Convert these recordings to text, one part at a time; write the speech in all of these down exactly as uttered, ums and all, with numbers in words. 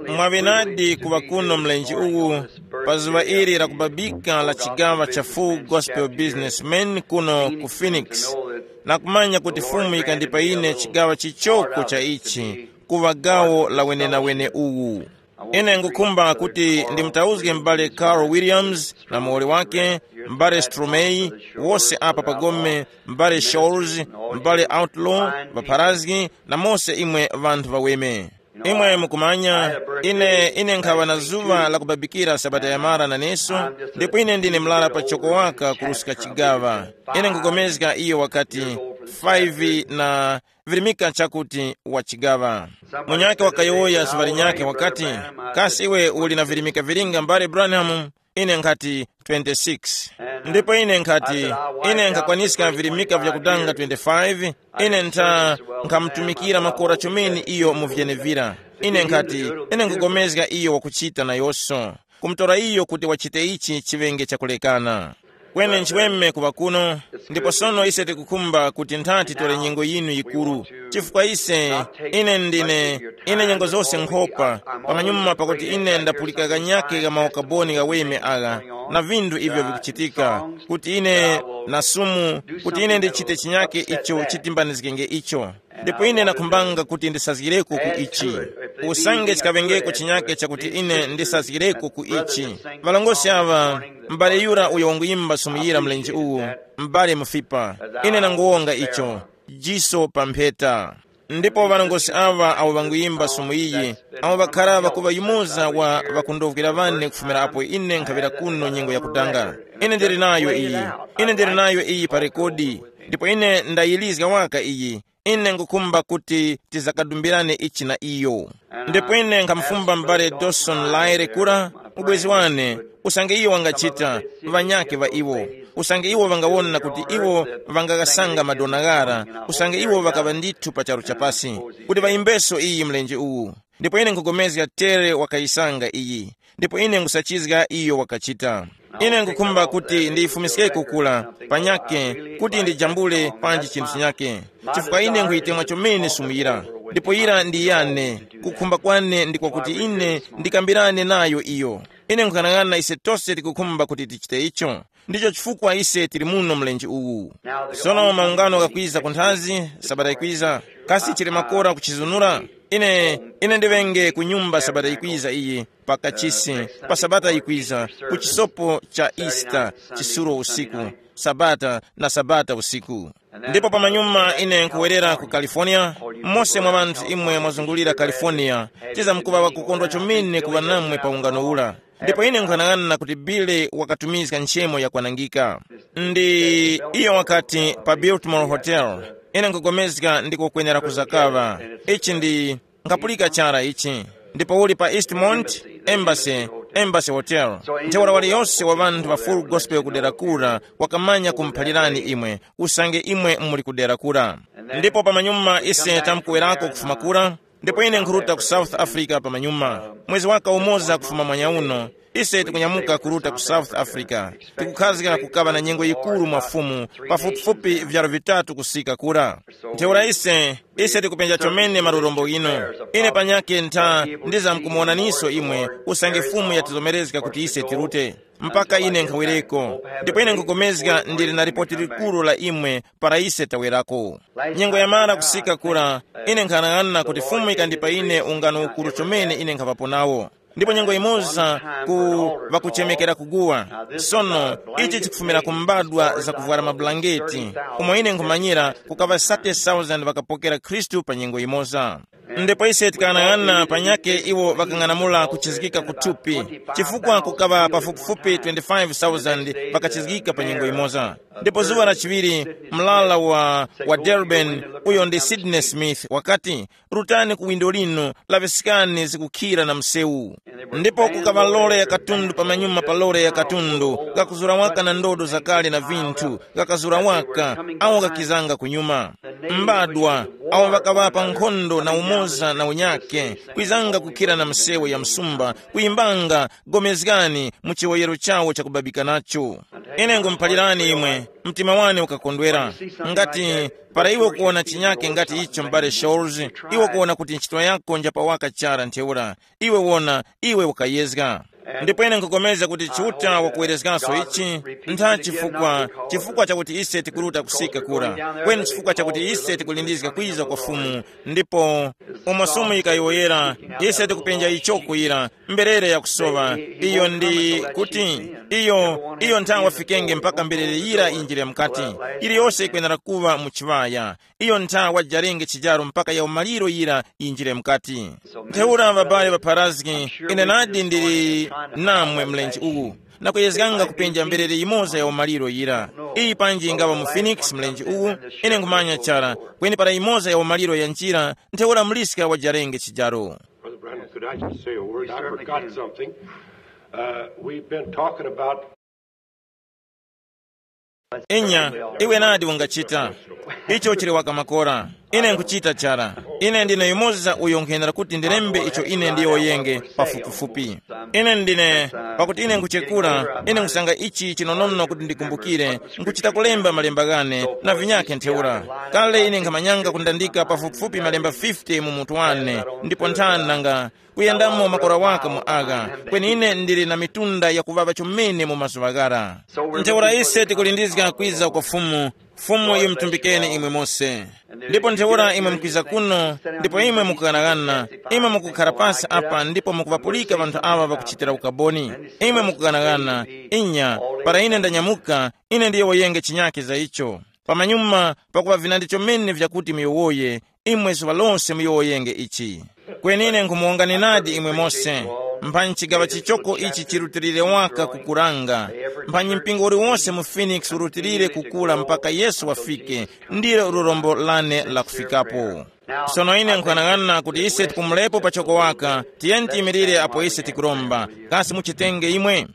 Mwaŵenadi kuŵa kuno mlenje uwu pa zuŵa ili la kubabika la chigaŵa cha Full Gospel Businessman kuno ku Phoenix, na kumanya kuti Fumu yikandipa ine chigaŵa chichoko cha ichi kuŵa gawo la wenenawene uwu. Ine ngukhumba kuti ndimutauzge m'bale Carl Williams na muwoli wake, m'bale Stromey, wose apa pagome, m'bale Shores, m'bale Outlaw, ŵapharazgi, na mose imwe ŵanthu ŵaweme. Imwe mukumanya, ine ine nkhaŵa na zuŵa la kubabikira sabata yamara naneso, ndipo ine ndine mlara pachoko waka kuruska chigaŵa. Ine nkupulikana iyo wakati, five na virimika chakuti wa chigaŵa. Munyakhe wakayowoya zuŵa linyakhe wakati, kasi iwe uli na virimika vilinga mbale Branham? Ine nkhati, twenty-six. Ndipo ine nkhati, ine nkhakwaniska virimika vyakutanga twenty-five. Ine ntha nkhamutumikira makora chomene iyo mu vyenevira. Ine nkhati, ine nkugomezga iyo wakuchita nayonso, kumutora iyo kuti wachite ichi chiŵenge chakulekana. Kweni nchiweme kuŵa kuno, ndipo sono ise tikukhumba kuti ntha titore nyengo yinu yikuru, chifukwa ise, ine ndine, ine nyengo zose nkhopa, pamanyuma pakuti ine ndapulika kanyake ka maukaboni ghaweme agha, na vinthu ivyo vikuchitika, kuti ine na sumu, kuti ine ndichite chinyake icho chitimbanizgenge icho. Ndipo ine nakhumbanga kuti ndisazgireko ku ichi, usange chikaŵengeko chinyake chakuti ine ndisazgireko ku ichi. Ŵalongosi aŵa, m'bale yura uyo wanguyimba sumu yira mlenje uwu, m'bale mufipa, ine nanguwonga icho, jiso pa mpheta. Ndipo ŵalongosi aŵa awo ŵanguyimba sumu iyi, awo ŵakhara ŵakuŵa yumoza wa ŵakundovwera ŵane kufumira apo ine nkhaŵira kuno nyengo yakutanga. Ine ndili nayo iyi, ine ndili nayo iyi pa rekodi, ndipo ine ndayilizga waka iyi. Ine ngukhumba kuti tizakadumbirane ichi na iyo. Ndipo ine nkhamufumba m'bale Dawson Lyre kura, ubwezi wane, usange iyo wangachita, ŵanyakhe ŵa iwo, usange iwo ŵangawona kuti iwo ŵangaghasanga madona ghara, usange iwo ŵakaŵa ndithu pa charu chapasi, kuti ŵayimbeso iyi mlenje uwu. Ndipo ine nkhugomezga tere wakayisanga iyi, ndipo ine nkhusachizga iyo wakachita. Ine nkhukhumba kuti ndiyifumiskeko kula panyakhe, kuti ndijambule panji chinthu chinyakhe, chifukwa ine nkhuyitemwa chomene sumu yira, ndipo yira ndi yane. Kukhumba kwane ndi kwakuti ine ndikambirane nayo iyo. Ine nkhanang'ana ise tose tikukhumba kuti tichite icho. Ndicho chifukwa ise tili muno mlenje uwu. Sono maungano ghakwiza kunthazi, sabata yikwiza, kasi chili makora kuchizunura? Ine, ine ndiŵenge ku nyumba sabata yikwiza iyi, pa kachisi, pa sabata yikwiza, ku chisopo cha Easter, chisulo usiku, sabata na sabata usiku. Ndipo pamanyuma ine nkuwerera ku California. Mose mwa ŵanthu imwe mwazungulira California, tizamkuŵa ŵakukondwa chomene kuŵa namwe pa ungano ura. Ndipo ine nkhanang'ana kuti Billy wakatumizga nchemo yakwanangika. Ndi iyo wakati pa Biltmore Hotel, ine nkugomezga ndiko kwenera kuzakaŵa. Ichi ndi, nkhapulika chara ichi. Ndipo uli pa Eastmont, Embassy, Embassy Hotel. Ntheura waliyose wa ŵanthu ŵa Full Gospel kudera kura wakamanya kumuphalirani imwe, usange imwe muli kudera kura. Ndipo pamanyuma ise tamkuwerako kufuma kura, ndipo ine nkhuruta ku South Africa pamanyuma. Mwezi waka umoza kufuma mwanya uno, ise tikunyamuka kuruta ku South Africa. Tikukhazga kukaŵa na nyengo yikuru mwa Fumu, pafupifupi vyaro vitatu kusika kura. Ntheura ise, ise tikupenja chomene malurombo ghino. Ine panyakhe ntha ndizamkumuwonaniso imwe, usange Fumu yatizomerezga kuti ise tirute. Mpaka ine nkhawereko. Ndipo ine nkugomezga ndili na lipoti likuru la imwe para ise tawerako. Nyengo yamara kusika kura, ine nkhanang'ana kuti Fumu ikandipa ine ungano ukuru chomene ine nkhaŵapo nawo. Ndipo nyengo imoza ku ŵakuchemekera kuguwa. Sono, ichi chikufumira ku mbadwa zakuvwara mabulangeti, umo ine nkhumanyira kukaŵa sate thousand ŵakapokera Khristu pa nyengo imoza. Ndipo ise tikanang'ana panyakhe iwo ŵakang'anamula kuchizgika kuthupi, chifukwa kukaŵa pafupifupi twenty-five thousand ŵakachizgika pa nyengo imoza. Ndipo zuŵa la chiŵiri, mlala wa, wa Durban, uyo ndi Sydney Smith, wakati, rutani ku windo linu, laŵiskani zikukhira na msewu. Ndipo kukaŵa lore ya katundu pamanyuma pa lore ya katundu, kakuzura waka na ndodo zakale na vinthu, kakazura waka, awo kakizanga kunyuma. Mbadwa, awo ŵakaŵa pa nkhondo na umoza na unyakhe, kwizanga kukhira na msewu ya msumba, kuyimbanga, gomezgani mu chiwoyero chawo chakubabika nacho. Ine ngumuphalirani imwe, Mtima wane ukakondwera. Ngati para iwe ukuwona chinyake ngati icho, m'bale Shores, iwe ukuwona kuti ntchito yako njapawaka chara ntheura. Iwe wona, iwe ukayezga. Ndipo ine nkhukomeza kuti Chiuta wakuwerezgaso ichi, ntha chifukwa, chifukwa chakuti ise tikuruta kusika kura, kweni chifukwa chakuti ise tikulindizga kwiza kwa Fumu. Ndipo umo somo yikayowoyera, ise tikupenja icho kuyira, mberere yakusowa. Iyo ndi kuti, iyo iyo nthawi wafikenge mpaka mberere yira yinjire mukati. Yiliyose yikwenera kuŵa mu chiŵaya. Iyo nthawi wajarenge chijaro mpaka ya umaliro yira yinjire mukati. Ntheura ŵabale ŵapharazgi, ine nadi ndili namwe mlenje uwu, nakuyezganga kupenja mberere yimoza ya umaliro yira. Iyi panji ingaŵa mu Phoenix mlenje uwu, ine nkhumanya chara, kweni para yimoza ya umaliro yanjira, ntheura muliska wajarenge chijaro. Brother Branham, could I just say a word? I forgot something. Uh, we've been talking about Inya, iwe nadi ungachita. Icho chili wakamakora. Ine nkuchita chara. Ine ndine yumoza uyo nkhenera kuti ndilembe icho ine ndiyowoyenge pafupifupi. Ine ndine, pakuti ine nkuchekura, ine nkusanga ichi chinonono kuti ndikumbukire, nkuchita kulemba malemba ghane na vinyakhe ntheura. Kale ine nkhamanyanga kundandika pafupifupi malemba fifty mu mutu wane, ndipo nthani nanga kuyendamo makora waka mu agha, kweni ine ndili na mitunda yakuŵaŵa chomene mu mazuŵa ghara. Ntheura ise tikulindizga kwiza kwa Fumu. Fumu yimtumbikeni imwe mose. Ndipo ntheura imwe mukwiza kuno, ndipo imwe mukughanaghana, imwe mukukhara pasi apa ndipo mukuŵapulika ŵanthu aŵa ŵakuchitira ukaboni. Imwe mukughanaghana, inya, para ine ndanyamuka, ine ndiyowoyenge chinyake za icho. Pamanyuma pakuŵa vinandi chomene vyakuti muyowoye, imwe zuŵa lose muyowoyenge ichi. Kweni ine nkhumuwongani nadi imwe mose, mphanyi chigaŵa chichoko ichi chirutilire waka kukuranga, mphanyi mpingo uliwonse mu Phoenix urutilire kukura mpaka Yesu wafike, ndilo lurombo lane la kufikapo. Sono ine nkhwanang'ana kuti ise tipumulepo pachoko waka, tiyeni tiyimirire apo ise tikuromba. Kasi muchitenge imwe?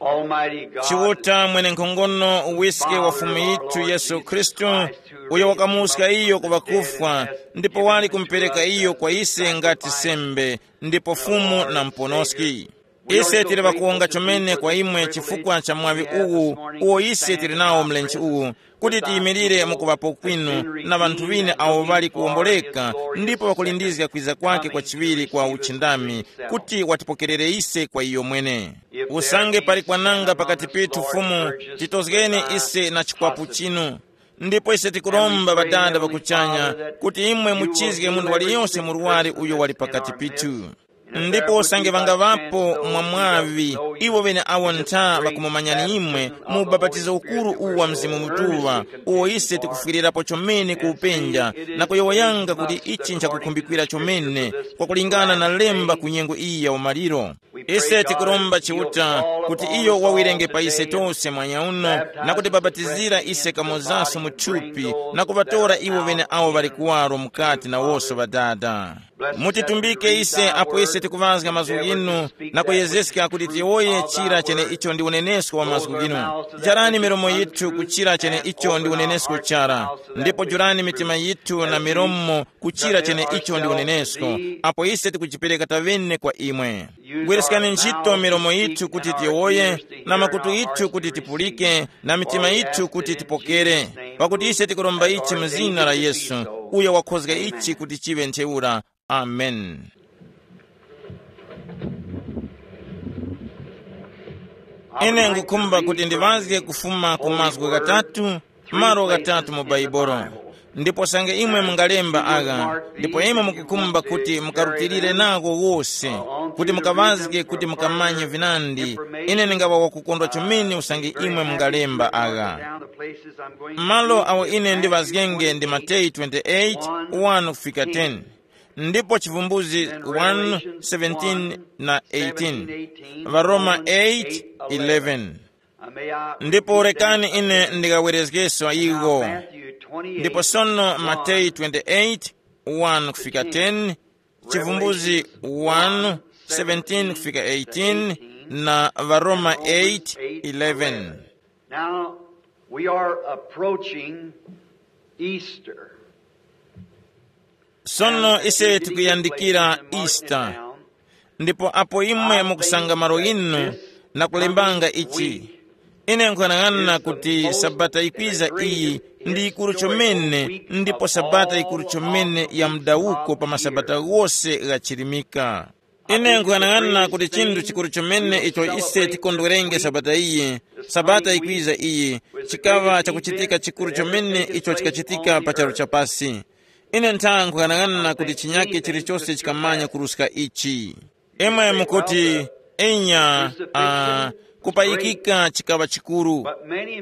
Almighty God, Chiuta mwenenkhongono, uwiske wa Fumu yithu Yesu Khristu, uyo wakamuwuska iyo ku ŵakufwa, ndipo wali kumupereka iyo kwa ise ngati sembe, ndipo Fumu na Muponoski. Ise tili ŵakuwonga chomene kwa imwe chifukwa cha mwaŵi uwu uwo ise tili nawo mlenje uwu, kuti tiyimirire mukuŵapo kwinu na ŵanthu ŵine awo ŵali kuwomboleka ndipo ŵakulindizga kwiza kwake kwa chiŵiri kwa uchindami, kuti watipokerere ise kwa iyo mwene. Usange pali kwananga pakati pethu Fumu, titozgeni ise na chikwapu chinu. Ndipo ise tikuromba Ŵadada ŵa kuchanya, kuti imwe muchizge munthu waliyonse murwari uyo wali pakati pithu. Ndipo usange ŵangaŵapo mwa mwaŵi iwo ŵene awo ntha ŵakumumanyani imwe mu ubapatizo ukuru uwu wa Mzimu Mutuŵa, uwo ise tikufwirirapo chomene ku upenja, na kuyowoyanga kuti ichi nchakukhumbikira chomene, kwakulingana na lemba ku nyengo iyi ya umaliro. Ise tikuromba Chiuta kuti iyo wawirenge pa ise tose mwanya uno, na kutibapatizira ise kamozaso mu thupi, na kuŵatora iwo ŵene awo ŵali kuwaro mukati na wose Ŵadada. Mutitumbike ise apo ise tikuŵazga mazgu ghinu, na kuyezeska kuti tiyowoye chira chene icho ndi unenesko wa mazgu ghinu. Jarani milomo yithu kuchira chene icho ndi unenesko chara, ndipo jurani mitima yithu na milomo kuchira chene icho ndi unenesko, apo ise tikujipereka taŵene kwa imwe. Gwiriskani ntchito milomo yithu kuti tiyowoye, na makutu yithu kuti tipulike, na mitima yithu kuti tipokere. Pakuti ise tikuromba ichi mu zina la Yesu, uyo wakhozga ichi kuti chiŵe ntheura. Amen. Ine ngukhumba kuti ndiŵazge kufuma ku mazgu ghatatu, malo ghatatu mu Baibolo. Ndipo sange imwe mungalemba agha, ndipo imwe mukukhumba kuti mukarutilire nagho wose, kuti mukaŵazge kuti mukamanye vinandi, ine ndingaŵa wakukondwa chomene usange imwe mungalemba agha. Malo awo ine ndiŵazgenge ndi Mateyu twenty-eight, one kufika ten, ndipo Chivumbuzi one, seventeen na eighteen, Varoma eight, eleven. Ndipo rekani ine ndikawerezgeso iwo. Ndipo sono Mateyu twenty-eight, one kufika ten, Chivumbuzi one, seventeen kufika eighteen, na Varoma eight, eleven. Now, we are approaching Easter. Sono ise tikuyandikira Easter, ndipo apo imwe mukusanga malo inu na kulembanga ichi, ine nkuyang'ana kuti sabata ikwiza iyi ndi yikuru chomene, ndipo sabata yikuru chomene ya mdawuko pa masabata ghose ghachirimika. Ine nkuyang'ana kuti chinthu chikuru chomene icho ise tikondwerenge sabata iyi, sabata ikwiza iyi, chikaŵa chakuchitika chikuru chomene icho chikachitika pa charu chapasi. Ine ntha nkuyang'ana kuti chinyake chilichose chikamanya kuruska ichi. Imwe mukuti, inya, uh, kupayikika chikaŵa chikuru.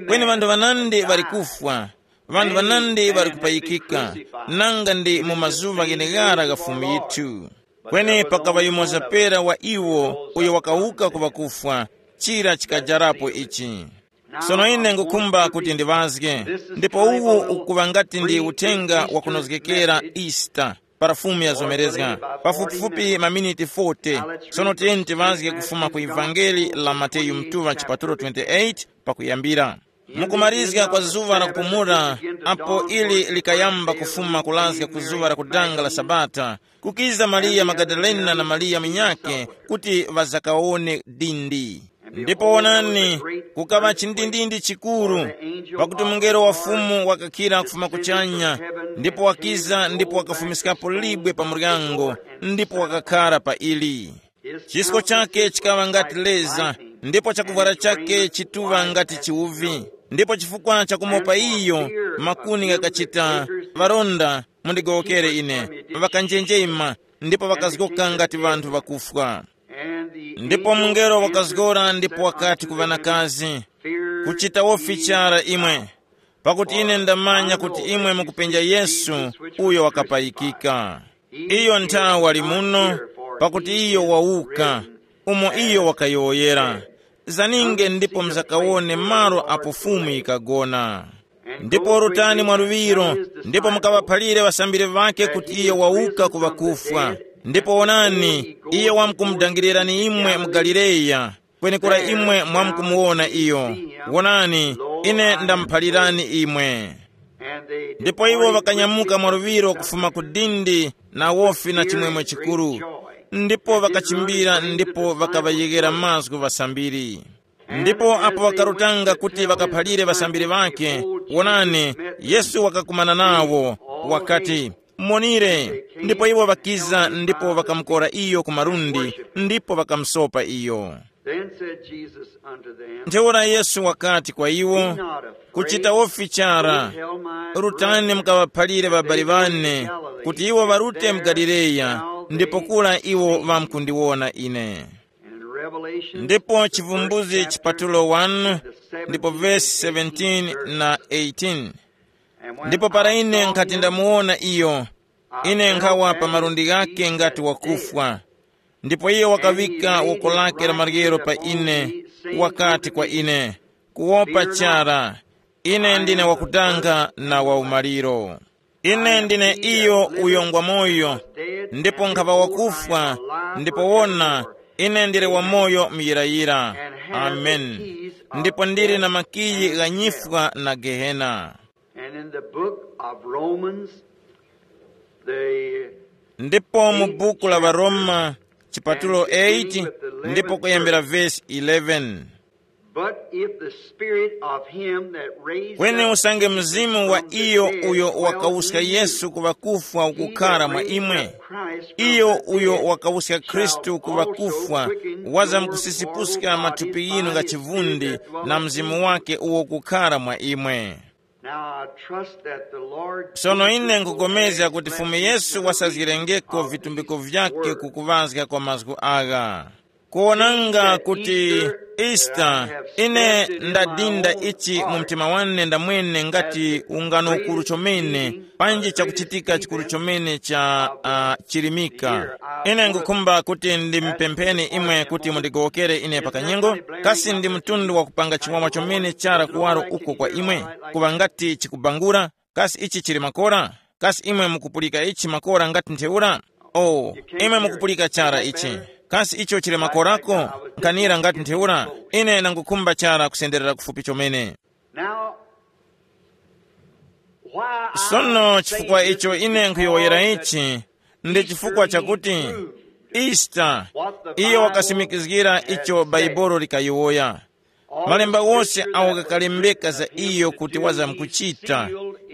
Kweni ŵanthu ŵanandi ŵali kufwa, ŵanthu ŵanandi ŵali kupayikika, nanga ndi mu mazuŵa gheneghara gha Fumu yithu. Kweni pakaŵa yumoza pera wa iwo uyo wakawuka ku ŵakufwa, chira chikajarapo ichi. Sono ine ngukhumba kuti ndiŵazge, ndipo uwu ukuŵa ngati ndi uthenga wakunozgekera Easter para Fumu yazomerezga, pafupifupi maminiti forty. Sono tiyeni tiŵazge kufuma ku Evangeli la Mateyu mtuŵa chipatulo twenty-eight pakuyambira. Mukumarizga kwa zuŵa la kupumula, apo ili likayamba kufuma kulazga ku zuŵa la kudanga la Sabata, kukiza Mariya Magadalena na Mariya munyakhe kuti ŵazakawone dindi. Ndipo wonani, kukaŵa chindindindi chikuru, pakuti mungelo wa Fumu wakakhira kufuma kuchanya, ndipo wakiza ndipo wakafumiskapo libwe pa muryango, ndipo wakakhara pa ili. Chisko chakhe chikaŵa ngati leza, ndipo chakuvwara chakhe chituŵa ngati chiuvi. Ndipo chifukwa cha kumopa iyo, makuni ghakachita, ŵaronda, mundigowokere ine, ŵakanjenjema, ndipo ŵakazgoka ngati ŵanthu ŵakufwa. Ndipo mungelo wakazgora ndipo wakati ku ŵanakazi, kuchita wofi chara imwe, pakuti ine ndamanya kuti imwe mukupenja Yesu, uyo wakapayikika. Iyo nthawe wali muno, pakuti iyo wawuka, umo iyo wakayowoyera. Zaninge ndipo muzakawone malo apo Fumu yikagona. Ndipo rutani mwaluŵiro, ndipo mukaŵaphalire ŵasambiri ŵakhe kuti iyo wawuka ku ŵakufwa. Ndipo wonani, iyo wamkumudangilirani imwe mu Galileya, kwenekura imwe mwamkumuwona iyo. Wonani, ine ndamuphalirani imwe. Ndipo iwo ŵakanyamuka mwaluŵiro kufuma ku dindi na wofi na chimwemwe chikuru, ndipo ŵakachimbira ndipo ŵakaŵayeghera mazgu ŵasambiri. Ndipo apo ŵakarutanga kuti ŵakaphalire ŵasambiri ŵakhe, wonani, Yesu wakakumana nawo, wakati, "Monire." Ndipo iwo ŵakiza ndipo ŵakamukora iyo ku malundi, ndipo ŵakamusopa iyo. Then said Jesus unto them, ntheura Yesu wakati kwa iwo, "Kuchita wofi chara, rutani mukaŵaphalire ŵabali ŵane kuti iwo ŵarute mu Galileya, ndipo kura iwo ŵamkundiwona ine." And in Revelation, ndipo the Chivumbuzi first chapter, chipatulo one, the ndipo seventeen vesi seventeen na eighteen. And when ndipo para I ine saw nkhati him, ndamuwona iyo, I ine fell nkhawa at pa his malundi feet ghake as ngati dead. Wakufwa. Ndipo iye wakawika woko lake la maryero pa ine, wakati kwa ine, "Kuwopa chara, ine ndine wakudanga na waumaliro. Ine ndine iyo uyo ngwa moyo, ndipo nkhaŵa wakufwa, ndipo wona, ine ndili wamoyo muyirayira. Amen. Ndipo ndili na makiyi gha nyifwa na Gehena." And in the book of Romans, the ndipo mu buku la Varoma chipatulo eight, ndipo kuyambira vesi eleven. But if the spirit of him that raised kweni up usange Jesus mzimu wa from the iyo dead uyo dwell wakawuska in you, Yesu ku ŵakufwa ukukhara mwa imwe, iyo uyo wakawuska Khristu ku ŵakufwa wazamkusipuska mathupi yinu nga chivundi na mzimu wake uwo kukhara mwa imwe. Now I trust that the Lord sono ine nkupulikana kuti Fumu Yesu wasazgirengeko vitumbiko vyakhe ku kuŵazga kwa mazgu agha. Kuwonanga kuti Easter, ine ndadinda ichi mu mtima wane ndamwene ngati ungano ukuru chomene, panji chakuchitika chikuru chomene cha uh, chilimika. Ine ngukhumba kuti ndimupempheni imwe kuti mundigowokere ine pakanyengo. Kasi ndi mtundu wa kupanga chiwawa chomene chara kuwaro uko kwa imwe, kuŵa ngati chikubangura? Kasi ichi chili makora? Kasi imwe mukupulika ichi makora ngati ntheura? Oh, imwe mukupulika chara ichi. Kasi icho chili makorako? Nkhanira ngati ntheura. Ine nangukhumba chara kusenderera kufupi chomene. Now, Sono chifukwa icho ine nkhuyowoyera ichi, ndi chifukwa chakuti Easter, iyo wakasimikizgira icho Bhaibuli likayowoya. Malemba wose awo ghakalembeka za iyo kuti wazamkuchita,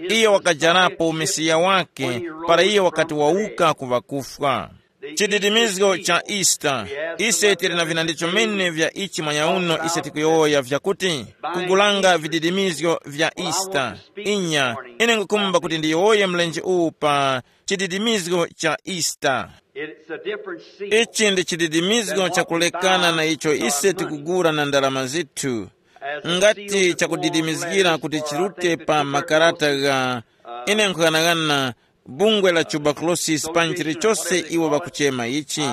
iyo wakajarapo Mesiya wake para iyo wakati wawuka ku ŵakufwa. Chididimizgo cha Easter, ise tili na vinandi chomene vya ichi mwanyauno ise tikuyowoya vyakuti, kugulanga vididimizgo vya Easter. Inya, ine ngukumba kuti ndiyowoye mlenje uwu pa chididimizgo cha Easter. It's a different seal. Ichi ndi chididimizgo chakulekana na icho ise tikugula na ndalama zithu, ngati chakudidimizgira kuti chirute pa makarata gha, ine nkhughanaghana, bungwe la tuberculosis pa nchilichose iwo ŵakuchema ichi.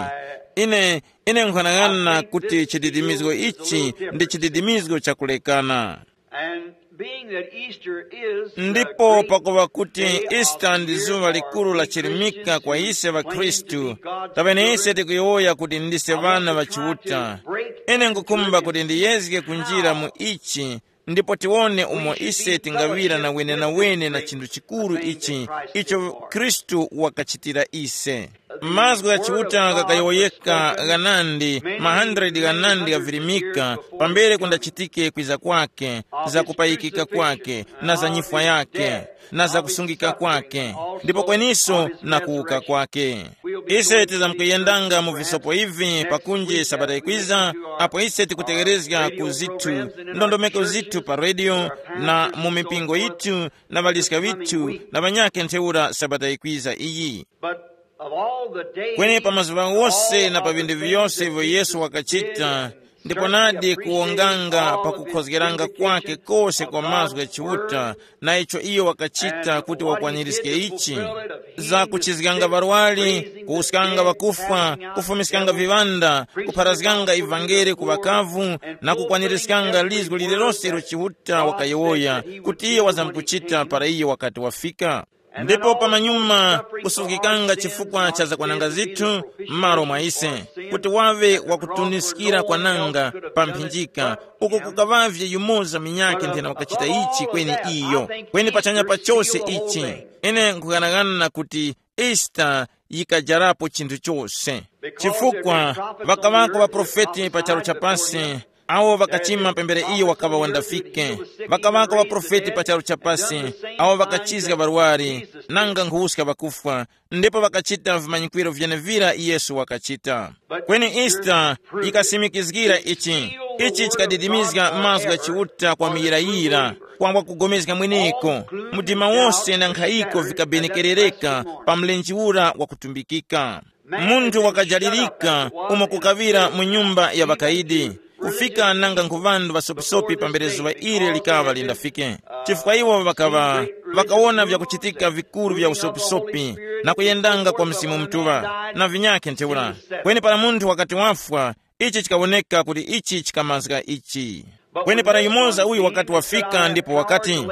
Ine ine nkhughanaghana kuti chididimizgo ichi ndi chididimizgo chakulekana. And being that Easter is the ndipo great pakuva kuti day of Easter the ndi year zuva for likulu la we chilimika Christians, kwa ise we claim to ŵakhristu, be God's kapene ise children, tikuyowoya kuti ndise ŵana ŵa Chiuta, ine ngukhumba kuti ndiyezge kunjira mu ichi, ndipo tiwone umo ise tingaŵira na wenenawene na chinthu chikuru ichi icho Khristu wakachitira ise. Mazgu gha Chiuta ghakayowoyeka ghanandi, ma hundred ghanandi ghavirimika, pambere kundachitike kwiza kwake, za kupayikika kwake, na za nyifwa yake, na za kusungika kwake, ndipo kweniso na kuwuka kwake. Ise tizamkuyendanga mu visopo ivi pakunji sabata ikwiza, apo ise tikutegherezga ku zithu, ndondomeko zithu pa redio, na mu mipingo yithu, na ŵaliska ŵithu, na ŵanyakhe ntheura sabata ikwiza iyi. But of all the days kweni pa mazuŵa ghose na pa vinthu vyose ivyo Yesu wakachita, ndipo nadi kuwonganga pakukhozgeranga kwake kose kwa mazgu gha Chiuta, na icho iyo wakachita kuti wakwanirizge ichi, za kuchizganga ŵarwari, kuwuskanga ŵakufwa, kufumiskanga viŵanda, kupharazganga ivangeli ku ŵakavu, na kukwanirizganga lizgu lililose ilo Chiuta wakayowoya kuti iyo wazamkuchita para iyo wakati wafika. Ndipo pamanyuma kusuzgikanga chifukwa cha zakwananga zithu m'malo mwa ise, kuti waŵe wakutuniskira kwananga pa mphinjika, uko kukaŵavye yumoza minyakhe nthena wakachita ichi kweni iyo, kweni pachanya pa chose ichi. Ine nkughanagana kuti Easter yikajarapo chinthu chose, chifukwa ŵakaŵako ŵaprofeti pa charu cha pasi, awo ŵakachima pambere iyo wakaŵa wandafike. Ŵakaŵako ŵaprofeti pa charu cha pasi, awo ŵakachizga ŵarwari, nanga nkhuwuska ŵakufwa, ndipo ŵakachita vimanyikwiro vyenevira Yesu wakachita. Kweni Easter yikasimikizgira ichi. Ichi chikadidimizga mazgu gha Chiuta kwa muyirayira, kwambwa kugomezga mweneko. Mdima wose na nkhayiko vikabenekerereka pa mlenje ura wakutumbikika. Munthu wakajalirika umo kukaŵira mu nyumba ya ŵakaidi, kufika nanga nkhuŵandu ŵasopisopi pambere zuŵa ili likaŵa lindafike. Chifukwa iwo ŵakaŵa ŵakawona vyakuchitika vikuru vya usopisopi, na kuyendanga kwa Mzimu Mutuŵa, na vinyakhe ntheura. Kweni para munthu wakati wafwa, ichi chikawoneka kuti ichi chikamazga ichi. Kweni para yumoza uyu wakati wafika ndipo wakati,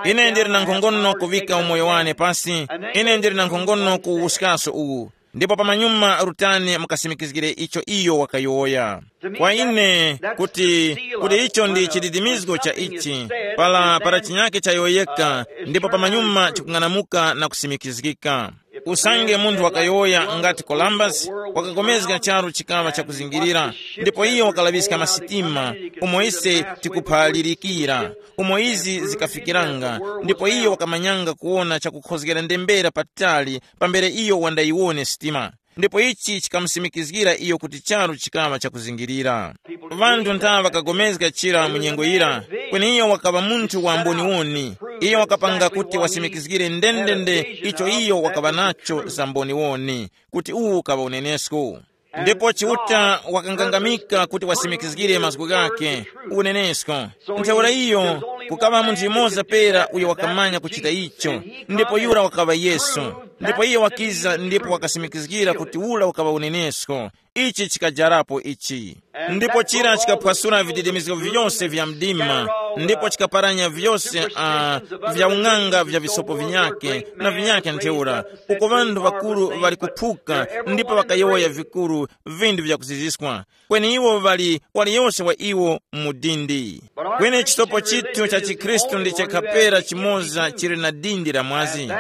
ine ndili na nkhongono kuŵika umoyo wane pasi, ine ndili na nkhongono kuwuskaso uwu, ndipo pamanyuma rutani mukasimikizgire icho iyo wakayowoya. Kwa ine, kuti kuti icho ndi chididimizgo cha ichi, pala para chinyake chayowoyeka, ndipo pamanyuma chikung'anamuka na kusimikizgika. Usange munthu wakayowoya ngati Columbus, wakakomezga charu chikaŵa chakuzingirira, ndipo iyo wakalaŵiska masitima, umo ise tikuphalirikira, umo izi zikafikiranga, ndipo iyo wakamanyanga kuwona chakukhozgera ndembera patali pambere iyo wandayiwone sitima. Ndipo ichi chikamusimikizgira iyo kuti charu chikaŵa chakuzingirira. Vanthu nthawa ŵakagomezga chira mu nyengo yira, kweni iyo wakaŵa munthu wa mboniwoni. Iyo wakapanga kuti wasimikizgire ndendende icho iyo wakaŵa nacho za mboniwoni, kuti uwu ukaŵa unenesko. Ndipo Chiuta wakangangamika kuti wasimikizgire mazgu ghakhe, unenesko. Ntheura iyo, kukaŵa munthu yumoza pera uyo wakamanya kuchita icho, ndipo yura wakaŵa Yesu. Ndipo iye wakiza ndipo wakasimikizgira kuti ula ukaŵa unenesko. Ichi chikajarapo ichi. Ndipo chira chikaphwasula vididimizgo vyose vya mdima, ndipo chikaparanya vyose uh, vya ung'anga vya visopo vinyake na vinyake ntheura, uko ŵanthu ŵakuru ŵali kuphuka ndipo ŵakayowoya vikuru vindu vyakuziziswa. Kweni iwo ŵali waliyose wa iwo mu dindi. Kweni chisopo chithu cha chikhristu ndi chekhapera chimoza chili na dindi la mwazi.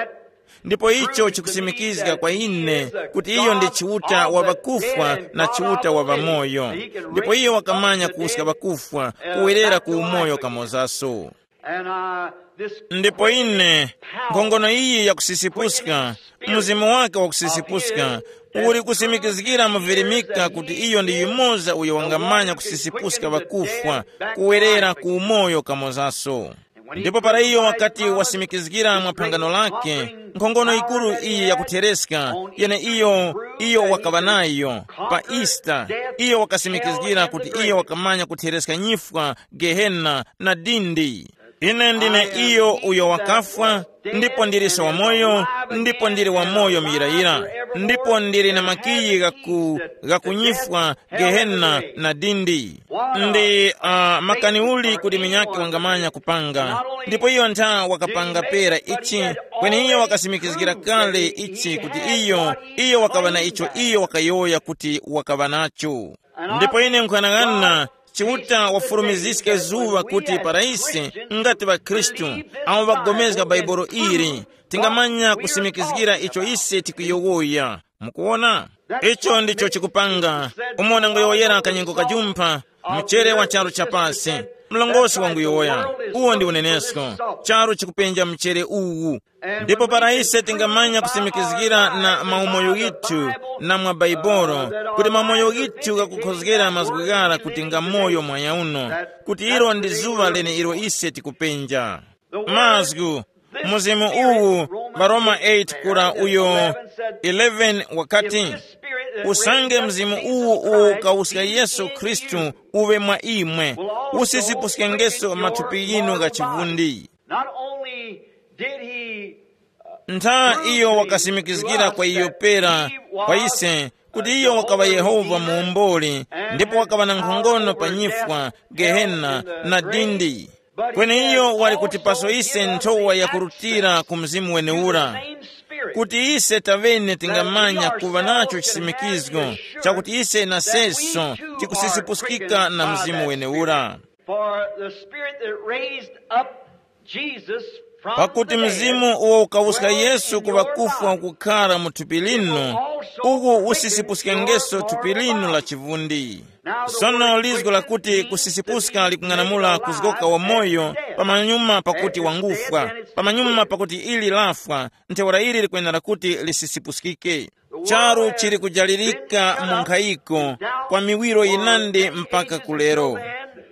Ndipo icho chikusimikizga kwa ine kuti iyo ndi Chiuta wa ŵakufwa na Chiuta wa ŵamoyo. Ndipo iyo wakamanya kuwuska ŵakufwa kuwerera ku umoyo kamozaso. And uh, this ndipo ine, nkhongono iyi yakusisipuska, mzimu wake wakusisipuska uli kusimikizgira muvirimika kuti iyo ndi yumoza uyo wangamanya kusisipuska ŵakufwa kuwerera ku umoyo kamozaso. Ndipo para iyo wakati wasimikizgira mwa phangano lake, nkhongono yikuru iyi yakuthereska, yene iyo iyo wakaŵa nayo pa Easter, iyo wakasimikizgira kuti iyo wakamanya kuthereska nyifwa, gehena na dindi. Ine ndine iyo uyo wakafwa, ndipo ndiliso wamoyo, ndipo ndili wamoyo muyirayira, ndipo ndili na makiyi ghaku ghakunyifwa, gehena na dindi. Ndi uh, makani uli kuti minyake wangamanya kupanga? Ndipo iyo ntha wakapanga pera ichi, kweni iyo wakasimikizgira kale ichi kuti iyo iyo wakaŵa na icho iyo wakayowoya kuti wakaŵa nacho. Ndipo ine nkhanang'ana, Chiuta wafurumiziske zuŵa kuti para ise, ngati ŵakhristu awo ŵagomezga Bhaibuli ili, tingamanya kusimikizgira icho ise tikuyowoya. Mukuwona? Icho ndicho chikupanga. Umo nangoyowoyera kanyengo kajumpha, mchere wa charu cha pasi. Mlongosi wanguyowoya, uwo ndi unenesko. Charu chikupenja mchere uwu. Ndipo para ise tingamanya kusimikizgira na maumoyo ghithu na mwa Baibolo, kuti maumoyo ghithu ghakukhozgera mazgu ghara kuti nga moyo mwanyauno, kuti ilo ndi zuŵa lene ilo ise tikupenja. Mazgu, mzimu uwu, Varoma eight kura uyo eleven wakati, usange mzimu uwu uwukawuska Yesu Khristu uwe mwa imwe, usisipuske ngeso mathupi yinu gha chivundi. Not only did he ntha iyo wakasimikizgira kwa iyo pera kwa ise kuti iyo wakaŵa Yehova muomboli, ndipo wakaŵa na nkhongono pa nyifwa, gehena na dindi. Kweni iyo wali kutipaso ise nthowa yakurutira ku mzimu wenewura, kuti ise tavene tingamanya kuŵa nacho chisimikizgo chakuti ise naseso tikusisipuskika na mzimu wenewura. For the spirit that raised up Jesus from pakuti the dead mzimu uwo ukawuska Yesu ku ŵakufwa kukhara mu thupi linu, uku usisipuske ngeso thupi linu la chivundi. Sono lizgo lakuti kusisipuska likung'anamula kuzgoka wamoyo pamanyuma pakuti wangufwa, pamanyuma pakuti ili lafwa, ntheura ili likwenera kuti lisisipuskike. Charu chili kujalirika mu nkhayiko kwa miwiro yinandi mpaka kulero.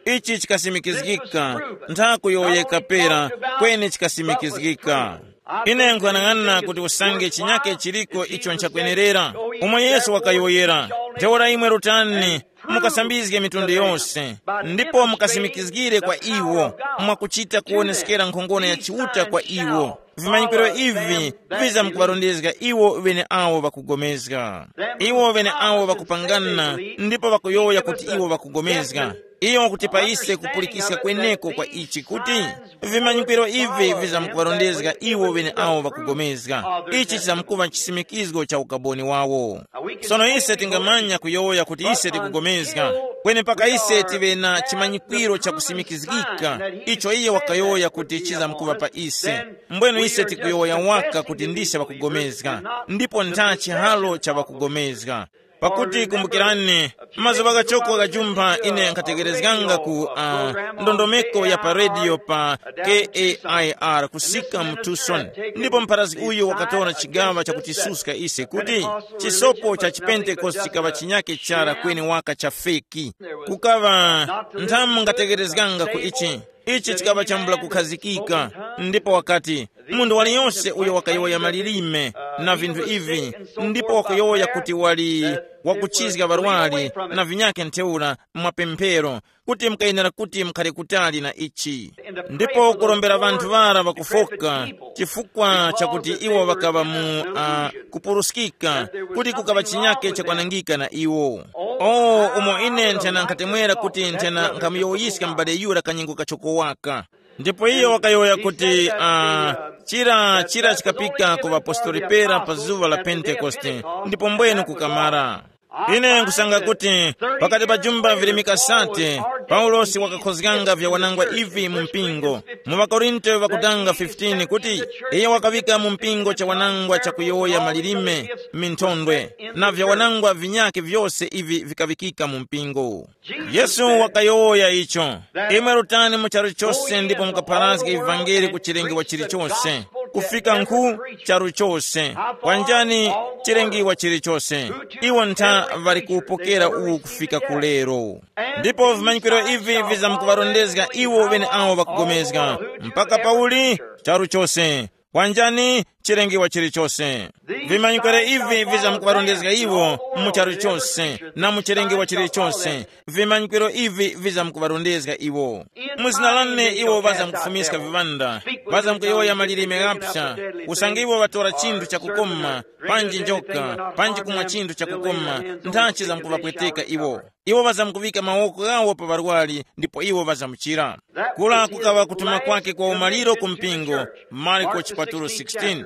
Ichi chikasimikizgika, ntha kuyowoyeka pera, kweni chikasimikizgika. Ine nkuyang'ana kuti usange chinyake chiliko icho nchakwenerera, umo Yesu wakayowoyera, ntheura imwe rutani, mukasambizge mitundu yose, ndipo mukasimikizgire kwa iwo mwakuchita kuwoneskera nkhongono ya Chiuta kwa iwo. Vimanyikiro ivi vizamkuŵarondezga iwo ŵeneawo ŵakugomezga. Iwo ŵeneawo ŵakupangana ndipo ŵakuyowoya kuti iwo ŵakugomezga. Iyo wakuti pa ise kupulikiska kweneko kwa ichi kuti vimanyikiro ivi vizamkuŵarondezga iwo ŵeneawo ŵakugomezga. Ichi chizamkuŵa chisimikizgo cha ukaboni wawo. Sono ise tingamanya kuyowoya kuti ise tikugomezga, kweni mpaka ise tive na chimanyikwiro chakusimikizgika icho iye wakayowoya kuti chizamkuŵa pa ise. Mbwenu ise tikuyowoya waka kuti ndise ŵakugomezga, ndipo ntha chihalo cha ŵakugomezga. Pakuti kumbukirani, mazuŵa ghachoko ghajumpha ine nkhategerezganga ku uh, ndondomeko ya pa rediyo pa kair kusika mu Tucson, ndipo mpharazgi uyu wakatora chigaŵa chakutisuska ise kuti chisopo cha chipentekoste chikaŵa chinyake chara kweni waka cha feki. Kukaŵa nthamu ngategerezganga ku ichi. Ichi chikaŵa chambula kukhazikika. Ndipo wakati, munthu waliyonse uyo wakayowoya malilime, na vinthu ivi, ndipo wakuyowoya kuti wali wakuchizga ŵarwari na vinyakhe ntheura mwa pemphero, kuti mukayenera kuti mukhale kutali na ichi. Ndipo kurombera ŵanthu ŵara ŵakufoka chifukwa chakuti iwo ŵakaŵa mu uh, kupuruskika, kuti kukaŵa chinyake chakwanangika na iwo. O umo ine nthena nkhatemwera kuti nthena nkhamuyowoyiska m'bale yura kanyengo kachoko waka. Ndipo iyo wakayowoya kuti uh, chira chira chikapika ku ŵapostoli pera pa zuŵa la Pentekoste, ndipo mbwenu kukamara. Ine nkusanga kuti pakati pa jumba virimika sate, Paulosi wakakhozganga vya wanangwa ivi mu mpingo. Mu ŵakorinto ŵakutanga fifteen kuti, iye wakaŵika mu mpingo cha wanangwa chakuyowoya malilime, minthondwe, na vya wanangwa vinyakhe vyose ivi vikaŵikika mu mpingo. Yesu wakayowoya icho, imwe rutani mu charu chose ndipo mukapharazge ivangeli ku chilengewa chilichose, kufika nkhu charu chose. Kwanjani chilengiwa chilichose, iwo ntha ŵali kuwupokera uwu kufika ku lero. Ndipo vimanyikiro ivi vizamkuŵarondezga iwo ŵeneawo ŵakugomezga, mpaka pauli charu chose. Kwanjani chilengewa chilichose. Vimanyikiro ivi vizamkuŵarondezga iwo mu charu chose na mu chilengewa chilichose. Vimanyikiro ivi vizamkuŵarondezga iwo. Mu zina lane iwo ŵazamkufumiska viŵanda, ŵazamkuyowoya malilime ghapsa, usange iwo ŵatora chinthu chakukoma, panji njoka, panji kumwa chinthu chakukoma, nthachi zamkuŵapweteka iwo. Iwo ŵazamkuŵika mawoko ghawo pa ŵarwari ndipo iwo ŵazamuchira. Kula kukaŵa kutuma kwake kwa umaliro ku mpingo. Marko chipatulo sixteen.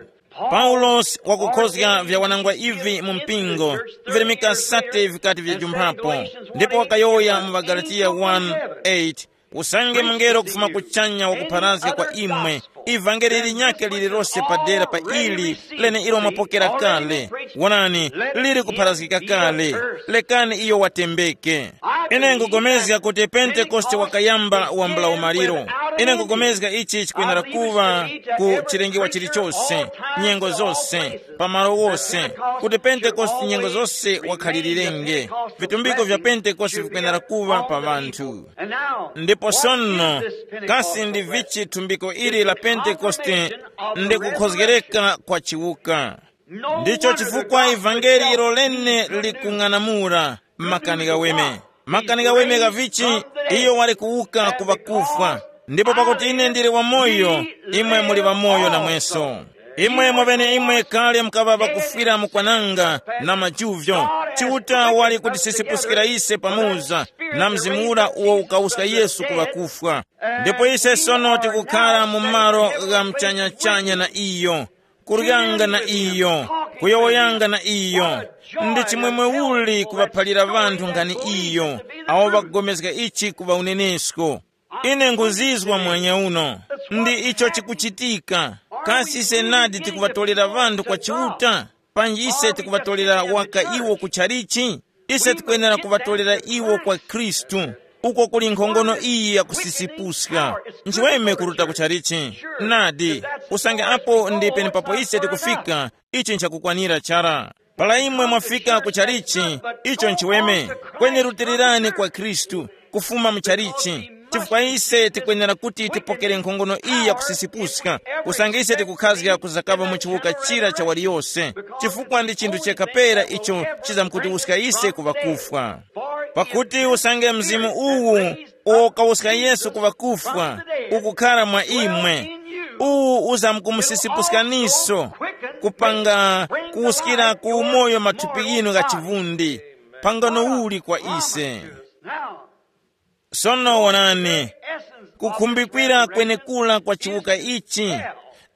Paulosi wakukhozga vya wanangwa ivi mu mpingo, virimika sate vikati vyajumphapo. Ndipo wakayowoya mu ŵaGalatiya one eight, usange mungelo kufuma kuchanya wakupharazga kwa imwe ivangeli linyakhe lililose padera pa ili lene ilo mwapokera kale, wonani, lili kupharazgika kale, lekani iyo watembeke. Ine nkugomezga kuti Pentekoste wakayamba wambula umaliro. Ine nkugomezga ichi chikwenera kuŵa ku chilengewa chilichose, nyengo zose, pamalo wose, kuti Pentekoste nyengo zose wakhalilirenge. Vitumbiko vya Pentekoste vikwenera kuŵa pa ŵanthu. Ndipo sono, kasi ndi vichi thumbiko ili la Pentekoste? Ndi kukhozgereka kwa chiwuka. Ndicho chifukwa ivangeli ilo lene likung'anamula makani ghaweme. Makani ghaweme gha vichi? Iyo wali kuwuka ku ŵakufwa. Ndipo pakuti ine ndili wamoyo, imwe muli ŵamoyo namweso. Imwe mwaŵeneimwe kale mukaŵa ŵakufwira mu kwananga na majuvyo. Chiuta wali kutisisipuskira ise pamoza na mzimu ura uwo ukawuska Yesu ku ŵakufwa. Ndipo ise sono tikukhara mu malo gha mchanyachanya na iyo, kuryanga na iyo, kuyowoyanga na iyo. Ndi chimwemwe uli kuŵaphalira ŵanthu nkhani iyo, awo ŵakugomezga ichi kuŵa unenesko. Ine nkuzizwa mwanya uno, ndi icho chikuchitika. Kasi ise nadi tikuŵatolera ŵanthu kwa Chiuta? Panji ise tikuŵatolera waka iwo ku chalichi? Ise tikwenera kuŵatolera iwo kwa Khristu, uko kuli nkhongono iyi yakusisipuska. Nchiweme kuruta ku chalichi. Nadi, usange apo ndi penepapo ise tikufika, ichi nchakukwanira chara. Para imwe mwafika ku chalichi, icho nchiweme. Kweni rutilirani kwa Khristu, kufuma mu chalichi, chifukwa ise tikwenera kuti tipokere nkhongono iyi yakusisipuska, usange ise tikukhazga kuzakaŵa mu chiwuka chira cha waliyose, chifukwa ndi chinthu chekha pera icho chizamkutiwuska ise ku ŵakufwa. Pakuti usange mzimu uwu uwo ukawuska Yesu ku ŵakufwa ukukhara mwa imwe, uwu uzamkumusisipuskaniso kupanga kuwuskira ku umoyo mathupi ghinu gha chivundi, pangano uli kwa ise. Sono wonani, kukhumbikira kwenekura kwa chiwuka ichi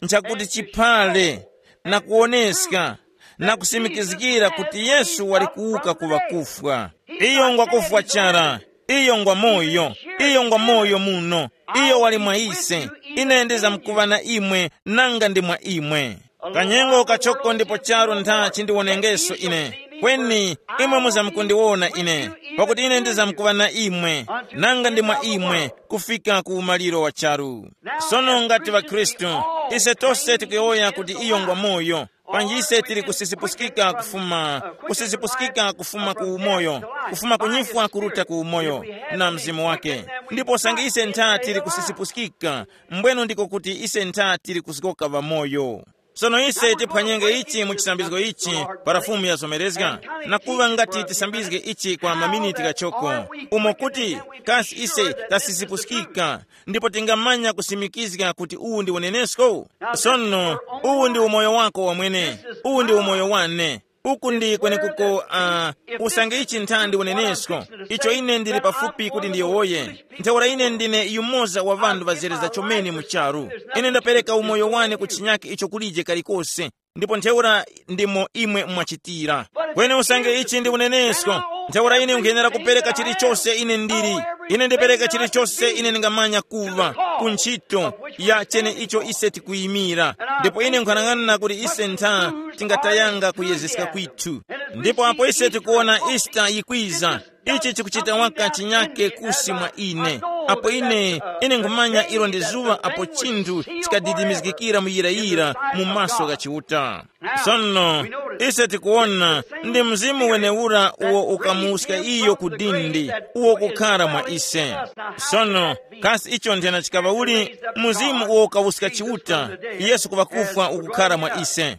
nchakuti chiphale na kuwoneska na kusimikizgira kuti Yesu wali kuwuka ku ŵakufwa. Iyo ngwakufwa chara, iyo ngwa moyo, iyo ngwa moyo muno, iyo wali mwa ise. Ine ndizamkuŵa na imwe nanga ndi mwa imwe. Kanyengo kachoko ndipo charu ntha chindiwonengeso ine, kweni imwe muzamkundiwona ine, pakuti ine ndizamkuŵa na imwe nanga ndi mwa imwe kufika ku umaliro wa charu. Sono ngati ŵakhristu, ise tose tikuyowoya kuti iyo ngwa moyo, panji ise tili kusisipuskika kufuma kusisipuskika kufuma ku umoyo, kufuma kunyifwa kuruta ku umoyo na mzimu wake. Ndipo sange ise ntha tili kusisipuskika, mbwenu ndiko kuti ise ntha tili kuzgoka ŵamoyo. Sono ise tiphwanyenge ichi mu chisambizgo ichi, para Fumu yazomerezga, na kuŵa ngati tisambizge ichi kwa maminiti ghachoko, umo kuti kasi ise tasisipuskika, ndipo tingamanya kusimikizga kuti uwu ndi unenesko? Sono, uwu ndi umoyo wako wamwene, uwu ndi umoyo wane. Uku ndi kwenekuko, uh, usange ichi nthandi unenesko, icho ine ndili pafupi kuti ndiyowoye. Ntheura ine ndine yumoza wa ŵanthu ŵazereza chomene mu charu. Ine ndapereka umoyo wane ku chinyake icho kulije kalikose, ndipo ntheura ndimo imwe mwachitira. Kweni usange ichi ndi unenesko, ntheura ine nkhenera kupereka chilichose ine ndili. Ine ndipereka chilichose ine ndingamanya kuva ku ntchito ya chene icho ise tikuyimira. Ndipo ine nkhanang'ana kuti ise ntha tingatayanga kuyezeska kwithu. Ndipo apo ise tikuwona Easter yikwiza, ichi chikuchita waka chinyake kusi mwa ine. Apo ine, ine nkhumanya ilo ndi zuŵa apo chinthu chikadidimizgikira muyirayira mu maso gha Chiuta. Sono, ise tikuwona ndi mzimu wenewura uwo ukamuwuska iyo ku dindi, uwo kukhara mwa ise. Sono, kasi icho nthena chikaŵa uli? Mzimu uwo ukawuska Chiuta, Yesu kuŵa kufwa ukukhara mwa ise.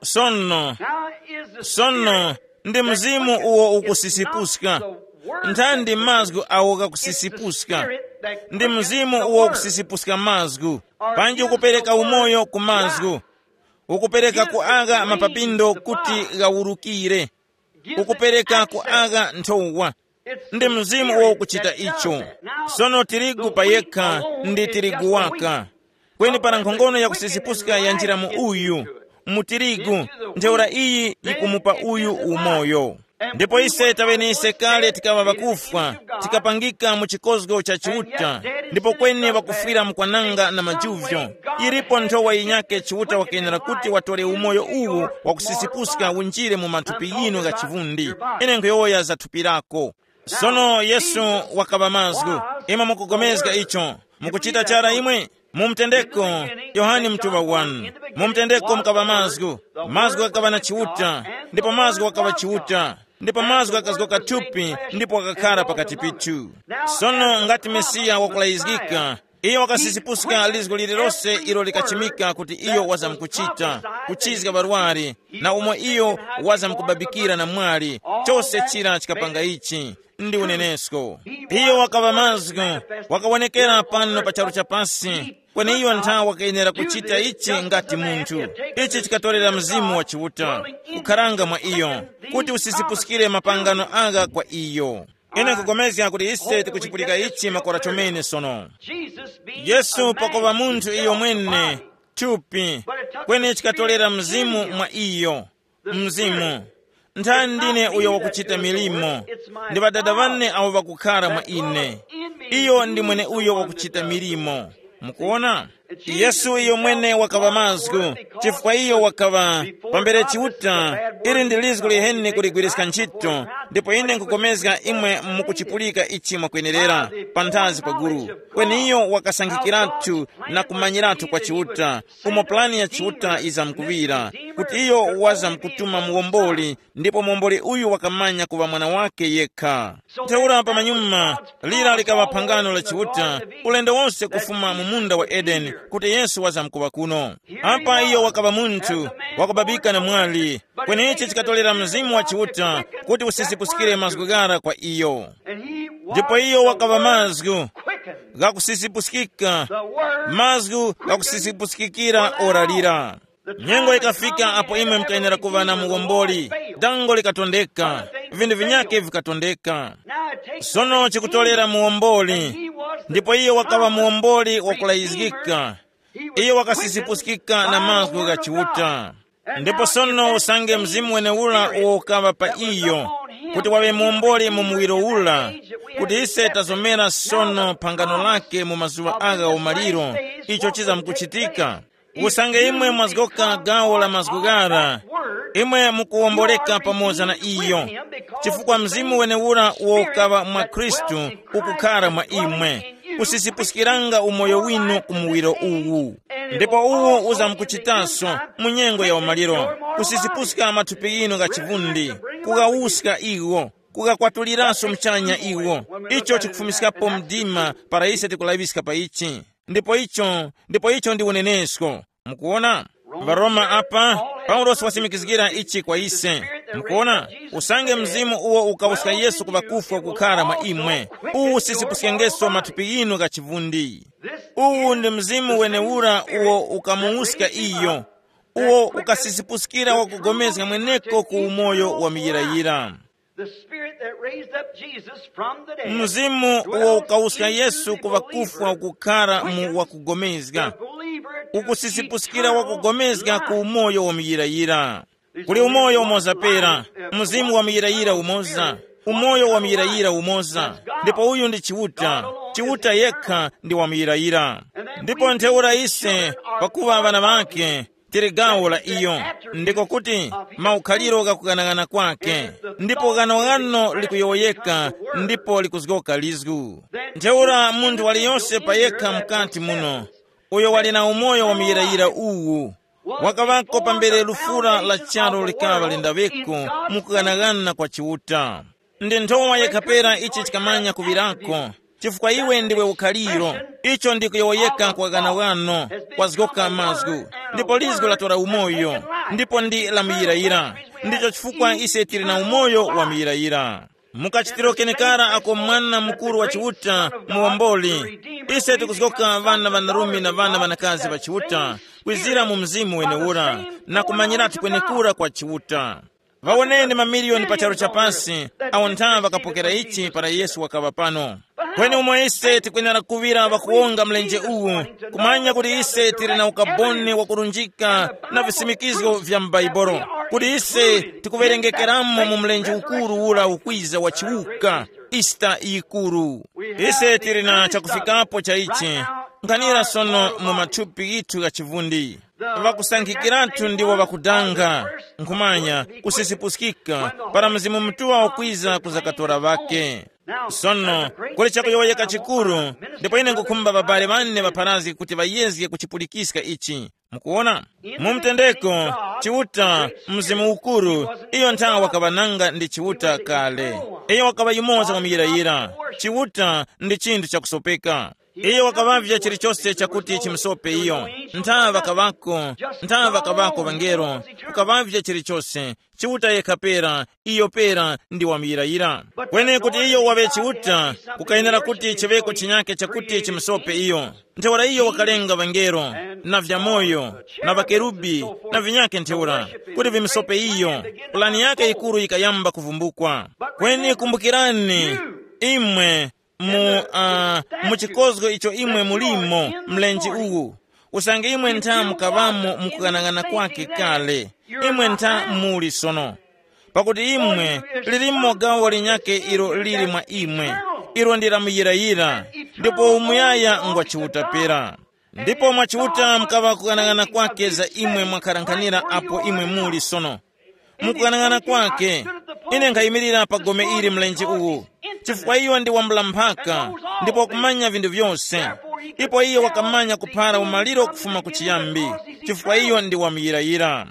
Sono, sono ndi mzimu uwo ukusisipuska. Nthandi mazgu awo ghakusisipuska. Ndi mzimu uwo ukusisipuska mazgu. Panji ukupereka umoyo ku mazgu. Ukupereka ku agha mapapindo kuti ghawurukire. Ukupereka ku agha nthowa. Ndi mzimu uwo ukuchita icho. Sono tirigu pa yekha ndi tirigu waka. Kweni para nkhongono yakusisipuska yanjira mu uyu, mu tirigu, ntheura iyi yikumupa uyu umoyo. Ndipo ise taŵenise kale tikaŵa ŵakufwa, tikapangika mu chikozgo cha Chiuta, ndipo kweni ŵakufwira mkwananga na majuvyo. Yilipo nthowa yinyake Chiuta wakenera kuti watore umoyo uwu wakusisipuska unjire mu mathupi yinu gha chivundi. Ine nkhuyowoya za thupi lako. Sono Yesu wakaŵa mazgu. Imwe mukupulikana icho? Mukuchita chara imwe? Mu mtendeko, Yohane mutuŵa wanu. Mu mtendeko mukaŵa mazgu. Mazgu ghakaŵa na Chiuta, ndipo mazgu ghakaŵa Chiuta, ndipo mazgu ghakazgoka thupi ndipo ghakakhara pakati pithu. Sono ngati Mesiya wakulayizgika, iyo wakasisipuska lizgu lililose ilo likachimika kuti iyo wazamkuchita, kuchizga ŵarwari, na umo iyo wazamkubabikira na mwali, chose chira chikapanga ichi. Ndi unenesko. Iyo wakaŵa mazgu, wakawonekera pano pa charu cha pasi, kweni iyo ntha wakayenera kuchita ichi ngati munthu. Ichi chikatorera Mzimu wa Chiuta kukharanga mwa iyo, kuti usisipuskire mapangano agha kwa iyo. Ine nkupulikana kuti ise tikuchipulika ichi makora chomene sono. Yesu pakuŵa munthu iyo mwene, thupi, kweni chikatorera Mzimu mwa iyo. Mzimu, nthani ndine uyo wakuchita milimo, ndi Ŵadada ŵane awo ŵakukhara mwa ine. Iyo ndi mwene uyo wakuchita milimo. Mukuona? Yesu iyo mwene wakaŵa mazgu, chifukwa iyo wakaŵa pambere Chiuta. Ili ndi lizgu liheni kuligwiriska ntchito, ndipo ine nkupulikana imwe mukuchipulika ichi mwakwenerera, panthazi pa gulu. Kweni iyo wakasankhikiratu na kumanyiratu kwa Chiuta, umo pulani ya Chiuta izamkuŵira, kuti iyo wazamkutuma muwomboli, ndipo muwomboli uyu wakamanya kuŵa mwana wake yekha. Ntheura pamanyuma, lira likaŵa phangano la Chiuta, ulendo wonse kufuma mu munda wa Edeni, kuti Yesu wazamkuŵa kuno. Apa iyo wakaŵa munthu, wakubabika na mwali, kweni ichi chikatolera Mzimu wa Chiuta kuti usisipuskire mazgu ghara kwa iyo. Ndipo iyo wakaŵa mazgu ghakusisipuskika, mazgu ghakusisipuskikira ora lira. Nyengo ikafika apo imwe mukayenera kuŵa na muwomboli. Dango likatondeka, vinthu vinyakhe vikatondeka. Sono chikutolera muwomboli, ndipo iyo wakaŵa muwomboli wakulayizgika. Iyo wakasisipuskika na mazgu gha Chiuta. Ndipo sono usange Mzimu wenewura uwo ukaŵa pa iyo, kuti waŵe muwomboli mu muwiro ura, kuti ise tazomera sono phangano lake mu mazuŵa agha umaliro, icho chizamkuchitika. Usange imwe mwazgoka gawo la mazgu ghara, imwe mukuwomboleka pamoza na iyo, chifukwa Mzimu wenewura uwo ukaŵa mwa Khristu ukukhara mwa imwe, kusisipuskiranga umoyo winu ku muwiro uwu. Ndipo uwu uzamkuchitaso mu nyengo ya umaliro, kusisipuska mathupi ghinu gha chivundi, kughawuska iwo, kughakwatuliranso muchanya iwo. Icho chikufumiskapo mdima para ise tikulaŵiska pa ichi. Ndipo icho, ndipo icho ndi unenesko. Mukuwona? Varoma apa, Paulosi wasimikizgira ichi kwa ise. Mukuona, usange mzimu uwo ukawuska Yesu ku ŵakufwa kukhara mwa imwe, uwu usisipuskengeso mathupi ghinu gha chivundi. Uwu ndi mzimu wenewura uwo ukamuwuska iyo, uwo ukasisipuskira wakugomezga mweneko ku umoyo wa muyirayira. The Spirit that raised up Jesus from the dead, mzimu uwo ukawuska Yesu ku ŵakufwa ukukhara mu wakugomezga, ukusisipuskira wakugomezga ku umoyo wa muyirayira. Kuli umoyo umoza pera, mzimu wa muyirayira umoza, umoyo wa muyirayira umoza. Ndipo uyu ndi Chiuta, Chiuta yekha ndi wa muyirayira. Ndipo ntheura ise, pakuva ŵana ŵake, tili gawo la iyo, ndiko kuti maukhaliro ghakughanaghana kwake, ndipo ghanoghano likuyowoyeka, ndipo likuzgoka lizgu. Ntheura munthu waliyonse payekha mukati muno, uyo wali na umoyo wa muyirayira uwu, wakaŵako pambere lufura la charu likaŵa lindaŵeko, mu kughanaghana kwa Chiuta. Ndi nthowa yekha pera ichi chikamanya kuŵirako, chifukwa iwe ndiwe ukhaliro. Icho ndi kuyowoyeka kwa ghanaghano, kwazgoka mazgu, ndipo lizgu latora umoyo, ndipo ndi lamuyirayira. Ndicho chifukwa ise tili na umoyo wa muyirayira. Mukachitiro kenekara ako mwana mukuru wa Chiuta, muwomboli, ise tikuzgoka ŵana ŵanarume na ŵana ŵanakazi ŵa Chiuta, kwizira mu mzimu wenewura, na kumanyiratu kwenekura kwa Chiuta. Ŵawoneni mamiliyoni pa charu cha pasi, awo nthawe ŵakapokera ichi para Yesu wakaŵa pano. Kweni umo ise tikwenera kuŵira ŵakuwonga mlenje uwu, kumanya kuti ise tili na ukaboni wakurunjika na visimikizgo vya m'Baibolo, kuti ise tikuwerengekeramo mu mlenje ukuru ura ukwiza wa chiwuka, Easter yikuru. Ise tili na chakufikapo cha ichi, nkhanira sono mu mathupi ghithu gha chivundi. Ŵakusankhikiratu ndiwo ŵakudanga, nkhumanya, kusisipuskika, para Mzimu Mutuŵa wakwiza kuzakatora ŵake. Sono, kuli chakuyowoyeka chikuru, ndipo ine nkhukhumba ŵabale ŵane ŵapharazge kuti ŵayezge kuchipulikiska ichi. Mukuwona? Mu mtendeko, Chiuta, Mzimu Ukuru, iyo nthawe wakaŵananga ndi Chiuta kale. Iyo wakaŵa yumoza wamuyirayira. Chiuta ndi chinthu chakusopeka. Iyo wakaŵavya chilichose chakuti chimusope iyo. Nthawe ŵakaŵako, nthawe ŵakaŵako ŵangelo, kukaŵavya chilichose. Chiuta yekha pera, iyo pera ndi wamuyirayira. Kweni kuti iyo waŵe Chiuta, kukayenera kuti chiŵeko chinyake chakuti chimusope iyo. Ntheura iyo wakalenga ŵangelo, na vyamoyo, na ŵakerubi, na vinyake ntheura, kuti vimusope iyo. Pulani yake yikuru yikayamba kuvumbukwa. Kweni kumbukirani, imwe, mu, uh, mu chikozgo icho imwe mulimo, mlenje uwu, usange imwe ntha mukaŵamo mukughanagana kwake kale, imwe ntha muli sono. Pakuti imwe, lilimo gawo linyake ilo lili mwa imwe, ilo ndi lamuyirayira, ndipo umuyaya ngwa Chiuta pera. Ndipo mwa Chiuta mukaŵa kughanagana kwake za imwe mwakharanganira apo imwe muli sono. Mukughanagana kwake, ine nkhayimirira pa gome ili mlenje uwu, chifukwa iyo ndi wambula mphaka, ndipo wakumanya vinthu vyose. Ipo iyo wakamanya kuphara umaliro kufuma ku chiyambi, chifukwa iyo ndi wamuyirayira.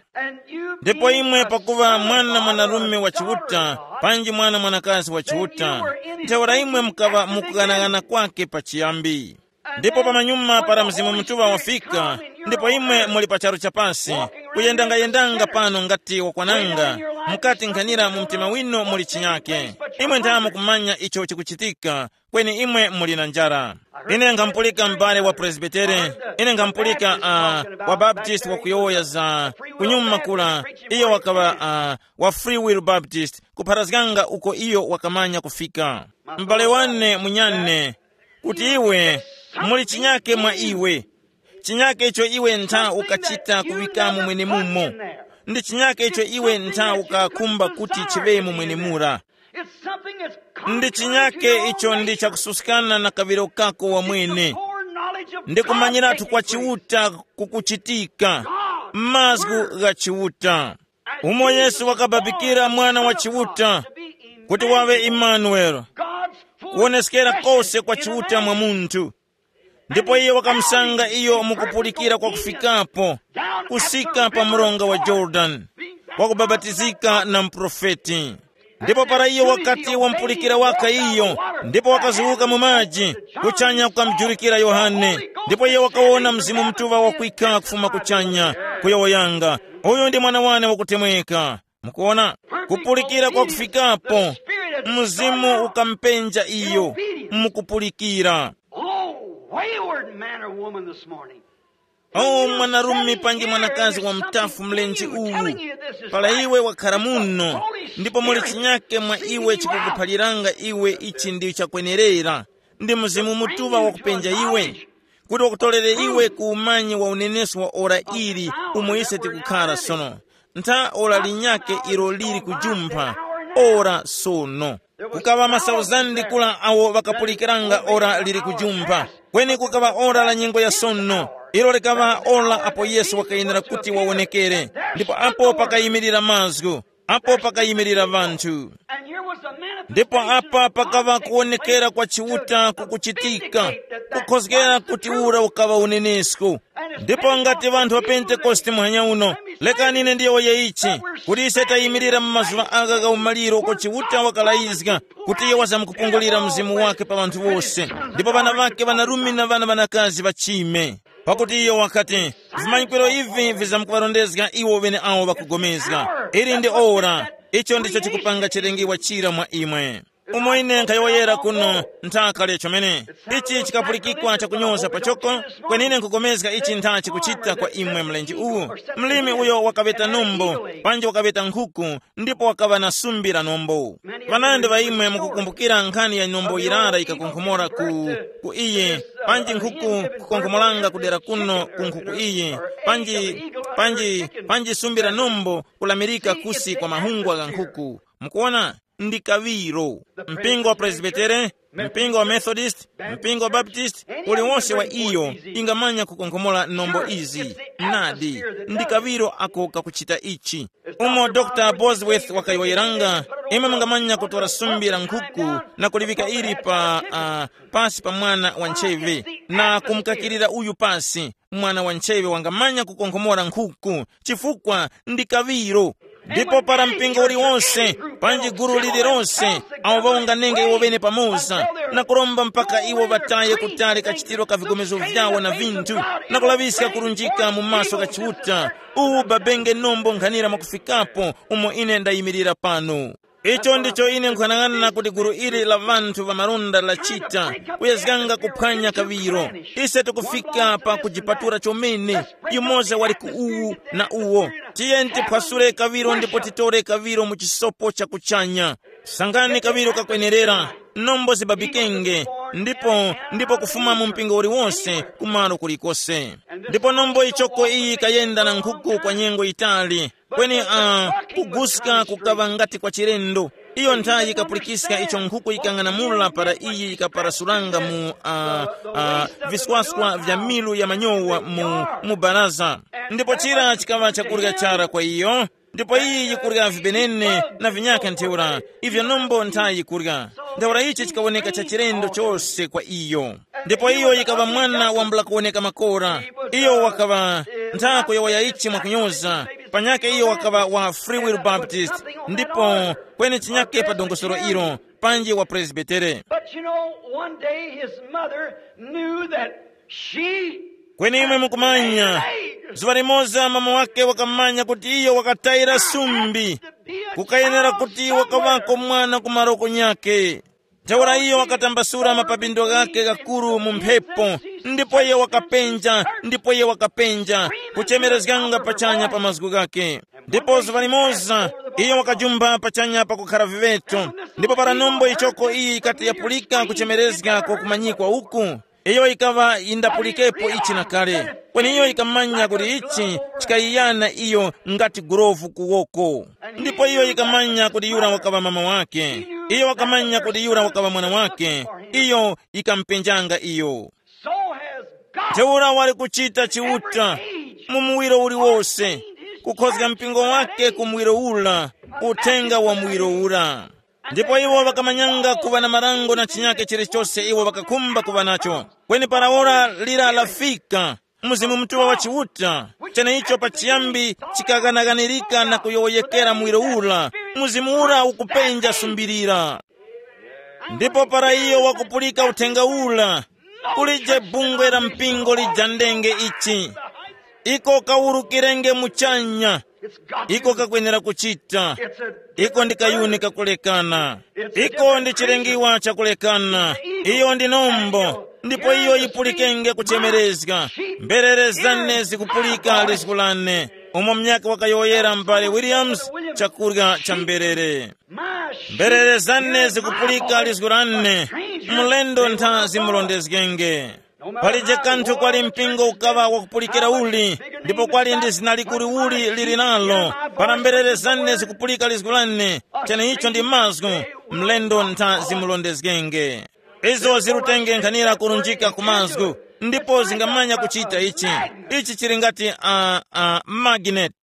Ndipo imwe pakuva mwana mwanarume wa Chiuta, panji mwana mwanakazi wa Chiuta, ntheura imwe mukaŵa mukughanagana kwake pachiyambi. Ndipo pamanyuma para Mzimu Mutuŵa wafika, ndipo imwe muli pa charu cha pasi, kuyendangayendanga pano ngati wakwananga, mukati nkhanira mu mtima winu muli chinyake. Imwe ntha mukumanya icho chikuchitika, kweni imwe muli na njara. Ine nkhampulika m'bale wa Presbitere, ine nkhampulika, uh, wa Baptist wakuyowoya za kunyuma kula, iyo wakaŵa, uh, wa Free Will Baptist, kupharazganga uko iyo wakamanya kufika. M'bale wane munyane, kuti iwe, muli chinyake mwa iwe. Chinyake icho iwe ntha ukachita kuŵikamo mwenemumo. Ndi chinyake icho iwe ntha ukakhumba kuti chiŵemo mwenemura. Ndi chinyake icho ndi chakususkana na kaŵiro kako wamwene. Ndi kumanyiratu kwa Chiuta kukuchitika, mazgu gha Chiuta. Umo Yesu wakababikira Mwana wa Chiuta, kuti waŵe Imanueli, kuwoneskera kose kwa Chiuta mwa munthu. Ndipo iye wakamusanga iyo mukupulikira kwa kufikapo, kusika pa mronga wa Yorodani, wakubabatizika na muprofeti. Ndipo para iyo wakati wamupulikira waka iyo, ndipo wakazuwuka mu maji, kuchanya kukamujurikira Yohane, ndipo iyo wakawona Mzimu Mutuŵa wakwika kufuma kuchanya, Kuyowoyanga, uyu ndi mwana wane wakutemweka. Mukuona? Kupulikira kwa kufikapo, mzimu ukampenja iyo. Mukupulikira. Oh, wayward man or woman this morning. Oh, mwanarume panji mwanakazi wa mtafu mlenje uwu, pala iwe wakhara muno, ndipo muli chinyake mwa iwe chikukuphaliranga iwe ichi ndi chakwenerera, ndi Mzimu Mutuŵa wakupenja iwe, kuti wakutolere iwe ku umanyi wa unenesko wa ora ili umo ise tikukhara sono. Ntha ora linyakhe ilo lili kujumpha, ora sono. Kukaŵa masauzandi kula awo ŵakapulikiranga ora lili kujumpha. Kweni kukaŵa ora la nyengo ya sono. Ilo likaŵa ora apo Yesu wakayenera kuti wawonekere. Ndipo apo pakayimirira mazgu, apo pakayimirira ŵanthu. Ndipo apa pakaŵa kuwonekera kwa Chiuta kukuchitika, kukhozgera kuti ura ukaŵa unenesko. Ndipo ngati ŵanthu ŵa Pentekoste muhanya uno, lekani ine ndiyowoye ichi, kuti ise tayimirira mu mazuŵa agha gha umaliro uko Chiuta wakalayizga kuti iyo wazamkupungulira mzimu wake pa ŵanthu wose, ndipo ŵana ŵake ŵanarume na ŵana ŵanakazi ŵachime. Pakuti iyo wakati, vimanyikwiro ivi vizamkuŵarondezga iwo ŵeneawo ŵakugomezga. Ili ndi ora, icho ndicho chikupanga chilengiwa chira mwa imwe. Umo ine nkhayowoyera kuno, nthaka lya chomene. Ichi chikapulikikwa chakunyoza pachoko, kwenine nkugomezga ichi ntha chikuchita kwa imwe mlenje uwu. Mlimi uyo wakaŵeta nombo, panji wakaŵeta nkhuku, ndipo wakaŵa na sumbi la nombo. Ŵanandi ŵa imwe mukukumbukira nkhani ya nombo yirara yikakonkhomora ku, ku iye, panji nkhuku kukonkhomoranga kudera kuno ku nkhuku iye, panji, panji, panji sumbi la nombo kulamirika kusi kwa mahungwa gha nkhuku. Mukuona? Ndi kaŵiro. Mpingo wa Presbitere, mpingo wa Methodist, mpingo wa Baptist, uliwonse wa iyo ingamanya kukonkhomora nombo izi. Nadi, ndi kaŵiro ako kakuchita ichi. Umo Dr Bosworth wakayowoyeranga, imwe mungamanya kutora sumbi la nkhuku na kuliŵika ili pa uh, pasi pa mwana wa ntcheve, na kumukakirira uyu pasi. Mwana wa ntcheve wangamanya kukonkhomora nkhuku, chifukwa ndi kaŵiro. Ndipo para mpingo uliwonse, panji gulu lililonse, awo ŵawunganenge iwo ŵene pamoza, na kuromba mpaka iwo ŵataye kutali kachitiro ka vigomezo vyawo na vinthu, na kulaŵiska kurunjika mu maso gha Chiuta, uwu babenge nombo nkhanira mwakufikapo umo ine ndayimirira pano. Icho ndicho ine nkhanang'ana kuti gulu ili la ŵanthu ŵa malonda lachita, kuyezganga kuphwanya kaŵiro. Ise tikufika pa kujipatura chomene, yumoza wali ku uwu na uwo. Tiyeni tiphwasule kaŵiro ndipo titore kaŵiro mu chisopo cha kuchanya. Sangani kaŵiro kakwenerera, nombo zibabikenge, ndipo ndipo kufuma mu mpingo uliwonse kumalo kulikose. Ndipo nombo ichoko iyi kayenda na nkhuku kwa nyengo yitali. Kweni uh, kuguska kukaŵa ngati kwa chilendo. Iyo nthayi yikapulikiska icho nkhuku yikang'anamula para iyi yikaparasulanga mu uh, uh, viswaswa vya milu ya manyowa mu, mu baraza. Ndipo chira chikaŵa chakurya chara kwa iyo. Ndipo iyi yikurya vibenene na vinyaka ntheura, ivyo nombo nthayi yikurya. Ntheura ichi chikawoneka cha chilendo chose kwa iyo. Ndipo iyo yikaŵa mwana wambula kuwoneka makora. Iyo wakaŵa nthako ya wayaichi mwakunyoza. Panyake iyo wakaŵa wa Free Will Baptist, ndipo kweni chinyake pa dongosolo ilo, panji wa Presbitere. But you know, one day his mother knew that she Kweni imwe mukumanya, zuŵa limoza mama wake wakamanya kuti iyo wakatayira sumbi. Kukayenera kuti wakaŵako mwana ku maroko nyake. Ntheura iyo wakatambasula mapapindo ghakhe ghakuru mu mphepo, ndipo iyo wakapenja, ndipo iyo wakapenja, kuchemerezganga pachanya pa mazgu ghakhe. Ndipo zuŵa limoza iyo wakajumba pachanya pakukhara viŵeto, ndipo para nombo ichoko iyi yikati yapulika kuchemerezga kwa kumanyikwa uku, iyo yikaŵa yindapulikepo ichi na kale. Kweni iyo yikamanya kuti ichi chikayiyana iyo ngati gurovu ku woko. Ndipo iyo yikamanya kuti yura wakaŵa mama wake. Iyo wakamanya kuti yura wakaŵa mwana wake. Iyo yikamupenjanga iyo. So has God. Ntheura wali kuchita Chiuta mu muwiro uliwose, kukhozga mpingo wake ku muwiro ura, uthenga wa muwiro ura. Ndipo iwo ŵakamanyanga kuŵa na marango na chinyake chilichose iwo ŵakakhumba kuŵa nacho. Kweni para ora lira lafika, Mzimu Mutuŵa wa Chiuta, cheneicho pachiyambi chikaghanaghanirika na kuyowoyekera muwiro ura, Mzimu ura ukupenja sumbirira. Ndipo para iyo wakupulika uthenga ura, kulije bungwe la mpingo lijandenge ichi. Iko kawurukirenge muchanya. Iko kakwenera kuchita. Iko ndi kayuni kakulekana. Iko ndi chilengiwa chakulekana. Iyo ndi nombo. Ndipo iyo yipulikenge kuchemerezga. Mberere zane zikupulika lizgu lane. Umo munyakhe wakayowoyera m'bale Williams, chakurya cha mberere. Mberere zane zikupulika lizgu lane. Mlendo ntha zimulondezgenge. Palije kanthu kwali mpingo ukaŵa wakupulikira uli, ndipo kwali ndi zina likuru uli lili nalo. Para mberere zane zikupulika lizgu lane, cheneicho ndi mazgu. Mlendo ntha zimulondezgenge. Izo zirutenge nkhanira kurunjika ku mazgu, ndipo zingamanya kuchita ichi. Ichi chili ngati uh, uh, magnet.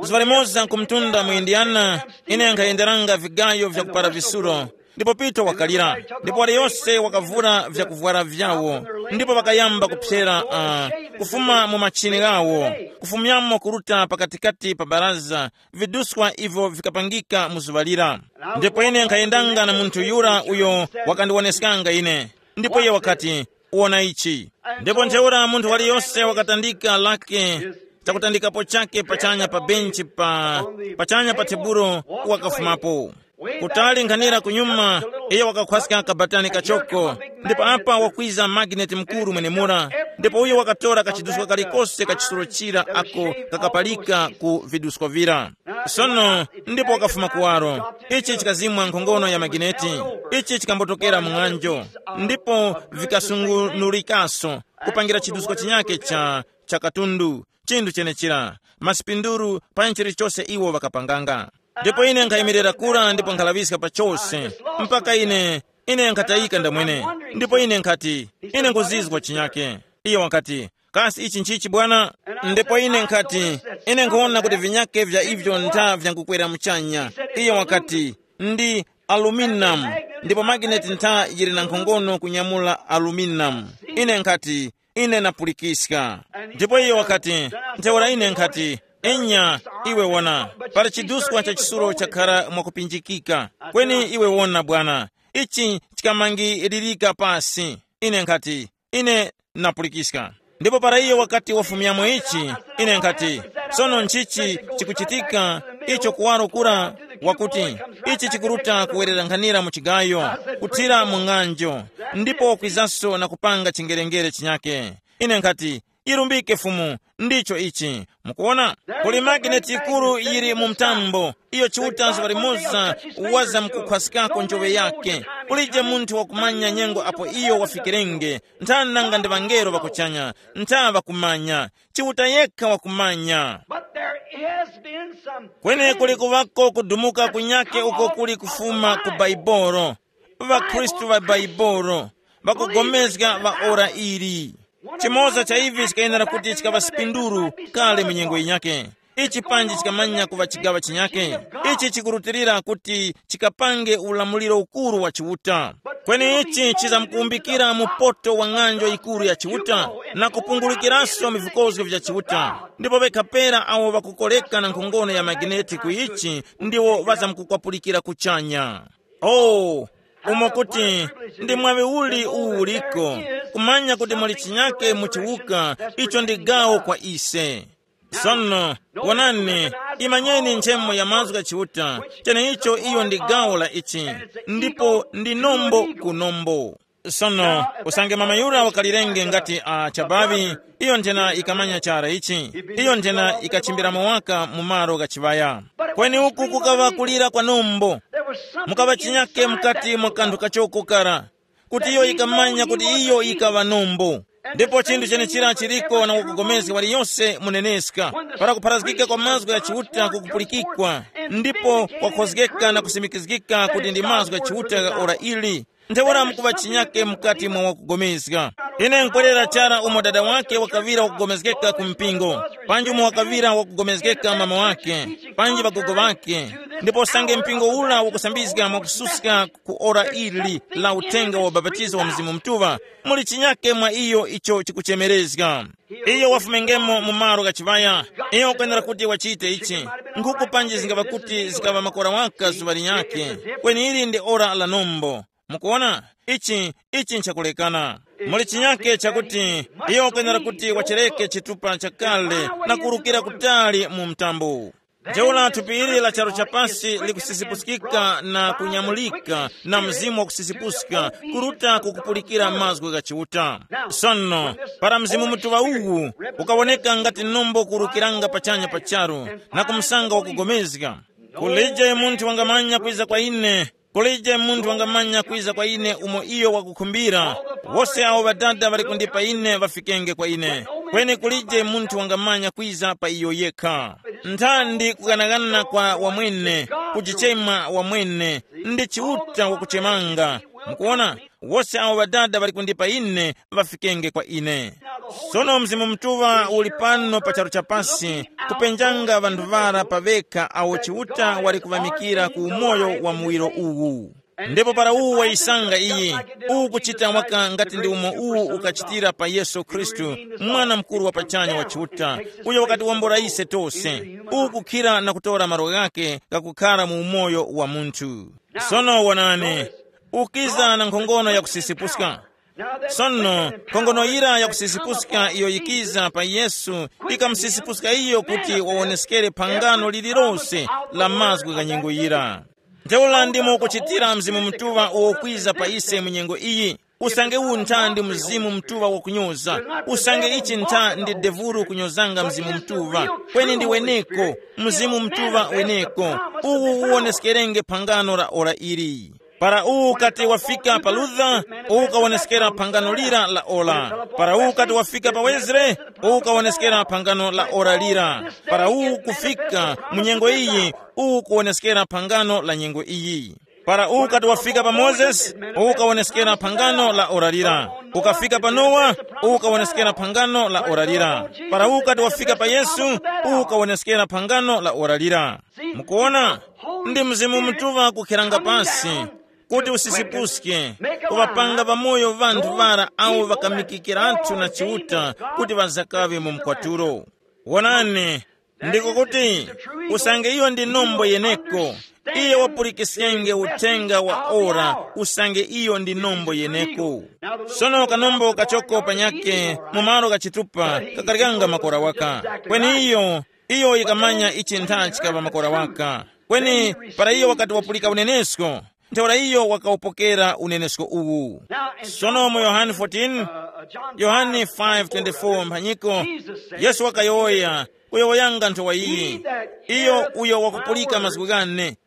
Zuŵa limoza nkumtunda mu Indiana, ine nkhayenderanga vigayo vyakupara visuro, ndipo Pita wakalira, ndipo waliyose wakavura vyakuvwara vyawo, ndipo ŵakayamba kupsera uh, kufuma mu machini ghawo, kufumyamo kuruta pakatikati pa baraza, viduswa ivyo vikapangika mu zuŵa lira. Ndipo ine nkhayendanga na munthu yura uyo wakandiwoneskanga ine, ndipo iye wakati, wona ichi. Ndipo ntheura munthu waliyose wakatandika lake chakutandikapo chake pachanya pa benchi pa pachanya pa tebulo, wakafumapo kutali nkhanira kunyuma. Iye wakakhwaska kabatani kachoko, ndipo apa wakwiza magineti mkuru mwenemura, ndipo uyo wakatora kachiduska kalikose kachisuro chira ako kakapalika ku vidusko vira. Sono ndipo wakafuma kuwaro, ichi chikazimwa nkhongono ya magineti, ichi chikambotokera mung'anjo, ndipo vikasungunulikaso kupangira chidusko chinyake cha cha katundu, chinthu chenechira, masipinduru pa chilichose iwo ŵakapanganga. Ndipo ine nkhayimirira kura ndipo nkhalaŵiska pa chose, mpaka ine ine nkhatayika ndamwene. Ndipo ine nkhati, ine nkuzizwa chinyake. Iye wakati, kasi ichi nchichi bwana? Ndipo ine nkhati, ine nkhuwona kuti vinyake vya ivyo ntha vyankukwera muchanya. Iye wakati, ndi aluminamu, ndipo magineti ntha yili na nkhongono kunyamula aluminamu. Ine nkhati, ine napulikiska. Ndipo iye wakati, ntheura ine nkhati, enya, iwe wona, pali chiduskwa cha chisulo chakhara mwakupinjikika. Kweni iwe wona bwana, ichi chikamangilirika pasi. Ine nkhati, ine napulikiska. Ndipo para iye wakati wafumyamo ichi, ine nkhati, sono nchichi chikuchitika? Icho kuwaro kura wakuti, ichi chikuruta kuwererankhanira mu chigayo, kuthira mu ng'anjo, ndipo kwizanso na kupanga chingerengere chinyake. Ine nkhati, yirumbike Fumu, ndicho ichi. Mukuwona, kuli magineti yikuru yili mu mtambo, iyo Chiuta zuŵa limoza waza mukukhwaskako njoŵe yake. Kulije munthu wakumanya nyengo apo iyo wafikirenge, nthani nanga ndi ŵangelo ŵakuchanya, ntha ŵakumanya, Chiuta yekha wakumanya. But there has been some Kweni kuli kuŵako kudumuka kunyake uko kuli kufuma ku Baibolo. ВaKhristu ŵa Baibolo ŵakugomezga ŵa ora ili. Chimoza cha ivi chikayenera kuti chikaŵa sipinduru kale mu nyengo yinyake. Ichi panji chikamanya kuŵa chigaŵa chinyake. Ichi chikurutilira kuti chikapange ulamuliro ukuru wa Chiuta. Kweni ichi chizamkuwumbikira mupoto wa ng'anjo yikuru ya Chiuta, na kupungulukiranso vikozgo vya Chiuta. Ndipo ŵekha pera awo ŵakukoreka na nkhongono ya magineti ku ichi ndiwo ŵazamkukwapulikira kuchanya. Oh, umo kuti ndi mwaŵi uli uwu uliko, kumanya kuti muli chinyake mu chiwuka, icho ndi gawo kwa ise. Sono, wonani, imanyeni nchemo ya mazgu gha Chiuta, cheneicho iyo ndi gawo la ichi, ndipo ndi nombo ku nombo. Sono, usange mama yura wakalirenge ngati a chabaŵi, iyo nthena ikamanya chara ichi, iyo nthena ikachimbiramo waka mu malo gha chiŵaya. Kweni uku kukaŵa kulira kwa nombo. Mukaŵa chinyake mukati mwa kanthu kachoko kara, kuti iyo yikamanya kuti iyo yikaŵa nombo. Ndipo chinthu chenechira chiriko na wakugomezga waliyose muneneska, para kupharazgika kwa mazgu gha Chiuta kukupulikikwa, ndipo kwakhozgeka na kusimikizgika kuti ndi mazgu gha Chiuta gha ora ili. Ntheura mukuŵa chinyake mukati mwa wakugomezga. Ine nkwerera chara umo dada wake wakaŵira wakugomezgeka ku mpingo, panji umo wakaŵira wakugomezgeka mama wake, panji ŵagogo ŵake. Ndipo usange mpingo ula wakusambizga mwakususka ku ora ili la uthenga wa ubapatizo wa Mzimu Mutuŵa, muli chinyake mwa iyo icho chikuchemerezga. Iyo wafumengemo mu malo gha chiŵaya. Iyo wakwenera kuti wachite ichi. Nkhuku panji zingaŵa kuti zikaŵa makora waka zuŵa linyakhe. Kweni ili ndi ora la nombo. Mukuona, ichi ichi nchakulekana. Muli chinyake chakuti iyo ukwenera kuti wachereke chitupa chakale na kuwurukira kutali mu mtambo. Ntheura thupi ili la charu chapasi likusisipuskika na kunyamulika na mzimu wakusisipuska kuruta kukupulikira mazgu gha Chiuta. Sono, para Mzimu Mutuŵa uwu ukawoneka ngati nombo kuwurukiranga pachanya pa charu na kumsanga wakugomezga, kulije munthu wangamanya kwiza kwa ine, kulije munthu wangamanya kwiza kwa ine umo iyo wakukhumbira. Wose awo Ŵadada ŵali kundipa ine ŵafikenge kwa ine, kweni kulije munthu wangamanya kwiza pa iyo yekha. Nthandi kughanagana kwa wamwene, kujichema wamwene, ndi Chiuta wakuchemanga. Mukuona, wose awo Ŵadada ŵali kundipa ine ŵafikenge kwa ine. Sono Mzimu Mutuŵa uli pano pa charu chapasi, kupenjanga ŵanthu ŵara pa ŵekha awo Chiuta wali kuŵamikira ku umoyo wa muwiro uwu. Ndipo para uwu wayisanga iyi, uwu kuchita waka ngati ndi umo uwu ukachitira pa Yesu Khristu, mwana mukuru wa pachanya wa Chiuta, uyo wakatiwombora ise tose, uwu kukhira na kutora malo ghake ghakukhara mu umoyo wa munthu. Sono wonani, ukiza na nkhongono yakusisipuska. Sono nkhongono yira yakusisipuska iyo yikiza pa Yesu, ikamusisipuska iyo kuti wawoneskere phangano lililose la mazgu gha nyengo yira. Ntheura ndimo kuchitira Mzimu Mutuŵa uwo kwiza pa ise mu nyengo iyi. Usange uwu ntha ndi Mzimu Mutuŵa wakunyoza, usange ichi ntha ndi devuru kunyozanga Mzimu Mutuŵa, kweni ndi weneko, Mzimu Mutuŵa weneko, uwu uwoneskerenge phangano la ora ili. Para uwu ukati wafika pa Luther, uwu ukawoneskera phangano lira la ora. Para uwu ukati wafika pa Wesley, uwu ukawoneskera phangano la ora lira. Para uwu kufika mu nyengo iyi, uwu kuwoneskera phangano la nyengo iyi. Para uwu ukati wafika pa Mozesi, uwu ukawoneskera phangano la ora lira. Ukafika pa Nowa, uwu ukawoneskera phangano la ora lira. Para uwu ukati wafika pa Yesu, uwu ukawoneskera phangano la ora lira. Mukuona, ndi Mzimu Mutuŵa kukhiranga pasi kuti usisipuske, kuŵapanga pamoyo ŵanthu ŵara awo ŵakamikikiratu na Chiuta kuti ŵazakaŵe mu mkwatulo. Wonani, ndiko kuti, usange iyo ndi nombo yeneko, iyo wapulikiskenge uthenga wa ora, usange iyo ndi nombo yeneko. Sono kanombo kachoko panyake mu malo ghachitupa kakaryanga makora waka. Kweni iyo, iyo yikamanya ichi ntha chikaŵa makora waka. Kweni para iyo wakati wapulika unenesko, ntheura iyo wakawupokera unenesko uwu. Sono mu Yohane fourteen, Yohane five twenty-four mphanyiko, Yesu wakayowoya, kuyowoyanga nthowa iyi, iyo uyo wakupulika mazgu ghane,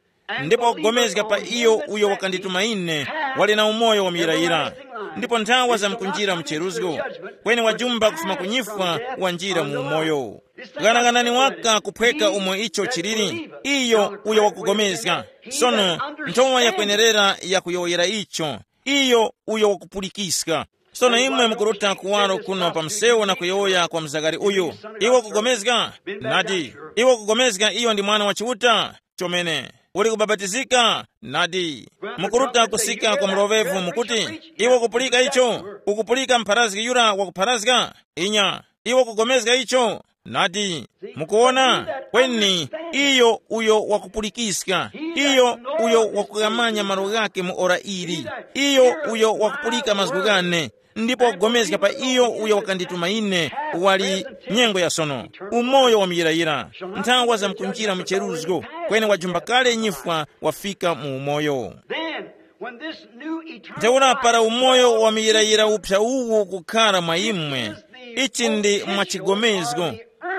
ndipo wakugomezga pa iyo uyo wakandituma ine, wali na umoyo wamuyirayira, ndipo nthawa zamkunjira mu cheruzgo, kweni wajumba kufuma ku nyifwa wanjira mu umoyo. Ghanaghanani waka kuphweka umo icho chiliri, iyo uyo wakugomezga. Sono, nthowa yakwenerera yakuyowoyera icho, iyo uyo wakupulikiska. Sono imwe mukuruta kuwaro kuno pa msewu na kuyowoya kwa mzakari uyu, iwe ukugomezga? Nadi. Iwe ukugomezga iyo ndi mwana wa Chiuta? Chomene. Uli kubapatizika? Nadi. Mukuruta kusika kwa mulovevu mukuti, iwe ukupulika icho? Ukupulika mpharazgi yura wakupharazga? Inya. Iwe ukugomezga icho? Nadi. Mukuwona? Kweni, iyo uyo wakupulikiska, iyo uyo wakughamanya malo ghake mu ora ili, iyo uyo wakupulika mazgu ghane, ndipo wakugomezga pa iyo uyo wakandituma ine, wali nyengo ya sono, umoyo wamuyirayira, nthawa zamkunjira mu cheruzgo, kweni wajumba kale nyifwa, wafika mu umoyo. Then, when this new eternal Ntheura para life umoyo dwells wamuyirayira in you, uphya uwu kukhara mwa imwe, ichi ndi mwachigomezgo,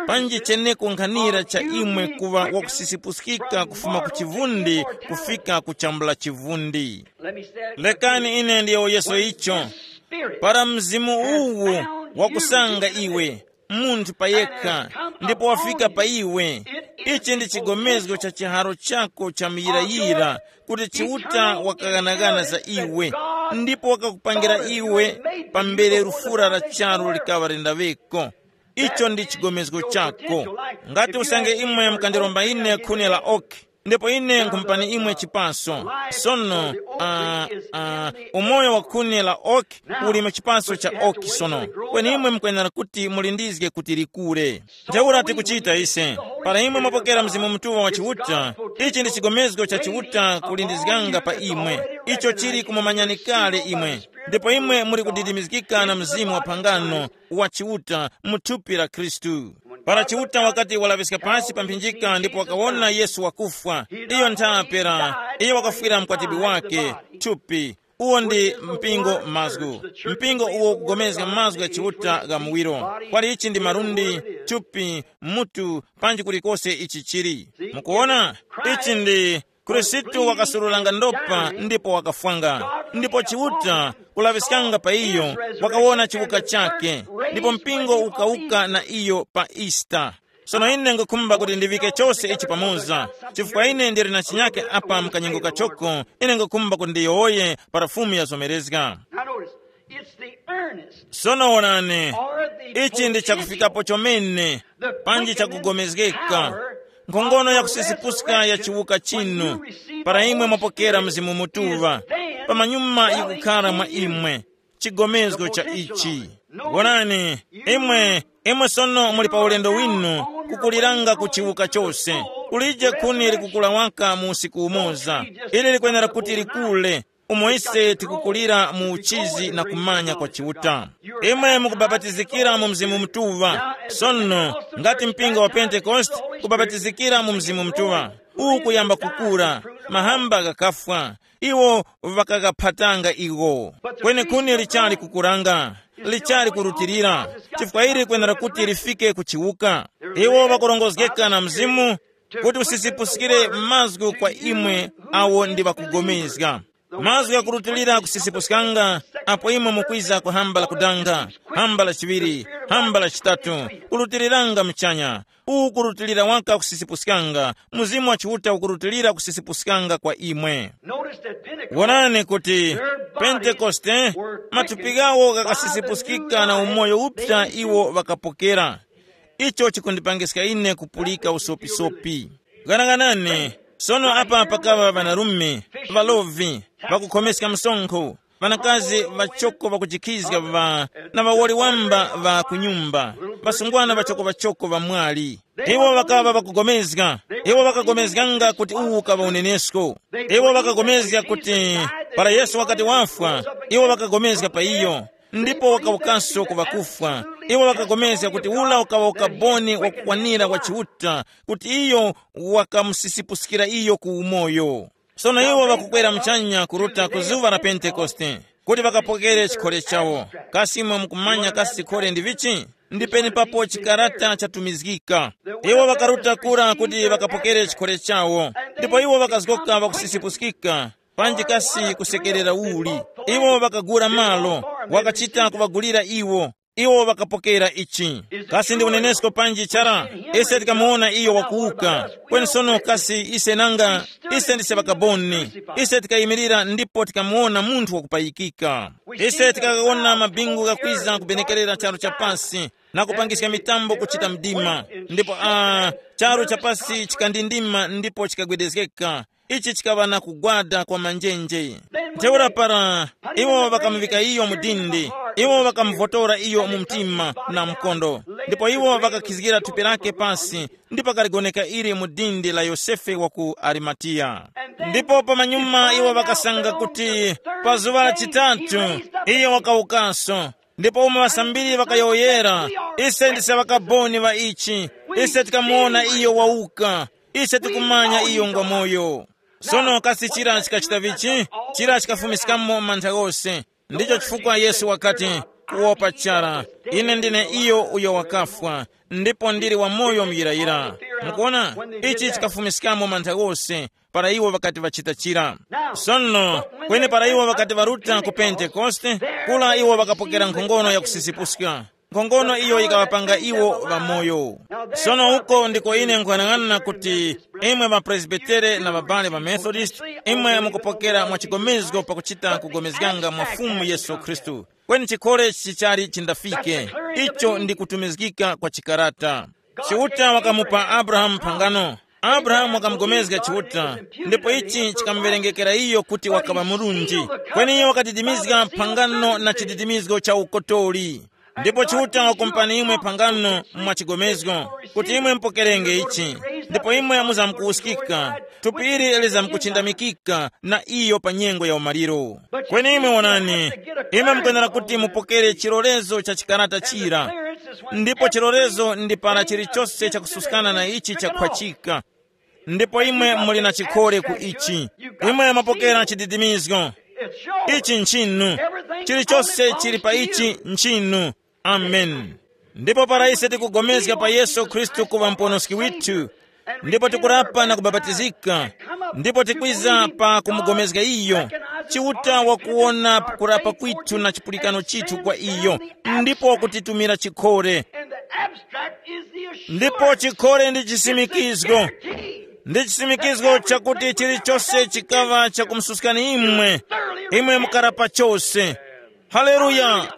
panji chenekunkhanira cha imwe kuŵa wakusisipuskika kufuma ku chivundi kufika ku chambula chivundi. Let me say it Lekani again. Ine ndiyowoyeso When icho, this spirit para mzimu has uwu found wakusanga you, iwe, munthu payekha, ndipo wafika pa iwe, ichi ndi chigomezgo cha chiharo chako cha muyirayira, kuti Chiuta wakaghanagana za iwe, ndipo wakakupangira iwe pambere lufura la charu likaŵa lindaweko. Icho ndi chigomezgo chako. Ngati usange imwe mukandiromba ine khuni la oki, ndipo ine nkhumupani imwe chipaso. Sono, uh, uh, umoyo wa khuni la oki uli mu chipaso cha oki sono. Kweni imwe mukwenera kuti mulindizge kuti likure. Ntheura tikuchita ise. Para imwe mwapokera Mzimu Mutuŵa wa Chiuta, ichi ndi chigomezgo cha Chiuta kulindizganga pa imwe, icho chili kumumanyani kale imwe. Ndipo imwe muli kudidimizgika na mzimu wa phangano wa Chiuta mu thupi la Khristu. Para Chiuta wakati walaŵiska pasi pa mphinjika ndipo wakawona Yesu wakufwa, iyo nthape la iyo wakafwira mkwatibwi wake, thupi. Uwo ndi mpingo mazgu. Mpingo uwo ukugomezga mazgu gha Chiuta gha muwiro. Kwali ichi ndi malundi, thupi, mutu, panji kulikose ichi chili. Mukuona? Ichi ndi Khristu wakasurulanga ndopa ndipo wakafwanga. Ndipo Chiuta kulaŵiskanga pa iyo, wakawona chiwuka chake. Ndipo mpingo ukawuka na iyo pa Easter. Sono ine ngukhumba kuti ndiŵike chose ichi pamoza, chifukwa ine ndili na chinyake apa mkanyengo kachoko. Ine ngukhumba kuti ndiyowoye para Fumu yazomerezga. Now notice, it's the earnest. Sono wonani, or the ichi ndi chakufikapo chomene, the panji quickening chakugomezgeka power nkhongono of ya the kusizipuska ya resurrection chiwuka when chinu you receive para the imwe Holy mwapokera Spirit mzimu mutuva is then pamanyuma dwelling yikukhala mwa in you. Imwe chigomezgo cha ichi. Wonani, imwe imwe sono muli pa ulendo winu, kukuliranga ku chiwuka chose. Kulije khuni likukula waka mu usiku umoza. Ili likwenera kuti likule, umo ise tikukulira mu uchizi na kumanya kwa Chiuta. Imwe mukubapatizikira mu Mzimu Mutuŵa. Sono, ngati mpingo wa Pentekoste kubapatizikira mu Mzimu Mutuŵa, uwu kuyamba kukura, mahamba ghakafwa, iwo ŵakagaphatanga iwo. Kweni khuni lichali kukuranga, lichali kurutilira, chifukwa ili kwenera kuti lifike ku chiwuka. Iwo ŵakurongozgeka na Mzimu kuti usisipuskire mazgu kwa imwe awo ndi ŵakugomezga. Mazgu ghakurutilira kusisipuskanga apo imwe mukwiza ku hamba la kudanga, hamba la chiŵiri, hamba la chitatu, kurutiliranga muchanya. Uwu kurutilira waka kusisipuskanga, Mzimu wa Chiuta ukurutilira kusisipuskanga kwa imwe. Notice that Pentecost, wonani kuti their bodies Pentekoste, were matupi quickened ghawo by the ghakasisipuskika na new umoyo life uphya they iwo ŵakapokera. Icho chikundipangiska ine kupulika usopisopi. Ghanaghanani, sono apa pakaŵa ŵanarume, ŵalovi, ŵakukhomeska msonkho, ŵanakazi ŵachoko ŵakujikhizga ŵa na ŵawoli wamba ŵa ku nyumba, ŵasungwana ŵachoko ŵachoko ŵa mwali. Iwo ŵakaŵa ŵakugomezga, iwo ŵakagomezganga kuti uwu ukaŵa unenesko. Iwo ŵakagomezga kuti para Yesu wakati wafwa, iwo ŵakagomezga pa iyo, ndipo wakawukanso ku ŵakufwa. Iwo ŵakagomezga kuti ula ukaŵa ukaboni wakukwanira wa Chiuta, kuti iyo wakamusisipuskira iyo ku umoyo. Sono iwo ŵakukwera muchanya kuruta ku zuŵa la Pentekoste, kuti ŵakapokere chikhole chawo. Kasi imwe mukumanya kasi chikhole ndi vichi? Ndi penepapo chikarata chatumizgika. Iwo ŵakaruta kura kuti ŵakapokere chikhole chawo, ndipo iwo ŵakazgoka ŵakusisipuskika, panji kasi kusekerera uli. Iwo ŵakagula malo, wakachita kuŵagulira iwo. Iwo ŵakapokera ichi. Kasi ndi unenesko panji chara? Ise tikamuwona iyo wakuwuka. Kweni sono kasi ise nanga? Ise ndise ŵakaboni. Ise tikayimirira ndipo tikamuwona munthu wakupayikika. Ise tikawona mabingu ghakwiza kubenekerera charu cha pasi na kupangiska mitambo kuchita mdima. Ndipo a charu cha pasi chikandindima ndipo chikagwedezgeka. Ichi chikaŵa na kugwada kwa manjenje. Ntheura para iwo ŵakamuŵika iyo mu dindi, iwo ŵakamuvotora iyo mu mtima na mkondo, ndipo iwo ŵakakhizgira thupi lake pasi, ndipo kaligoneka ili mu dindi la Yosefe wa ku Arimatiya. Ndipo pamanyuma iwo ŵakasanga kuti pa zuŵa la chitatu iyo wakawukanso. Ndipo umo ŵasambiri ŵakayowoyera, ise ndise ŵakaboni ŵa ichi, ise tikamuwona iyo wawuka, ise tikumanya iyo ngwa moyo. Sono kasi chira chikachita vichi? Chira chikafumiskamo mantha ghose. Ndicho chifukwa Yesu wakati, kuwopa chara, ine ndine iyo uyo wakafwa, ndipo ndili wamoyo muyirayira. Mukuona, ichi chikafumiskamo mantha ghose, para iwo ŵakati ŵachita chira. Sono, kweni para iwo ŵakati ŵaruta ku Pentekoste, kula iwo ŵakapokera nkhongono ya kusisipuska. Nkhongono iyo yikaŵapanga iwo ŵamoyo. Sono uko ndiko ine nkuyang'ana kuti imwe ŵapresbitere na ŵabale ŵa Methodist, imwe mukupokera mwa chigomezgo pakuchita kugomezganga mwa Fumu Yesu Khristu. Kweni chikhole chichali chindafike, icho ndi kutumizgika kwa chikarata. Chiuta wakamupa Abrahamu phangano. Abrahamu wakamugomezga Chiuta, ndipo ichi chikamuwerengekera iyo kuti wakaŵa murunji. Kweni iyo wakadidimizga phangano na chididimizgo cha ukotori. Ndipo Chiuta wakumpani imwe phangano mwa chigomezgo, kuti imwe mupokerenge ichi, ndipo imwe muzamkuwuskika, thupi ili lizamkuchindamikika na iyo pa nyengo ya umaliro. Kweni imwe wonani, imwe mukwenera kuti mupokere chilolezo cha chikarata chira, ndipo chilolezo ndi para chilichonse chakususkana na ichi chakhwachika. Ndipo imwe muli na chikhole ku ichi. Imwe mwapokera chididimizgo. Ichi nchinu. Chilichonse chili pa ichi nchinu. Amen. Ndipo para ise tikugomezga pa Yesu Khristu kuŵa muponoski withu, ndipo tikurapa na kubapatizika, ndipo tikwiza pa kumugomezga iyo, Chiuta wakuwona kurapa kwithu na chipulikano chithu kwa iyo, ndipo wakutitumira chikhole. And the abstract is the assurance. Ndipo chikhole ndi chisimikizgo. Ndi chisimikizgo chakuti chilichonse chikaŵa chakumususkani imwe, imwe mukarapa chose. Haleluya.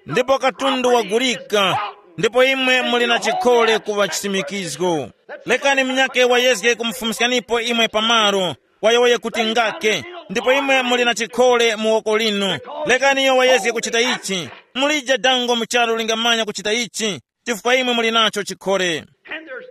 Ndipo katundu wagulika, ndipo imwe muli na chikhole kuŵa chisimikizgo. Lekani mnyake wayezge kumufumiskanipo imwe pamalo, wayowoye kuti ngake, ndipo imwe muli na chikhole mu woko linu. Lekani iyo wayezge kuchita ichi. Mulije dango mu charu lingamanya kuchita ichi, chifukwa imwe muli nacho chikhole.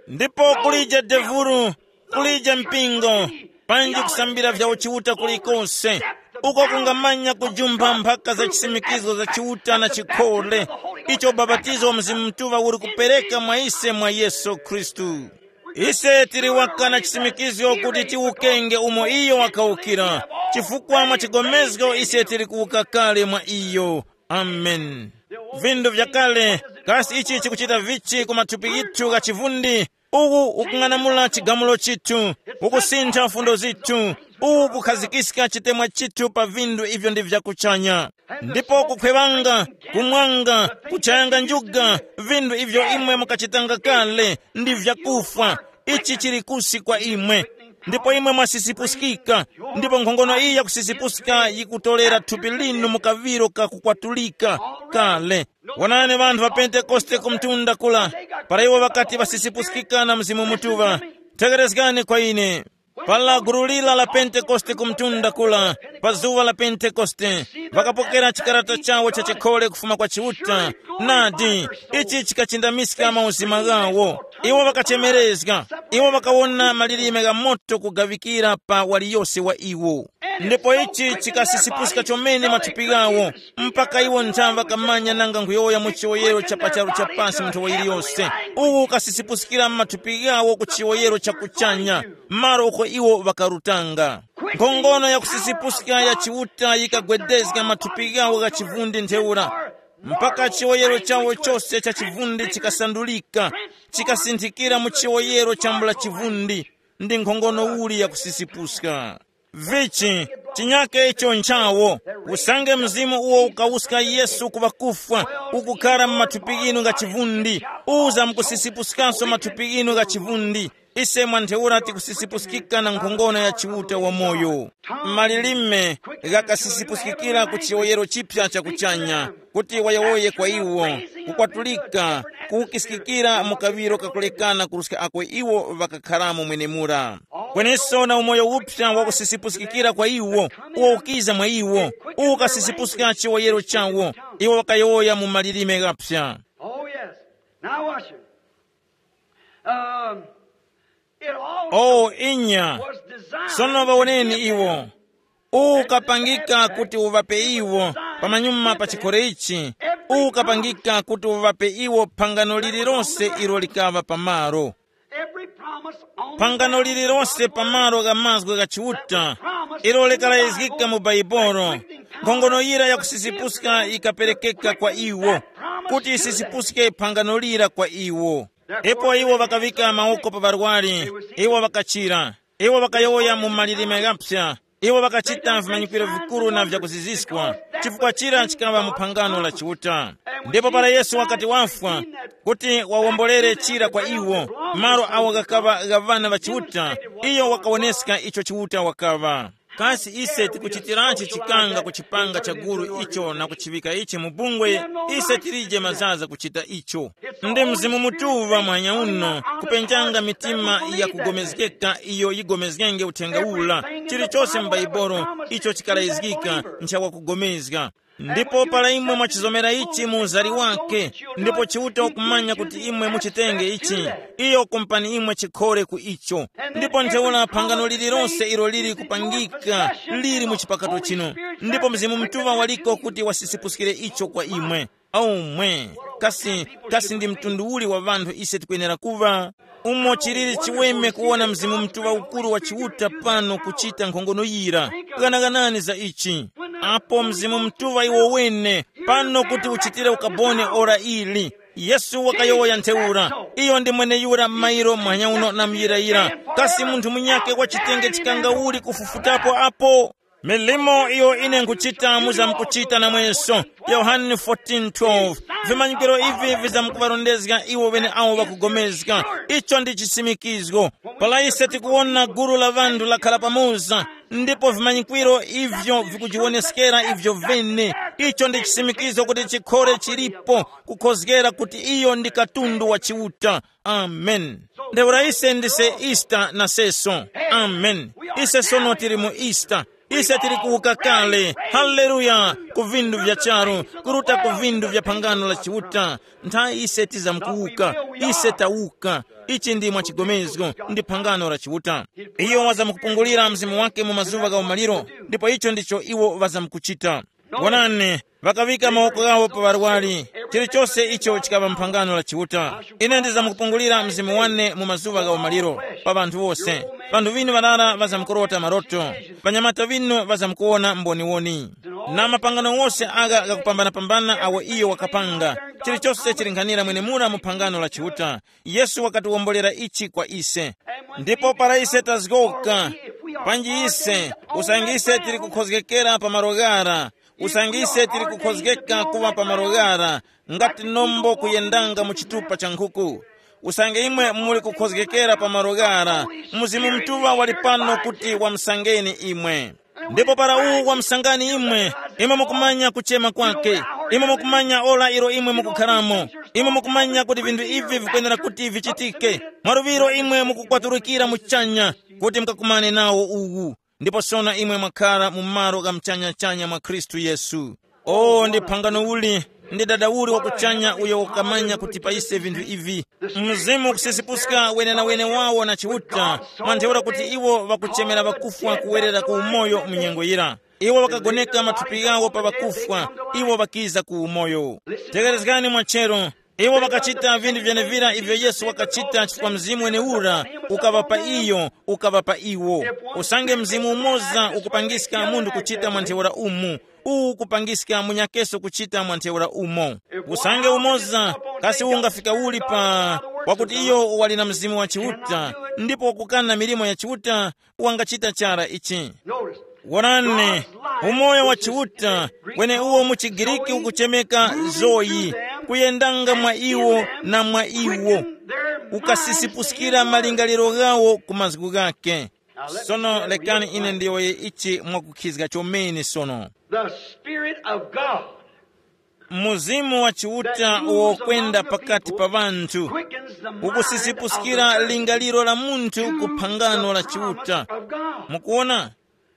Ndipo kulije devulu, kulije mpingo, panji kusambira vya uchiuta kulikonse, uko kungamanya kujumpha mphaka za chisimikizgo za chiuta na chikhole, icho ubapatizo wa Mzimu Mutuŵa uli kupereka mwa ise mwa Yesu Khristu. Ise tili waka na chisimikizgo kuti tiwukenge umo iyo wakawukira, chifukwa mwa chigomezgo ise tili kuwuka kale mwa iyo. Amen. Vindu vyakale, kasi ichi chikuchita vichi ku mathupi yithu gha chivundi? Uwu ukung'anamula chigamulo chithu, ukusintha fundo zithu, uwu kukhazikiska chitemwa chithu pa vindu ivyo ndi vyakuchanya. Ndipo kukhwewanga, kumwanga, kuchayanga njuga, vindu ivyo imwe mukachitanga kale, ndi vyakufwa. Ichi chili kusi kwa imwe. Ndipo imwe mwasisipuskika, ndipo nkhongono iyi yakusisipuska yikutolera thupi linu mu kaŵiro kakukwatulika kale. Wonani ŵanthu ŵa Pentekoste ku mtunda kula, para iwo ŵakati ŵasisipuskika na Mzimu Mutuŵa, tegherezgani kwa ine. Pala gulu lira la Pentekoste ku mtunda kula, pa zuŵa la Pentekoste, ŵakapokera chikarata chawo cha chikhole kufuma kwa Chiuta, nadi, ichi chikachindamiska mauzima ghawo. Iwo ŵakachemerezga, iwo ŵakawona malilime gha moto kugaŵikira pa waliyose wa iwo. Ndipo ichi chikasisipuska chomene mathupi ghawo, mpaka iwo nthaŵa kamanya nanga nkhuyowoya mu chiwoyero cha pa charu cha pasi mu nthowa yiliyose. Uwu ukasisipuskira mathupi ghawo ku chiwoyero cha kuchanya, malo uko iwo ŵakarutanga. Nkhongono ya kusisipuska ya Chiuta yikagwedezga mathupi ghawo gha chivundi ntheura, mpaka chiwoyero chawo chose cha chivundi chikasandulika, chikasinthikira mu chiwoyero chambula chivundi. Ndi nkhongono uli ya kusisipuska? Vichi, chinyake icho nchawo, usange mzimu uwo ukawuska Yesu ku ŵakufwa, ukukhara mu mathupi ghinu gha chivundi, uza mukusisipuskanso mathupi ghinu gha chivundi. Ise mwa ntheura tikusisipuskika na nkhongono ya Chiuta wamoyo. Malilime ghakasisipuskikira ku chiwoyero chipya cha kuchanya, kuti wayowoye kwa iwo, kukwatulika, kuwukiskikira mu kaŵiro kakulekana kuruska ako iwo ŵakakharamo mwenemura. Kweneso na umoyo uphya wakusisipuskikira kwa iwo, uwo ukiza mwa iwo, uwo ukasisipuska chiwoyero chawo, iwo ŵakayowoya mu malilime ghaphya. Oh, yes. Now watch it. Um, it all Oh, inya. Was designed Sono to vawoneni give iwo. Them Uwu ukapangika kuti uŵape iwo pamanyuma pa chikhole ichi. Uwu ukapangika kuti uŵape iwo phangano lililonse ilo likaŵa pamalo. Every promise on the Phangano lililonse pamalo gha mazgu gha Chiuta, ilo likalazgika mu Baibolo, nkhongono yira yakusisipuska yikaperekeka kwa iwo, kuti isisipuske phangano lira kwa iwo. Ipo iwo ŵakaŵika mawoko pa ŵarwari, iwo ŵakachira. Iwo ŵakayowoya mu malilime ghaphya. Iwo ŵakachita vimanyikiro vikuru na vyakuziziskwa, chifukwa chira chikaŵa mu phangano la Chiuta. Ndipo para Yesu wakati wafwa, kuti wawombolere chira kwa iwo, malo awo ghakaŵa gha ŵana ŵa Chiuta, iyo wakawoneska icho Chiuta wakaŵa. Kasi ise tikuchitiranji chikanga ku chipanga cha gulu icho na kuchiŵika ichi mu bungwe? Ise tilije mazaza kuchita icho. Ndi Mzimu Mutuŵa mwanya uno kupenjanga mitima ya kugomezgeka iyo yigomezgenge uthenga ula. Chilichose m'Baibolo icho chikalayizgika nchawakugomezga. Ndipo para imwe mwachizomera ichi mu uzari wake, ndipo Chiuta ukumanya kuti imwe muchitenge ichi, iyo kumpani imwe chikhore ku icho. Ndipo ntheura phangano lililonse ilo lili kupangika lili mu chipakato chino, ndipo Mzimu Mutuŵa waliko kuti wasisipuskire icho kwa imwe. Aumwe, kasi, kasi ndi mtundu uli wa ŵanthu ise tikwenera kuŵa? Umo chiliri chiweme kuwona Mzimu Mutuŵa ukuru wa Chiuta pano kuchita nkhongono yira. Ghanaganani za ichi. Apo Mzimu Mutuŵa iwo wene pano kuti uchitire ukaboni ora ili, Yesu wakayowoya ntheura, iyo ndi mweneyura mairo mwanyauno na muyirayira. Kasi munthu munyake wa chitenge chikanga uli kufufutapo apo? Milimo iyo ine nkhuchita muzamkuchita namweso. Yohane fourteen twelve. Vimanyikiro ivi vizamkuŵarondezga iwo ŵeneawo ŵakugomezga. Icho ndi chisimikizgo. Para ise tikuwona gulu la ŵanthu lakhala pamoza, ndipo vimanyikwiro ivyo vikujiwoneskera ivyo vene, icho ndi chisimikizgo kuti chikhore chilipo, kukhozgera kuti iyo ndi katundu wa Chiuta. Amen. Ntheura ise ndise Easter na seso. Amen. Ise sono tili mu Easter. Ise tili kuwuka kale. Haleluya. Ku vindu vya charu, kuruta ku vindu vya phangano la Chiuta. Nthawi ise tizamkuwuka. Ise tawuka. Ichi ndi mwachigomezgo, ndi phangano la Chiuta. Iyo wazamkupungulira mzimu wake mu mazuŵa gha umaliro, ndipo icho ndicho iwo ŵazamkuchita. Wonani, ŵakaŵika mawoko ghawo pa ŵarwari. Chilichose icho chikaŵa mphangano la Chiuta. Ine ndizamkupungulira mzimu wane mu mazuŵa gha umaliro, pa ŵanthu wose. Ŵanthu ŵinu ŵarara ŵazamkurota maroto, ŵanyamata ŵinu ŵazamkuwona mboniwoni, na mapangano wose agha ghakupambanapambana awo iyo wakapanga. Chilichose chili nkhanira mwenemura mu phangano la Chiuta. Yesu wakatiwombolera ichi kwa ise. Ndipo para ise tazgoka, panji ise, usange ise tili kukhozgekera pa malo ghara, usange ise tili kukhozgeka kuŵa pa malo ghara, ngati nombo kuyendanga mu chitupa cha nkhuku. Usange imwe muli kukhozgekera pa malo ghara, Mzimu Mutuŵa wali pano kuti wamusangeni imwe. Ndipo para uwu wamusangani imwe, imwe mukumanya kuchema kwake, imwe mukumanya ora ilo imwe mukukharamo, imwe mukumanya kuti vinthu ivi vikwenera kuti vichitike. Mwaluŵiro imwe mukukwaturukira muchanya kuti mukakumane nawo uwu. Ndipo sono imwe mwakhara mu malo gha muchanyachanya mwa Khristu Yesu. O, ndi phangano uli, ndi dada uli wakuchanya uyo wakamanya kuti pa ise vinthu ivi. Mzimu kusisipuska wenenawene wawo na Chiuta, mwa ntheura kuti iwo ŵakuchemera ŵakufwa kuwerera ku umoyo mu nyengo yira. Iwo ŵakagoneka mathupi ghawo pa ŵakufwa, iwo ŵakiza ku umoyo. Tekerezgani mwachero, iwo ŵakachita vinthu vyenevira ivyo Yesu wakachita chifukwa Mzimu wenewura ukaŵa pa iyo, ukaŵa pa iwo. Usange Mzimu umoza ukupangiska munthu kuchita mwa ntheura umu, uwu ukupangiska munyakeso kuchita mwa ntheura umo. Usange umoza, kasi ungafika uli pa, wakuti iyo wali na Mzimu wa Chiuta, ndipo wakukana milimo ya Chiuta, wangachita chara ichi. Wonani, umoyo wa Chiuta, kweneuwo mu chiGiriki ukuchemeka zoyi, kuyendanga mwa iwo na mwa iwo, ukasisipuskira malingaliro ghawo ku mazgu ghake. Sono lekani ine ndiyowoye ichi mwakukhizga chomene sono. The Spirit of God Mzimu wa Chiuta uwo kwenda pakati pa ŵanthu, ukusizipuskira lingaliro la munthu ku phangano la Chiuta. Mukuona,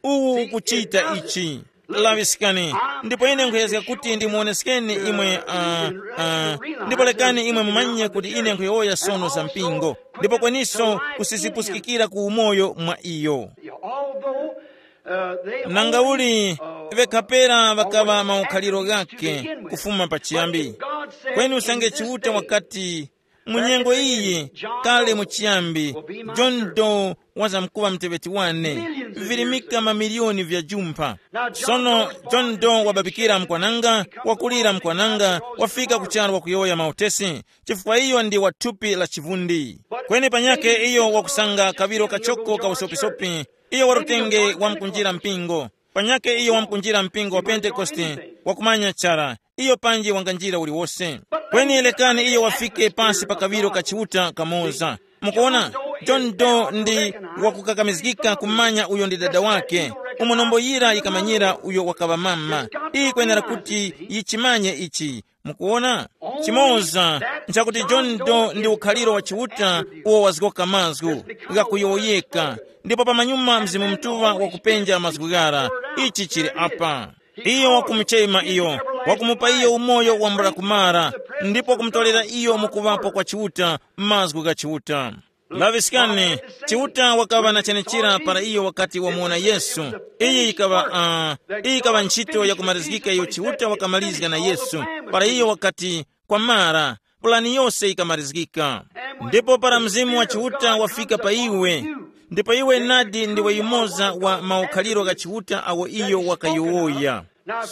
uwu ukuchita ichi. Laŵiskani, ndipo ine nkhuyezga kuti ndimuoneskeni imwe, uh, uh, ndipo lekani imwe mumanye kuti ine nkhuyowoya sono za mpingo, ndipo kweniso kusizipuskikira ku umoyo mwa iyo. Although, uh, they nanga only, uli uh, vekapera vakaŵa maukhaliro ghake kufuma pachiyambi. Kweni usange Chiuta wakati, mu nyengo iyi, kale mu chiyambi, John Doe wazamkuŵa mteŵeti wane, virimika mamiliyoni vya jumpha. Sono John Doe wababikira mkwananga, wakulira mkwananga, wafika ku charu wakuyowoya mautesi, chifukwa iyo ndi wa thupi la chivundi. Kweni panyakhe iyo wakusanga kaŵiro kachoko ka usopisopi, iyo warutenge wamkunjira mpingo. Panyakhe iyo wamkunjira mpingo wa Pentekoste, wakumanya chara, iyo panji wanganjira uliwose. Kweni lekani iyo wafike pasi pa kaŵiro ka Chiuta kamoza. Mukuona, John Doe ndi wakukakamizgika kumanya uyo ndi dada wake. Umo nombo yira yikamanyira uyo wakaŵa mama. Iyi kwenera kuti yichimanye ichi. Mukuona? Chimoza nchakuti John Doe ndi ukhaliro wa Chiuta uwo wazgoka mazgu ghakuyowoyeka, ndipo pamanyuma Mzimu Mutuŵa wakupenja mazgu ghara. Ichi chili apa. Iyo wakumuchema iyo, wakumupa iyo umoyo wambula kumara, ndipo wakumutolera iyo mukuŵapo kwa Chiuta, mazgu gha Chiuta. Laŵiskani, Chiuta wakaŵa na chenechira para iyo wakati wamuwona Yesu. Iyi yikaŵa uh, iyi yikaŵa ntchito yakumarizgika iyo Chiuta wakamalizga na Yesu, para iyo wakati, kwamara, pulani yose yikamarizgika. Ndipo para Mzimu wa Chiuta wafika pa iwe, ndipo iwe nadi ndiwe yumoza wa maukhaliro gha Chiuta awo iyo wakayowoya.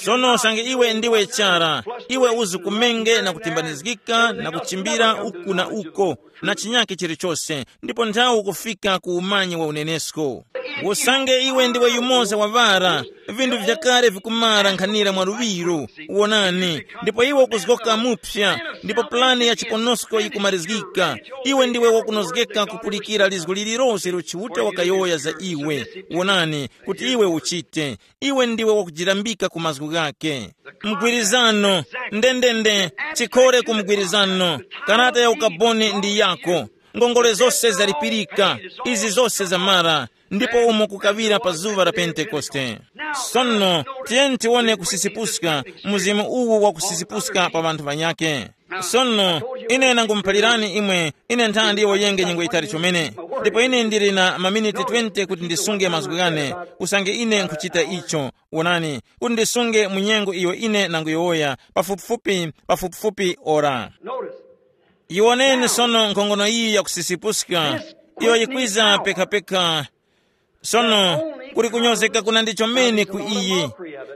Sono usange iwe ndiwe chara, iwe uzikumenge na kutimbanizgika na kuchimbira uku na uko, na chinyake chilichose, ndipo nthawi ukufika ku umanyi wa unenesko. Usange iwe ndiwe yumoza wa ŵara, vinthu vyakale vikumara nkhanira mwa luŵiro, wonani, ndipo iwe ukuzgoka mupsa, ndipo pulani ya chiponosko yikumarizgika. Iwe ndiwe wakunozgeka kupulikira lizgu lililose ilo Chiuta wakayowoya za iwe, wonani, kuti iwe uchite. Iwe ndiwe wakujirambika ku mazgu ghake. Mgwirizano, ndendende, chikhore ku mgwirizano. Karata ya ukaboni ndi yako. Ngongole zose zalipirika. Izi zose zamara. Ndipo umo kukaŵira pa zuŵa la Pentekoste. Sono, tiyeni tiwone kusisipuska, mzimu uwu wa kusisipuska pa ŵanthu ŵanyake. Sono, ine nangumuphalirani imwe, ine nthandi ndiwoyenge nyengo yitali chomene. Ndipo ine ndili na maminiti twenty kuti ndisunge mazgu ghane, usange ine nkhuchita icho. Wonani, kuti ndisunge mu nyengo iyo ine nanguyowoya, pafupifupi, pafupifupi ora. Notice. Yiwoneni sono nkhongono iyi yakusisipuska, iyo yikwiza pekhapekha. Sono, kuli kunyozeka kunandi chomene ku iyi.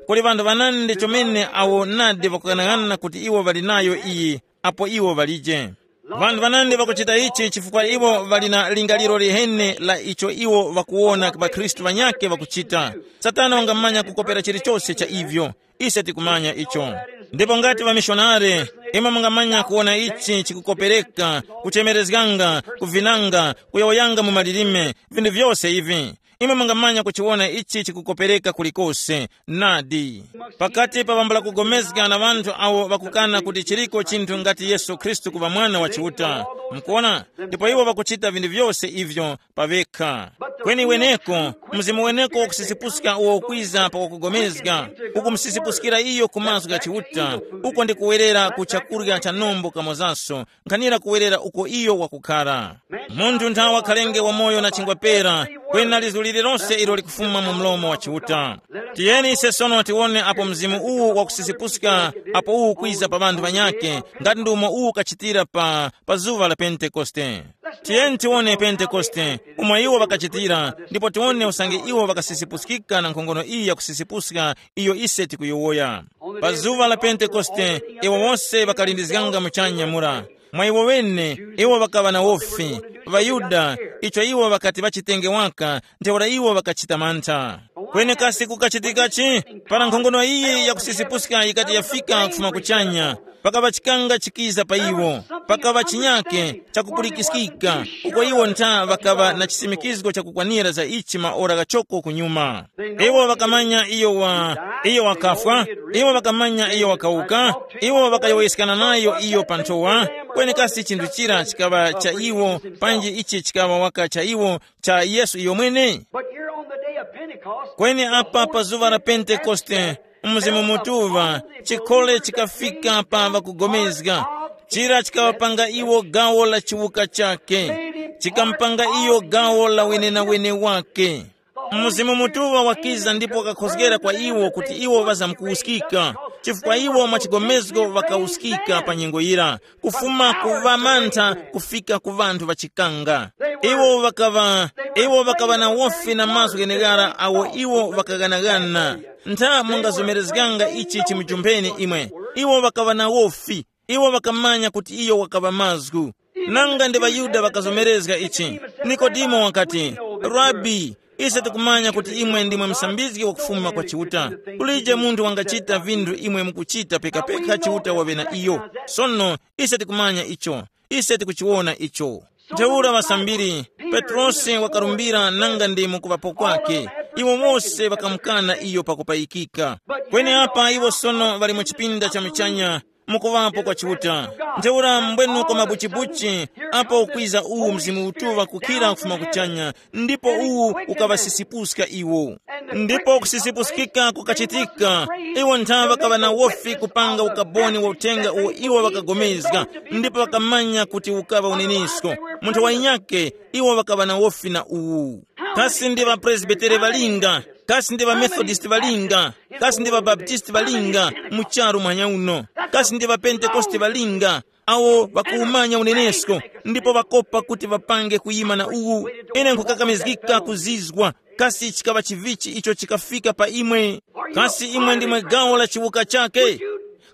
Kuli ŵanthu ŵanandi chomene awo nadi ŵakughanaghanana kuti iwo ŵali nayo iyi, apo iwo ŵalije. Ŵanthu ŵanandi ŵakuchita ichi chifukwa iwo ŵali na lingaliro liheni la icho iwo ŵakuwona ŵakhristu ŵanyakhe ŵakuchita. Satana wangamanya kukopera chilichose cha ivyo. Ise tikumanya icho. Ndipo ngati ŵamishonare, imwe mungamanya kuwona ichi chikukopereka, kuchemerezganga, kuvinanga, kuyowoyanga mu malilime, vinthu vyose ivi. Imwe mungamanya kuchiwona ichi chikukopereka kulikose. Nadi, pakati pa ŵambula kugomezga na ŵanthu awo ŵakukana kuti chiriko chinthu ngati Yesu Khristu kuŵa Mwana wa Chiuta. Mukuona? Ndipo iwo ŵakuchita vinthu vyose ivyo pa ŵekha. Kweni weneko, mzimu weneko wakusisipuska uwo ukwiza pa wakugomezga, ukumusisipuskira iyo ku mazgu gha Chiuta, uko ndi kuwerera ku chakurya cha nombo kamozaso, nkhanira kuwerera uko iyo wakukhara. Munthu nthawa wakhalenge wamoyo na chingwa pera, kwena lizgu lililonse ilo likufuma mu mlomo wa Chiuta. Tiyeni ise sono tiwone apo mzimu uwu wakusisipuska, apo uwu ukwiza pa ŵanthu ŵanyakhe, ngati ndi umo uwu ukachitira pa, pa zuŵa la Pentekoste. Tiyeni tiwone Pentekoste, umo iwo ŵakachitira, ndipo tiwone usange iwo ŵakasisipuskika na nkhongono iyi yakusisipuska iyo ise tikuyowoya. Pa zuŵa la Pentekoste, iwo wose ŵakalindizganga muchanya mura. Mwa iwo ŵene, iwo ŵakaŵa na wofi. ޣaYuda, icho iwo ŵakati ŵachitenge waka, ntheura iwo ŵakachita mantha. Kweni kasi kukachitikachi? Para nkhongono iyi yakusisipuska yikati yafika kufuma kuchanya, pakaŵa chikanga chikiza pa iwo. Pakaŵa chinyake chakupulikiskika, uko iwo ntha ŵakaŵa na chisimikizgo chakukwanira za ichi maora ghachoko kunyuma. Iwo ŵakamanya iyo wa, iyo wakafwa, iwo ŵakamanya iyo wakawuka, iwo ŵakayowoyeskana nayo iyo pa nthowa. Kweni kasi chinthu chira chikaŵa cha iwo, panji ichi chikaŵa waka cha iwo, cha Yesu iyomwene? But here on the day of Pentecost, kweni apa pa zuŵa la Pentekoste, Mzimu Mutuŵa, chikhole chikafika pa ŵakugomezga. Chira chikaŵapanga iwo gawo la chiwuka chake, chikampanga iyo gawo la wenenawene wake. Mzimu Mutuŵa wakiza ndipo wakakhozgera kwa iwo kuti iwo ŵazamkuwuskika, chifukwa iwo mwa chigomezgo ŵakawuskika pa nyengo yira, kufuma ku ŵamantha kufika ku ŵanthu ŵachikanga. Iwo ŵakaŵa, iwo ŵakaŵa na wofi na mazgu gheneghara awo iwo ŵakaghanaghana. Ntha mungazomerezganga ichi chimujumpheni imwe. Iwo ŵakaŵa na wofi. Iwo ŵakamanya kuti iyo wakaŵa mazgu. Nanga ndi ŵaYuda ŵakazomerezga ichi. Nikodemo wakati, Rabi, ise tikumanya kuti imwe ndimwe musambizgi wakufuma kwa Chiuta. Kulije munthu wangachita vinthu imwe mukuchita pekapeka Chiuta waŵe na iyo. Sono, ise tikumanya icho. Ise tikuchiwona icho. Ntheura ŵasambiri, Petrosi wakarumbira nanga ndi mukuŵapo kwake. Iwo wose ŵakamukana iyo pakupayikika. Kweni apa iwo sono ŵali mu chipinda cha muchanya, mukuŵapo kwa Chiuta. Ntheura mbwenuko mabuchibuchi, apo ukwiza uwu Mzimu Mutuŵa kukhira kufuma kuchanya, ndipo uwu ukaŵasisipuska iwo. Ndipo kusisipuskika kukachitika, iwo nthawe ŵakaŵa na wofi kupanga ukaboni wa uthenga uwo iwo ŵakagomezga, ndipo ŵakamanya kuti ukaŵa unenesko. Munthu wa inyake, iwo ŵakaŵa na wofi na uwu. Kasi ndi ŵapresbitere ŵalinga? Kasi ndi ŵamethodist ŵalinga? Kasi ndi ŵabaptisti ŵalinga mu charu mwanya uno? Kasi ndi ŵapentekoste ŵalinga awo ŵakuwumanya unenesko, ndipo ŵakopa kuti ŵapange kuyima na uwu? Ine nkhukakamizgika kuzizwa, kasi chikaŵa chivichi icho chikafika pa imwe? Kasi imwe ndimwe gawo la chiwuka chake?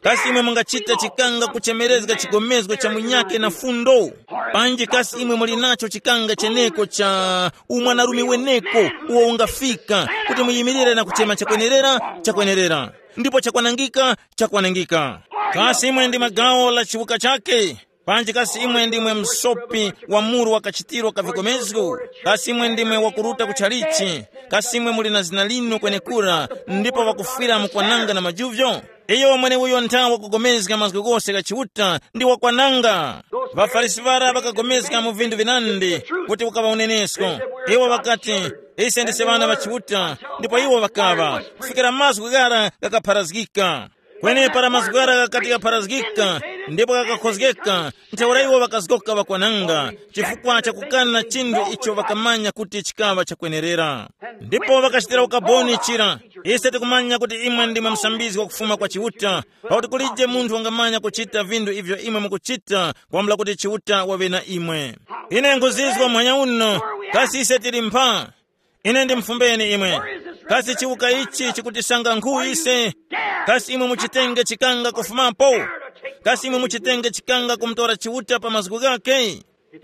Kasi imwe mungachita chikanga kuchemerezga chigomezgo cha munyakhe na fundo? Panji kasi imwe muli nacho chikanga cheneko cha umwanarume weneko uwo ungafika kuti muyimirire na kuchema chakwenerera, chakwenerera, ndipo chakwanangika, chakwanangika? Kasi imwe ndi magawo la chiwuka chake? Panji kasi imwe ndimwe msopi wa muru wa kachitiro ka vikomezgo? Kasi imwe ndimwe wakuruta ku chalichi? Kasi imwe muli na zina linu kwenekura, ndipo wakufwira mukwananga na majuvyo? Iyo mweneuyo nthawe wakugomezga mazgu ghose gha Chiuta ndi wakwananga. ВaFarisi ŵara ŵakagomezga mu vinthu vinandi kuti ukaŵa unenesko. Iwo ŵakati, ise ndise ŵana ŵa Chiuta, ndipo iwo ŵakaŵa, kufikira mazgu ghara ghakapharazgika. Kweni para mazgu ghara ghakati ghapharazgika ndipo ghakakhozgeka, ntheura iwo ŵakazgoka ŵakwananga, chifukwa cha kukana chinthu icho ŵakamanya kuti chikaŵa chakwenerera. Ndipo ŵakachitira ukaboni chira, ise tikumanya kuti imwe ndimwe msambizgi wakufuma kwa Chiuta, pakuti kulije munthu wangamanya kuchita vinthu ivyo imwe mukuchita kwambula kuti Chiuta waŵe na imwe. Ine nkhuzizwa muhanya uno, kasi ise tili mpha? Ine ndimfumbeni imwe, kasi chiwuka ichi chikutisanga nkhu ise? Kasi imwe muchitenge chikanga kufumapo? Kasi imwe muchitenge chikanga kumutora Chiuta pa mazgu ghakhe?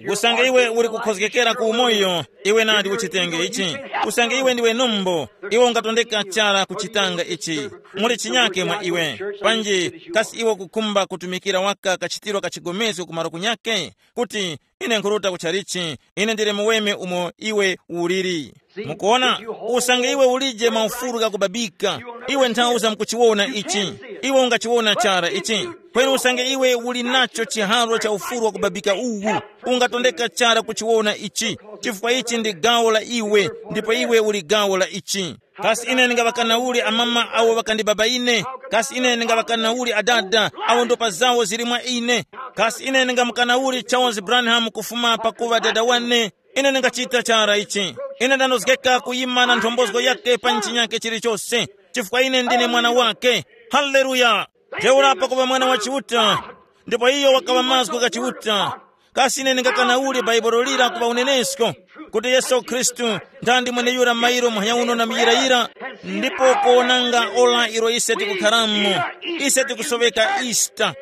Usange iwe uli kukhozgekera ku umoyo, iwe nadi uchitenge ichi. Usange iwe ndiwe nombo, iwe ungatondeka chara kuchitanga ichi. Muli chinyake mwa iwe. Panji kasi iwe kukhumba kutumikira waka kachitiro ka chigomezgo kumaro kunyake, kuti, ine nkhuruta kuchalichi, ine ndili muweme umo iwe uliri. Mukuona, usange iwe ulije maufulu ghakubabika, iwe nthawi zamkuchiwona ichi. Iwe ungachiwona chara ichi. Kweni usange iwe uli nacho chiharwa cha ufulu wakubabika uwu, ungatondeka chara kuchiwona ichi, chifukwa ichi ndi gawo la iwe, ndipo iwe uli gawo la ichi. Kasi ine ndingaŵakana uli amama awo ŵakandibaba ine? Kasi ine ndingaŵakana uli adada awo ndopa zawo zili mwa ine? Kasi ine ndingamukana uli Charles Branham kufuma pakuŵa dada wane? Ine ndingachita chara ichi. Ine ndanozgeka kuyima na nthombozo yake pa chinyake chilichose, chifukwa ine ndine mwana wake. Haleluya! Ntheura pakuŵa mwana wa Chiuta, ndipo iyo wakaŵa mazgu gha Chiuta. Kasi ine ndingakana uli Bhaibuli lira kuŵa unenesko, kuti Yesu Khristu nthandi mweneyura mairo muhanya uno na muyirayira, ndipo kuwonanga ora ilo ise tikukharamo, ise tikusoweka Easter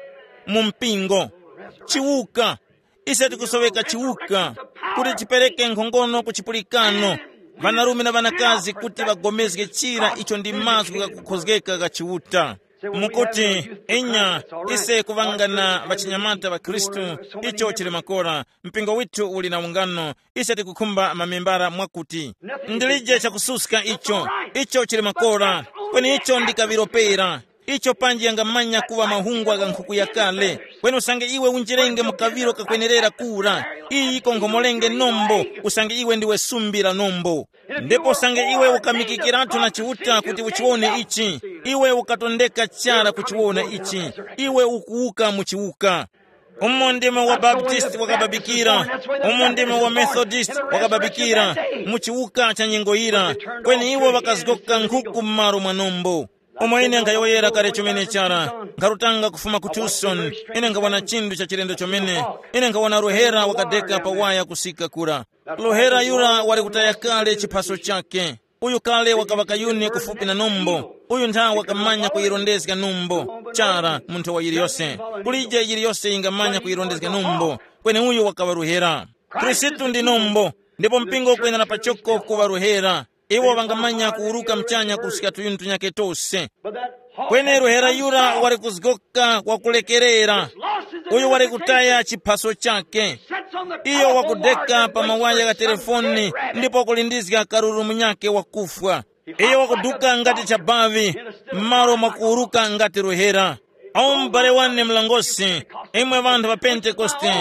mu mpingo, chiwuka. Ise tikusoweka chiwuka kuti tipereke nkhongono ku chipulikano, ŵanarume na ŵanakazi kuti ŵagomezge chira icho ndi mazgu ghakukhozgeka gha Chiuta. Mukuti, inya, ise kuŵanga na ŵachinyamata ŵa Khristu, icho chili makora, mpingo withu uli na ungano, ise tikukhumba mamembara mwakuti. Ndilije chakususka icho, icho chili makora, kweni icho ndi kaŵiro pera. Icho panji yangamanya kuŵa mahungwa gha nkhuku yakale. Kweni usange iwe unjirenge mu kaŵiro kakwenerera kura, iyi konkhomolenge nombo, usange iwe ndiwe sumbi la nombo. Ndipo usange iwe ukamikikiratu na Chiuta kuti uchiwone ichi, iwe ukatondeka chara kuchiwona ichi, iwe ukuwuka mu chiwuka. Umo ndimo wa Baptisti wakababikira, umo ndimo wa Methodist wakababikira, mu chiwuka cha nyengo yira, kweni iwo ŵakazgoka nkhuku m'malo mwa nombo. Umo ine nkhayowoyera kale chomene chara, nkharutanga kufuma ku Tucson, ine nkhawona chinthu cha chilendo chomene. Ine nkhawona ruhera wakadeka pa waya kusika kura. Ruhera yura wali kutaya kale chiphaso chakhe. Uyu kale wakaŵa kayuni kufupi na nombo. Uyu ntha wakamanya kuyirondezga nombo. Chara, munthu wa yiliyose. Kulije yiliyose yingamanya kuyirondezga nombo. Kweni uyu wakaŵa ruhera. Khristu ndi nombo, ndipo mpingo ukwenera pachoko kuŵa ruhera. Iwo ŵangamanya kuwuruka mchanya kusika tuyuni tunyakhe tose. Kweni ruhera yura wali kuzgoka wakulekerera. Uyu wali kutaya chiphaso chakhe. Iyo wakudeka pa mawaya gha telefoni ndipo wakulindizga karuru munyakhe wakufwa. Iyo wakuduka ngati chabavi, m'malo mwa kuwuruka ngati ruhera. Awu m'bale wane mlongosi, imwe ŵanthu ŵa Pentekoste,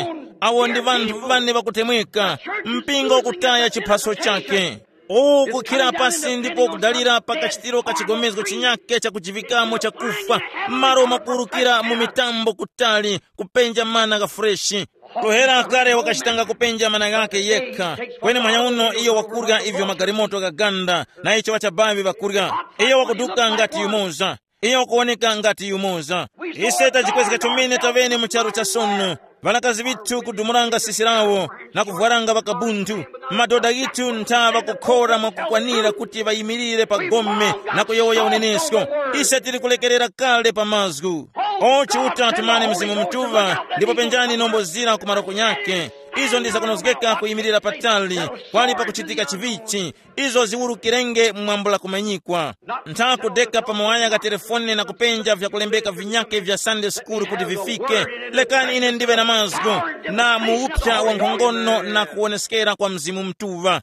awo ndi ŵanthu ŵane ŵakutemweka, mpingo ukutaya chiphaso chake. Uwu ukukhira pasi ndipo ukudalira pa kachitiro ka chigomezgo chinyake chakujivikamo chakufwa, malo mwakuwurukira mu mitambo kutali kupenja mana gha freshi. Kuhera kale wakachitanga kupenja mana ghakhe yekha, kweni manyauno iyo wakurya ivyo magalimoto ghaganda, na icho ŵachabavi ŵakurya. Iyo wakuduka ngati yumoza. Iyo wakuwoneka ngati yumoza. Ise tajikwezga chomene tavene mu charu cha sono. Ŵanakazi ŵithu kudumuranga sisi lawo na kuvwaranga ŵakabunthu. Madoda ghithu ntha ŵakukhora mwakukwanira kuti ŵayimirire pa gome na kuyowoya unenesko. Ise tili kulekerera kale pa mazgu. O Chiuta, tumani Mzimu Mutuŵa ndipo penjani nombo zira ku maroko nyakhe. Izo ndi zakunozgeka kuyimirira patali, kwali pakuchitika chivichi. Izo ziwurukirenge mwambula kumanyikwa. Ntha kudeka pa mawaya gha telefone na kupenja vyakulembeka vinyakhe vya Sunday school kuti vifike. Lekani ine ndive na mazgu na muwupsa wa nkhongono na kuwoneskera kwa Mzimu Mutuŵa.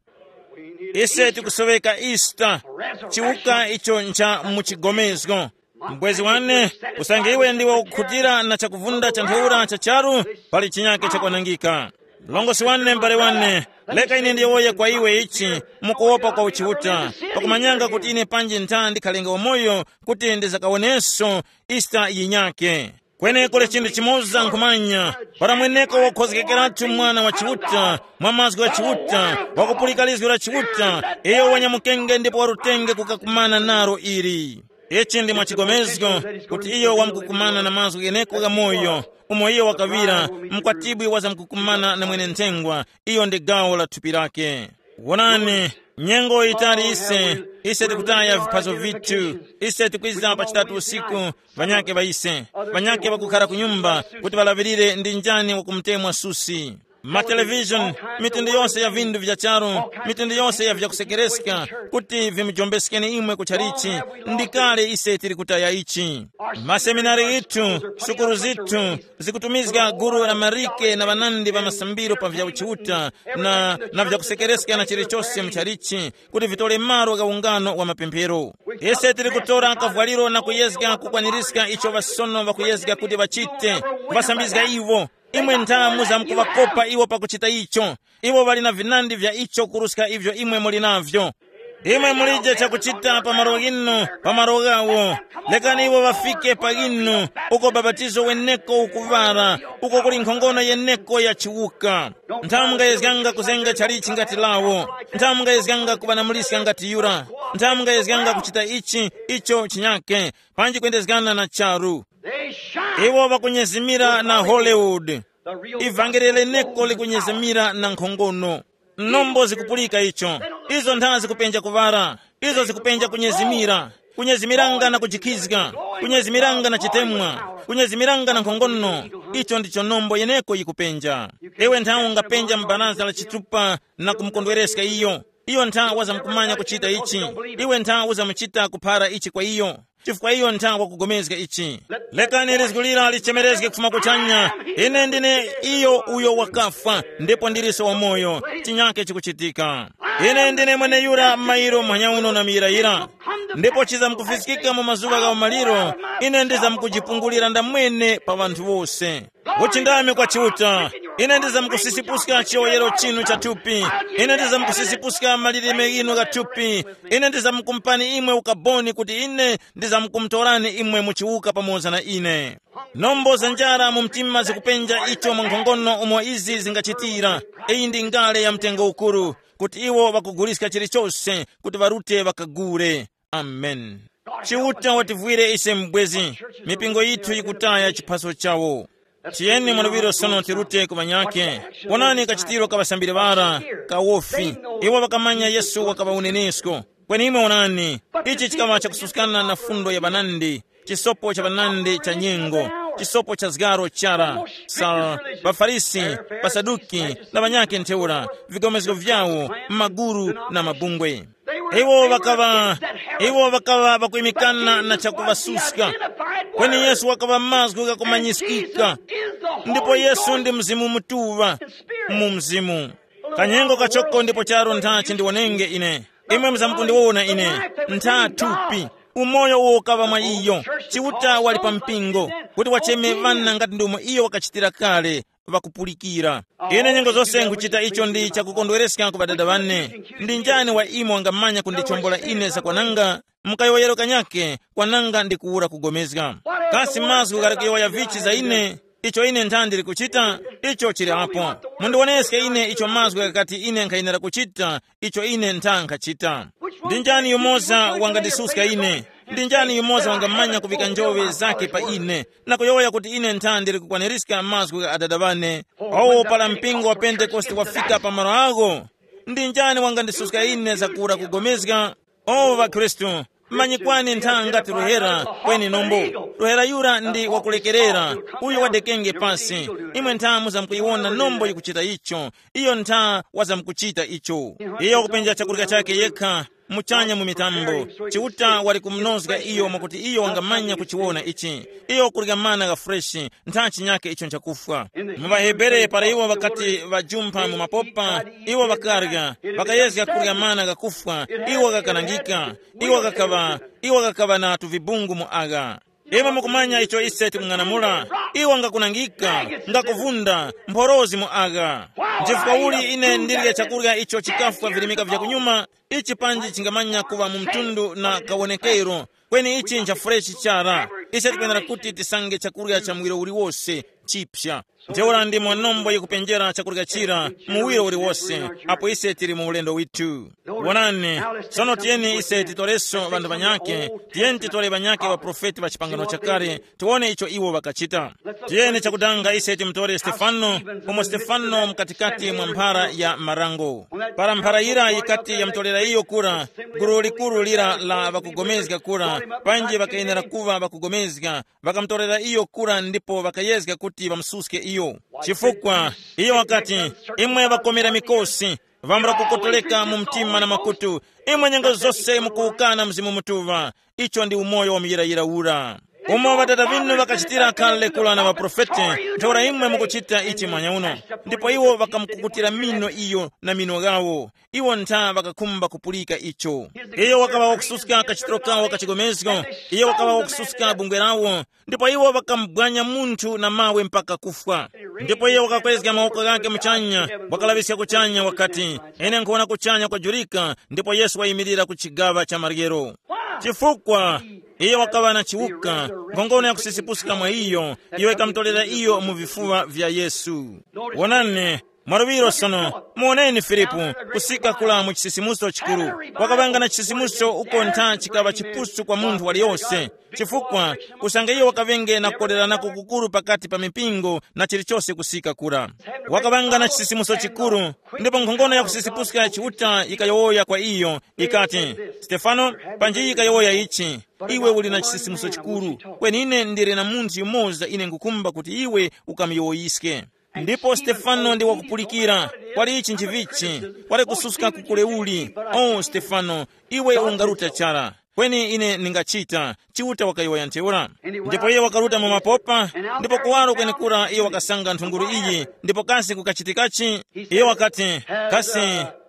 Ise tikusoweka Easter, chiwuka icho ncha mu chigomezgo. Mbwezi wane, usange iwe ndiwe ukukhutira na chakuvunda cha ntheura cha charu, pali chinyake chakwanangika. Mlongosi wane, m'bale wane, leka ine ndiyowoye kwa iwe ichi, mukuwopa kwa uchiuta, pakumanyanga kuti ine panji ntha ndikhalenga wamoyo kuti ndizakawoneso Easter yinyake. Kwenekule chinthu chimoza nkhumanya, para mweneko wakhozgekeratu mwana wa Chiuta, mwa mazgu gha Chiuta, wakupulika lizgu la Chiuta, iyo wanyamukenge ndipo warutenge kukakumana naro ili. Ichi ndi mwachigomezgo kuti iyo wamkukumana na mazgu gheneko gha moyo, umo iyo wakaŵira, mkwatibwi wazamkukumana na mwene nthengwa, iyo ndi gawo la thupi lake. Wonani, nyengo yitali ise, ise tikutaya viphaso vithu, ise tikwiza pa chitatu usiku, ŵanyake ŵa ise, ŵanyake ŵakukhara ku nyumba kuti ŵalaŵirire ndi njani wakumutemwa susi. Matelevishoni, mitundu yose ya vindu vya charu, mitundu yose ya vyakusekereska, kuti vimujombeskeni imwe ku chalichi, ndi kale ise tili kutaya ichi. Maseminari ghithu, sukulu zithu, zikutumizga gulu la marike na ŵanandi ŵa masambiro pa vya uchiuta na, na vyakusekereska na chilichose mu chalichi, kuti vitore malo gha ungano wa mapemphero. Ise tili kutora kavwaliro na kuyezga kukwanirizga icho ŵasono ŵakuyezga kuti ŵachite, kuŵasambizga iwo. Imwe ntha muzamkuŵakopa iwo pakuchita icho. Iwo ŵali na vinandi vya icho kuruska ivyo imwe muli navyo. Imwe mulije chakuchita pa malo ghinu, pa malo ghawo. Lekani iwo ŵafike pa ghinu, uko babatizo weneko ukuŵara, uko kuli nkhongono yeneko ya chiwuka. Ntha mungayezganga kuzenga chalichi ngati lawo. Ntha mungayezganga kuŵanamuliska ngati yura. Ntha mungayezganga kuchita ichi, icho chinyake, panji kwendezgana na charu. They shine. Iwo ŵakunyezimira na Hollywood. The real ivangeli leneko likunyezimira na nkhongono. Nombo zikupulika icho. Izo ntha zikupenja kuŵara. Izo zikupenja kunyezimira. Kunyezimiranga na kujikhizga. Kunyezimiranga na chitemwa. Kunyezimiranga na nkhongono. Icho ndicho nombo yeneko yikupenja. Iwe nthawe ungapenja mu baraza la chitupa na kumukondwereska iyo. Iyo ntha wazamkumanya kuchita ichi. Iwe ntha uzamuchita kuphara ichi kwa iyo, chifukwa iyo ntha wakugomezga ichi. Lekani lizgu lira lichemerezge kufuma kuchanya. Ine ndine iyo uyo wakafwa, ndipo ndilinso wamoyo. Chinyake chikuchitika. Ine ndine mweneyura m'mayiro mphanyauno na miyirayira. Ndipo chizamkufiskika mu mazuŵa gha umaliro, ine ndizamkujipungulira ndamwene pa ŵanthu wose. Uchindami kwa Chiuta. Ine ndizamkusisipuska chiyoyero chinu cha thupi. Ine ndizamkusisipuska malilime ghinu gha thupi. Ine ndizamkumpani imwe ukaboni kuti ine ndizamkumutorani imwe muchiwuka pamoza na ine. Nombo za njara mu mtima zikupenja icho mwa nkhongono umo izi zingachitira. Iyi ndi ngale ya mtengo ukuru, kuti iwo ŵakuguliska chilichose kuti ŵarute ŵakagule. Amen. Chiuta wativwire ise mbwezi. Mipingo yithu yikutaya chiphaso chawo. Tiyeni mwaluŵiro sono tirute ku ŵanyakhe. Wonani kachitiro ka ŵasambiri ŵara, kawofi. Iwo ŵakamanya Yesu wakaŵa unenesko. Kweni imwe wonani, ichi chikaŵa chakususkana na fundo ya ŵanandi, chisopo cha ŵanandi cha nyengo, chisopo cha zgaro chara, sa ŵaFarisi, ŵaSaduki, na ŵanyakhe ntheura, vigomezgo vyawo, maguru na mabungwe. Iwo ŵakaŵa, iwo ŵakaŵa ŵakuyimikana na chakuŵasuska. Kweni Yesu wakaŵa mazgu ghakumanyiskika. Ndipo Yesu ndi Mzimu Mutuŵa mu Mzimu. Kanyengo kachoko ndipo charo ntha chindiwonenge ine. Imwe muzamkundiwona ine. Ntha thupi. Umoyo uwo ukaŵa mwa iyo. Chiuta wali pa mpingo. kuti wacheme ŵana ngati ndomwe iyo wakachitira kale, ŵakupulikira. Ine nyengo zose nkuchita icho ndi chakukondwereska ku ŵadada ŵane. Ndi njani wa imwe wangamanya kundichombola ine za kwananga? Mukayowoyero kanyake kwananga ndi kuwura kugomezga. Kasi mazgu ghali kuyowoya vichi za ine? Icho ine nthandi ndikuchita, icho chili apo. Mundiwoneske ine icho mazgu ghakati ine nkhayenera kuchita, icho ine ntha nkhachita. Ndi njani yumoza wangandisuska ine? Ndi njani yumoza wangamanya kuvika njowe zake pa ine, na kuyowoya kuti ine ntha ndili kukwanirizga mazgu gha adada ŵane? Owo para mpingo wa Pentekoste wafika pa malo agho, ndi njani wangandisuska ine zakura kugomezga? O ŵakhristu, manyikwani ntha ngati ruhera kweni nombo. Ruhera yura ndi wakulekerera, uyo wadekenge pasi. Imwe ntha muzamkuyiwona nombo yikuchita icho. Iyo ntha wazamkuchita icho. Iyo wakupenja chakurya chake yekha muchanya mu mitambo. Chiuta wali kumunozga iyo mwakuti iyo wangamanya kuchiwona ichi. Iyo kurya mana ga freshi, ntha chinyake icho nchakufwa. Mu ŵahebere para iwo ŵakati ŵajumpha mu mapopa, iwo ŵakarya, ŵakayezga kurya mana gakufwa, iwo ghakanangika, iwo ghakaŵa, iwo ghakaŵa na tuvibungu mu agha. Imwe mukumanya icho ise tikung'anamula, iwo ngakunangika, ngakuvunda, mphorozi mu agha. Nchifukwa uli ine ndirye chakurya icho chikafwa virimika vyakunyuma, ichi panji chingamanya kuŵa mu mtundu na kawonekero, kweni ichi ncha freshi chara. Ise tikwenera kuti tisange chakurya cha muwiro uliwose chipya. Ntheura ndimo nombo yikupenjera chakurya chira muwiro uliwose, apo ise tili mu ulendo withu. Wonani, sono tiyeni ise titoreso ŵanthu ŵanyake, tiyeni titore ŵanyake ŵaprofeti ŵa chipangano chakale, tiwone icho iwo ŵakachita. Tiyeni chakudanga ise timutore Stefano, umo Stefano mkatikati mwa mphara ya marango. Para mphara yira yikati yamutorera iyo kura, gulu likuru lira la ŵakugomezga kura, panji ŵakayenera kuŵa ŵakugomezga, ŵakamutorera iyo kura ndipo ŵakayezga kuti ŵamususke iyo. Chifukwa iyo wakati, imwe ŵakomera mikosi, ŵambula kukotoleka mu mtima na makutu, imwe nyengo zose mukuwukana Mzimu Mutuŵa. Icho ndi umoyo wa muyirayira ura. Umo ŵatata ŵinu ŵakachitira kale kula na ŵaprofete, ntheura imwe mukuchita ichi mwanya uno. Ndipo iwo ŵakamukukutira mino iyo na mino ghawo. Iwo ntha ŵakakhumba kupulika icho. Iyo wakaŵa wakususka kachitiro kawo ka chigomezgo. Iyo wakaŵa wakususka bungwe lawo. Ndipo iwo ŵakamubwanya munthu na mawe mpaka kufwa. Ndipo iye wakakwezga mawoko ghake muchanya, wakalaŵiska kuchanya wakati, ine nkhuwona kuchanya kwajurika, ndipo Yesu wayimirira ku chigaŵa cha maryero. Chifukwa iye wakaŵa na chiwuka, nkhongono yakusisipuska mwa iyo, iyo ikamutorera iyo mu vifuŵa vya Yesu. Wonani, mwaluŵiro sono, muwoneni Filipu, kusika kula mu chisisimuso chikuru. Wakaŵanga na chisisimuso uko ntha chikaŵa chipusu kwa munthu waliyose, chifukwa usange iyo wakaŵenge na kukoleranako kukuru pakati pa mipingo na chilichose kusika kura. Wakaŵanga na chisisimuso chikuru, ndipo nkhongono yakusisipuska ya Chiuta yikayowoya kwa iyo, ikati, Stefano, panji yikayowoya ichi, iwe uli na chisisimuso chikuru, kweni ine ndili na munthu yumoza ine nkukhumba kuti iwe ukamuyowoyiske. Ndipo Stefano ndi wakupulikira, kwali ichi nchivichi, kwali kususka kukule uli. O Stefano, iwe ungaruta chara. Kweni ine ndingachita, Chiuta wakayowoya ntheura. Ndipo iye wakaruta mu mapopa, ndipo kuwaro kwenekura iye wakasanga nthunguru iyi, ndipo kasi kukachitikachi? Iye wakati, kasi,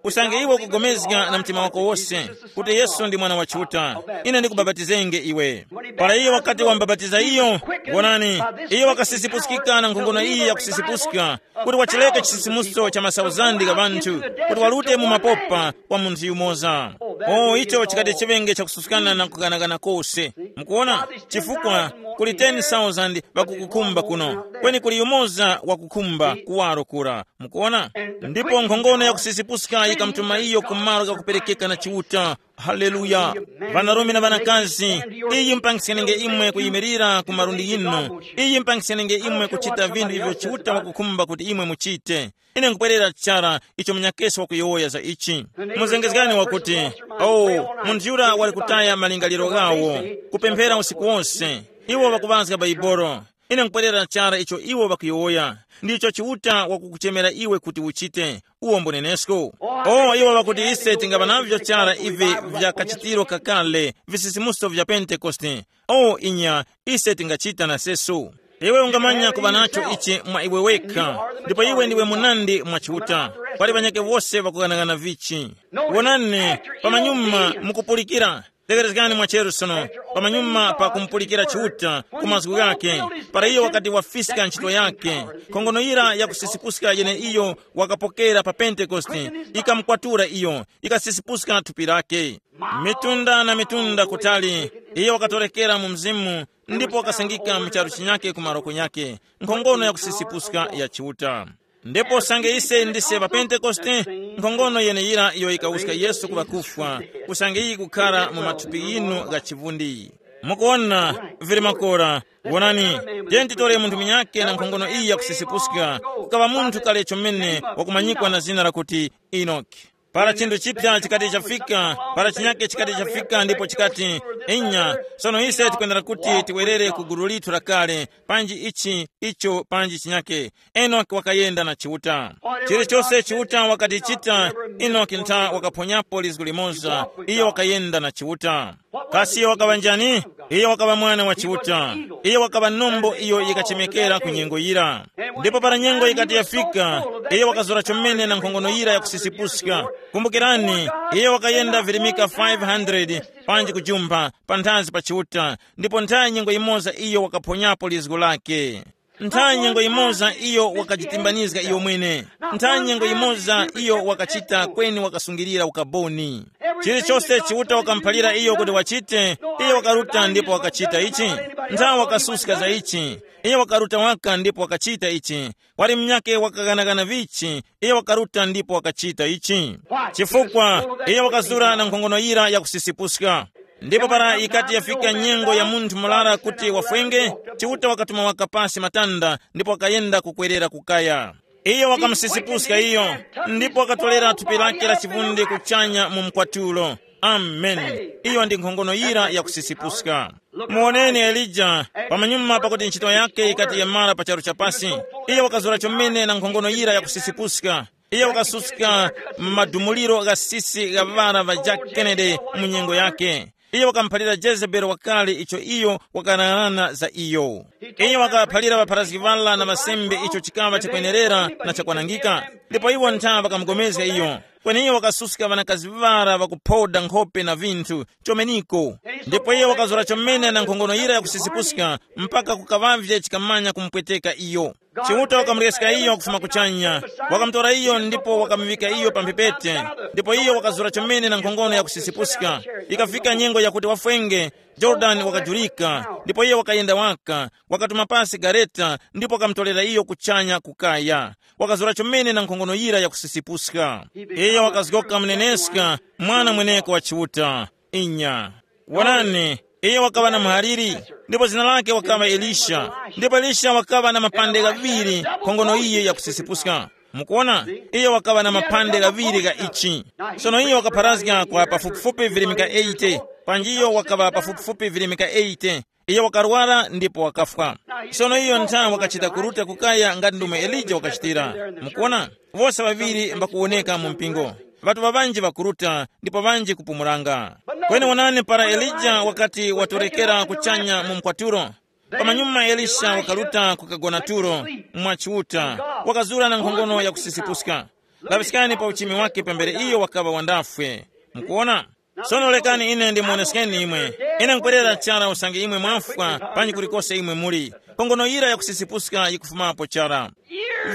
usange iwe ukugomezga na mtima wako wose kuti Yesu ndi Mwana wa Chiuta, ine ndikubapatizenge iwe. Para iye wakati wambapatiza iyo, wonani, iye wakasisipuskika na nkhongono iyi yakusisipuska, kuti wachileke chisisimuso cha masauzandi gha ŵanthu, kuti walute mu mapopa kwa munthu yumoza. O icho chikati chiŵenge chakususkana na kukanakana kose. Mukuona? Chifukwa kuli ten thousand ŵakukukhumba kuno, kweni kuli yumoza wakukhumba kuwaro kura. Mukuona? Ndipo nkhongono yakusisipuska yikamutuma iyo ku malo ghakuperekeka na Chiuta. Haleluya! Ŵanarume na ŵanakazi, iyi mpangiskenge imwe kuyimirira ku malundi yinu. Iyi mpangiskenge imwe kuchita vinthu ivyo Chiuta wakukhumba kuti imwe muchite. Ine nkupwerera chara icho munyakesi wakuyowoya za ichi. Muzengezgani wakuti, oh, munthu yura wali kutaya malingaliro ghawo, kupemphera usiku wonse. Iwo ŵakuŵazga Baibolo. Ine nkupwerera chara icho iwo ŵakuyowoya. Ndicho Chiuta wakukuchemera iwe kuti uchite. Uwo mbunenesko. Oh, iwo ŵakuti ise tingaŵa navyo chara ivi vya kachitiro kakale, visisimuso vya Pentekoste. Oh, inya, ise tingachita na seso. Iwe ungamanya kuŵa nacho ichi mwa iwe wekha, ndipo iwe ndiwe munandi mwa Chiuta. Pali ŵanyake wose ŵakughanaghana vichi. Wonani, pamanyuma mukupulikira, Tekerezgani mwacheru sono, pamanyuma pa kumupulikira Chiuta ku mazgu ghakhe, para iyo wakati wafiska ntchito yakhe, nkhongono yira yakusisipuska yeneiyo wakapokera pa Pentekoste, ikamukwatura iyo, ikasisipuska thupi lake. Mitunda na mitunda kutali, iyo wakatorekera mu mzimu, ndipo wakasangika mu charu chinyake ku maroko nyakhe, nkhongono yakusisipuska ya Chiuta. Ndipo usange ise ndise ŵa Pentekoste, nkhongono yeneyira iyo yikawuska Yesu ku ŵakufwa, usange iyi kukhara mu mathupi yinu gha chivundi. Mukuwona, vili makora, wonani, tiyeni titore munthu munyakhe na nkhongono iyi yakusisipuska, kukaŵa munthu kale chomene wakumanyikwa na zina lakuti Enoki. Para chinthu chipya chikati chafika, para chinyake chikati chafika ndipo chikati, inya, sono ise tikwenera kuti tiwerere ku gulu lithu lakale, panji ichi, icho, panji chinyake. Enoki wakayenda na Chiuta. Chilichose Chiuta wakatichita, Enoki ntha wakaphonyapo lizgu limoza, iyo wakayenda na Chiuta. Kasi iyo wakaŵa njani? Iyo wakaŵa mwana wa Chiuta. Iyo wakaŵa nombo iyo yikachemekera ku nyengo yira. Ndipo para nyengo yikati yafika, iyo wakazura chomene na nkhongono yira yakusisipuska. Kumbukirani, iyo wakayenda virimika five hundred panji kujumpha panthazi pa Chiuta, ndipo nthayi nyengo yimoza iyo wakaphonyapo lizgu lake. Nthawi nyengo yimoza iyo wakajitimbanizga iyo mwene. Nthawi nyengo yimoza iyo wakachita kweni wakasungilira ukaboni. Chilichose Chiuta wakamuphalira iyo kuti wachite, iyo wakaruta ndipo wakachita ichi. Nthawi wakasuska za ichi, iyo wakaruta waka ndipo wakachita ichi. Wali mnyake wakaghanagana vichi, iyo wakaruta ndipo wakachita ichi. Chifukwa iyo wakazura na nkhongono yira yakusisipuska. Ndipo para yikati yafika nyengo ya munthu murara kuti wafwenge, Chiuta wakatuma waka pasi matanda ndipo wakayenda kukwerera kukaya. Iyo wakamusisipuska iyo, ndipo wakatorera thupi lake la chivundi kuchanya mu mkwatulo. Amen. Iyo ndi nkhongono yira yakusisipuska. Muwoneni Elija, pamanyuma pakuti ntchito yake yikati yamara pa charu chapasi, iyo wakazura chomene na nkhongono yira yakusisipuska. Iyo wakasuska madumuliro gha sisi gha ŵana ŵa Jack Kennedy mu nyengo yake. Iyo wakamuphalira Jezebeli wakale icho iyo wakaghanagana za iyo. Iyo wakaphalira ŵapharazgi ŵala na ŵasembe icho chikaŵa chakwenerera na chakwanangika, ndipo iwo ntha ŵakamugomezga iyo. Kweni iyo wakasuska ŵanakazi ŵara ŵakuphoda nkhope na vinthu chomeniko. Ndipo iyo wakazura chomene na nkhongono yira yakusisipuska mpaka kukaŵavye chikamanya kumupweteka iyo. Chiuta wakamureska iyo kufuma kuchanya, wakamutora iyo ndipo wakamuŵika iyo pa mphepete. Ndipo iyo wakazura chomene na nkhongono yakusisipuska. Ikafika nyengo yakuti wafwenge, Jorodani wakajurika, ndipo iyo wakayenda waka, wakatuma pasi gareta ndipo wakamutorera iyo kuchanya kukaya. Wakazura chomene na nkhongono yira yakusisipuska. Iyo wakazgoka muneneska, mwana mweneko wa Chiuta. Inya. Wonani, iyo wakaŵa na muhaliri, ndipo zina lake wakaŵa Elisha. Ndipo Elisha wakaŵa na mapande ghaŵiri nkhongono yiyi yakusisipuska. Mukuona, iyo wakaŵa na mapande ghaŵiri gha ichi. Sono iyo wakapharazga kwa pafupifupi virimika eighty, panji iyo wakaŵa pafupifupi virimika eighty. Iyo wakarwara ndipo wakafwa. Sono iyo ntha wakachita kuruta kukaya ngati ndomwe Elija wakachitira. Mukuona, wose ŵaŵiri mbakuwoneka mu mpingo. Ŵatuŵa ŵanji ŵakuruta ndipo ŵanji kupumulanga. Kweni wonani, para Elija wakati watorekera kuchanya mu mkwatulo, pamanyuma Elisha wakaruta kukagona tulo mwa Chiuta, wakazura na nkhongono yakusisipuska. Laŵiskani pa uchimi wake pambere iyo wakaŵa wandafwe. Mukuona? Sono lekani ine ndimuoneskeni imwe. Ine nkwerera chara usange imwe mwafwa panji kulikose imwe muli. Nkhongono yira yakusisipuska yikufumapo chara.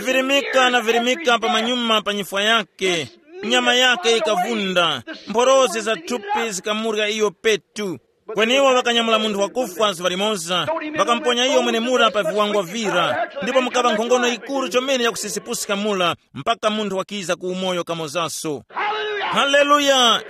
Virimika na virimika pamanyuma pa nyifwa yake, nyama yake yikavunda, mphorosi za thupi zikamurya iyo petu. Kweni iwo ŵakanyamula munthu wakufwa zuŵa limoza, ŵakamponya iyo mwenemura pa viwangwa vira, ndipo mukaŵa nkhongono yikuru chomene yakusisipuska mura, mpaka munthu wakiza ku umoyo kamozaso. Haleluya!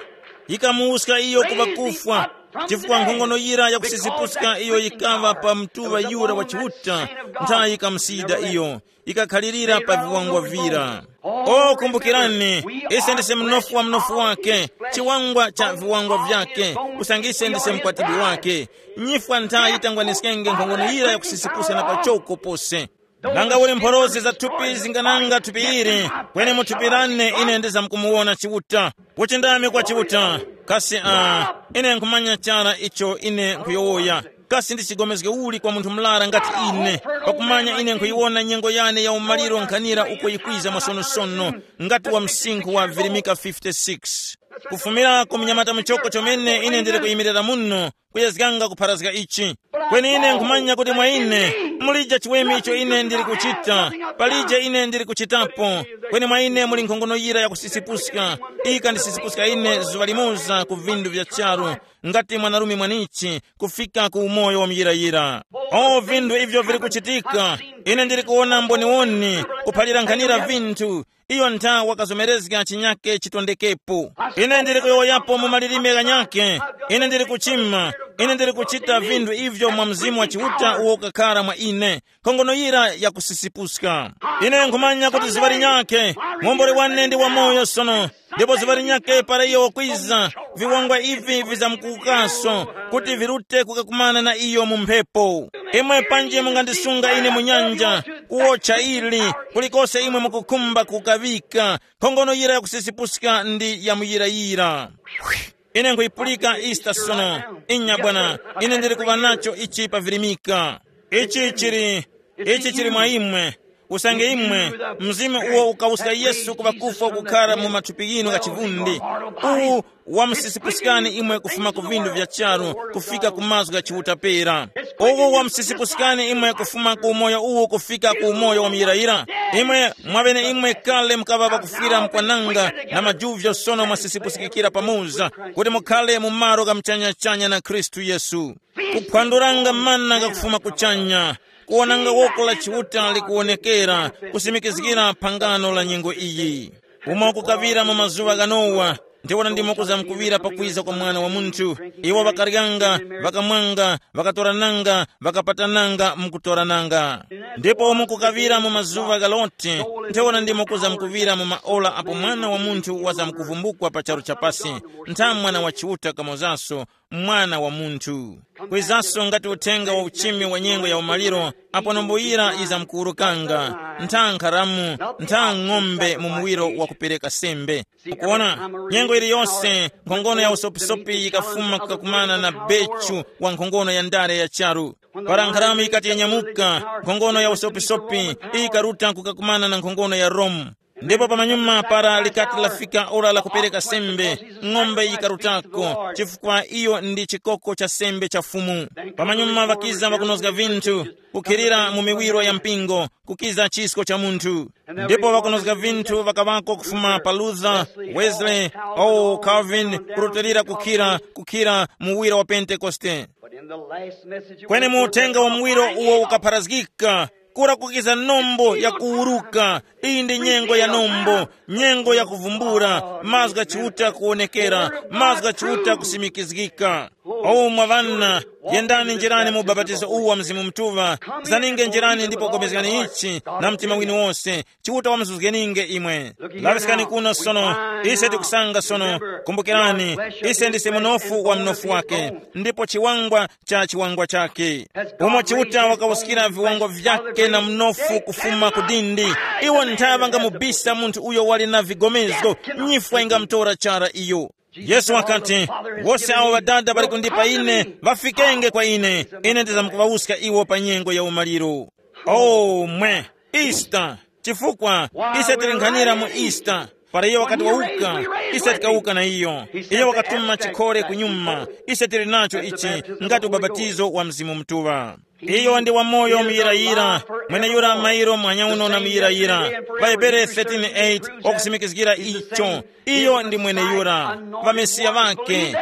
Yikamuwuska iyo ku ŵakufwa, chifukwa nkhongono yira yakusisipuska iyo yikaŵa pa mtuŵa yura wa Chiuta, nthayi yikamusiyida iyo, ikakhalirira pa viwangwa vira. O, kumbukirani, ise ndise mnofu wa mnofu wake, chiwangwa cha viwangwa vyake, usange ise ndise mkwatibwi wake. Nyifwa ntha yitangwaniskenge nkhongono yira yakusisipusa na pachoko pose. Nanga uli mphorosi za thupi zingananga thupi ili, kweni mu thupi lane ine ndizamkumuwona Chiuta. Kuchindami kwa Chiuta, kasi a, ine nkhumanya chara icho ine nkhuyowoya. Kasi ndi chigomezge uli kwa munthu murara ngati ine, pakumanya ine nkhuyiwona nyengo yane ya umaliro nkhanira uko yikwiza mwasonosono, ngati wa msinkhu wa virimika fifty-six. Kufumira ku munyamata muchoko chomene ine ndili kuyimirira muno, kuyezganga kupharazga ichi. Kweni ine nkhumanya kuti mwa ine mulija chiweme icho ine ndili kuchita, palija ine ndili kuchitapo. Kweni mwa ine muli nkhongono yira yakusisipuska, ikandisisipuska ine zuŵa limoza ku vindu vya charu, ngati mwanarume mwanichi kufika ku umoyo wa muyirayira. O vindu ivyo vili kuchitika, ine ndili kuwona mboniwoni, kuphalira nkhanira vinthu. Iyo ntha wakazomerezga chinyake chitondekepo. Ine ndili kuyowoyapo mu malilime ghanyake. Ine ndili kuchima. Ine ndili kuchita vinthu ivyo mwa Mzimu wa Chiuta uwo ukakhara mwa ine. Nkhongono yira yakusisipuska. Ine nkhumanya kuti zuŵa linyakhe, muomboli wane ndi wamoyo sono. Ndipo zuŵa linyakhe para iyo wakwiza, viwangwa ivi vizamkuwukaso, kuti virute kukakumana na iyo mu mphepo. Imwe panji mungandisunga ine mu nyanja, kuwotcha ili, kulikose imwe mukukhumba kukaŵika. Nkhongono yira yakusisipuska ndi yamuyirayira. Ine nkhuyipulika Easter sono. Inya bwana, ine ndili kuŵa nacho ichi pavirimika. Ichi chili, ichi chili mwa imwe. Usange imwe, mzimu uwo ukawuska Yesu ku ŵakufwa kukhara mu mathupi ghinu gha chivundi, uwu wamusisipuskani imwe kufuma ku vindu vya charu kufika ku mazgu gha Chiuta pera. Uwu wamusisipuskani imwe kufuma ku umoyo uwu kufika ku umoyo wa muyirayira. Imwe mwabene imwe kale mukaŵa pakufwira mkwananga, na majuvyo sono mwasisipusikikira pamoza, kuti mukhale mu malo gha muchanyachanya na Khristu Yesu. Kuphwanduranga mana gakufuma kuchanya, kuwonanga woko la Chiuta likuwonekera, kusimikizgira phangano la nyengo iyi. Umo kukaŵira mu mazuŵa gha Nowa, ndiwona ndimo kuzamkuŵira pakwiza kwa Mwana wa Munthu. Iwo ŵakaryanga, ŵakamwanga, ŵakatorananga, ŵakapatananga mukutorananga. Ndipo umo kukaŵira mu mazuŵa gha Loti, ndiwona ndimo kuzamkuŵira mu maora apo Mwana wa Munthu wazamkuvumbukwa pa charu cha pasi, ntha Mwana wa Chiuta kamozaso, Mwana wa Munthu. Kwizaso ngati uthenga wa uchimi wa nyengo ya umaliro, apo nambuyira yizamkuwurukanga, ntha nkharamu, ntha ng'ombe mu muwiro wa kupereka sembe. Mukuona, nyengo iliyose nkhongono ya usopisopi yikafuma kukakumana na bechu wa nkhongono ya ndale ya charu. Para nkharamu yikati yanyamuka, nkhongono ya usopisopi ikaruta kukakumana na nkhongono ya Rome. Ndipo pamanyuma para likati lafika ora la kupereka sembe, ng'ombe yikarutako, chifukwa iyo ndi chikoko cha sembe cha Fumu. Pamanyuma ŵakiza ŵakunozga vinthu, kukhilira mu miwiro ya mpingo, kukiza chisko cha munthu. Ndipo ŵakunozga vinthu ŵakaŵako kufuma pa Luther, Wesley, o Calvin, kurutilira kukhira, kukhira muwiro wa Pentekoste. Kweni mu uthenga wa muwiro uwo ukapharazgika, kura kukiza nombo ya kuwuruka. Iyi ndi nyengo ya nombo, nyengo ya kuvumbula, mazgu gha Chiuta kuwonekera, mazgu gha Chiuta kusimikizgika. O mwa ŵana, yendani njirani mu ubapatizo uwu wa Mzimu Mutuŵa, zaninge njirani ndipo gomezgani ichi na mtima winu wose, Chiuta wamuzuzgeninge imwe. Laŵiskani kuno sono, ise tikusanga sono, kumbukirani, ise ndise munofu wa mnofu wake, ndipo chiwangwa cha chiwangwa chake. Umo Chiuta wakawuskira viwangwa vyake na mnofu kufuma ku dindi, iwo nthaŵa ngamubisa munthu uyo wali na vigomezgo, nyifwa ingamutora chara iyo. Yesu wakati, wose awo Ŵadada ŵali kundipa ine, ŵafikenge kwa ine, ine ndizamkuŵawuska iwo pa nyengo ya umaliro. O mwe, Easter, chifukwa ise tili nkhanira mu Easter. Para iyo wakati wawuka, ise tikawuka na iyo. Iyo wakatuma chikhole kunyuma, ise tili nacho ichi, ngati ubapatizo wa Mzimu Mutuŵa. Iyo ndi wamoyo muyirayira, mweneyura mairo mwanyauno na muyirayira. Vahebere thirteen eight wakusimikizgira icho. Iyo ndi mweneyura, vamesiya vake,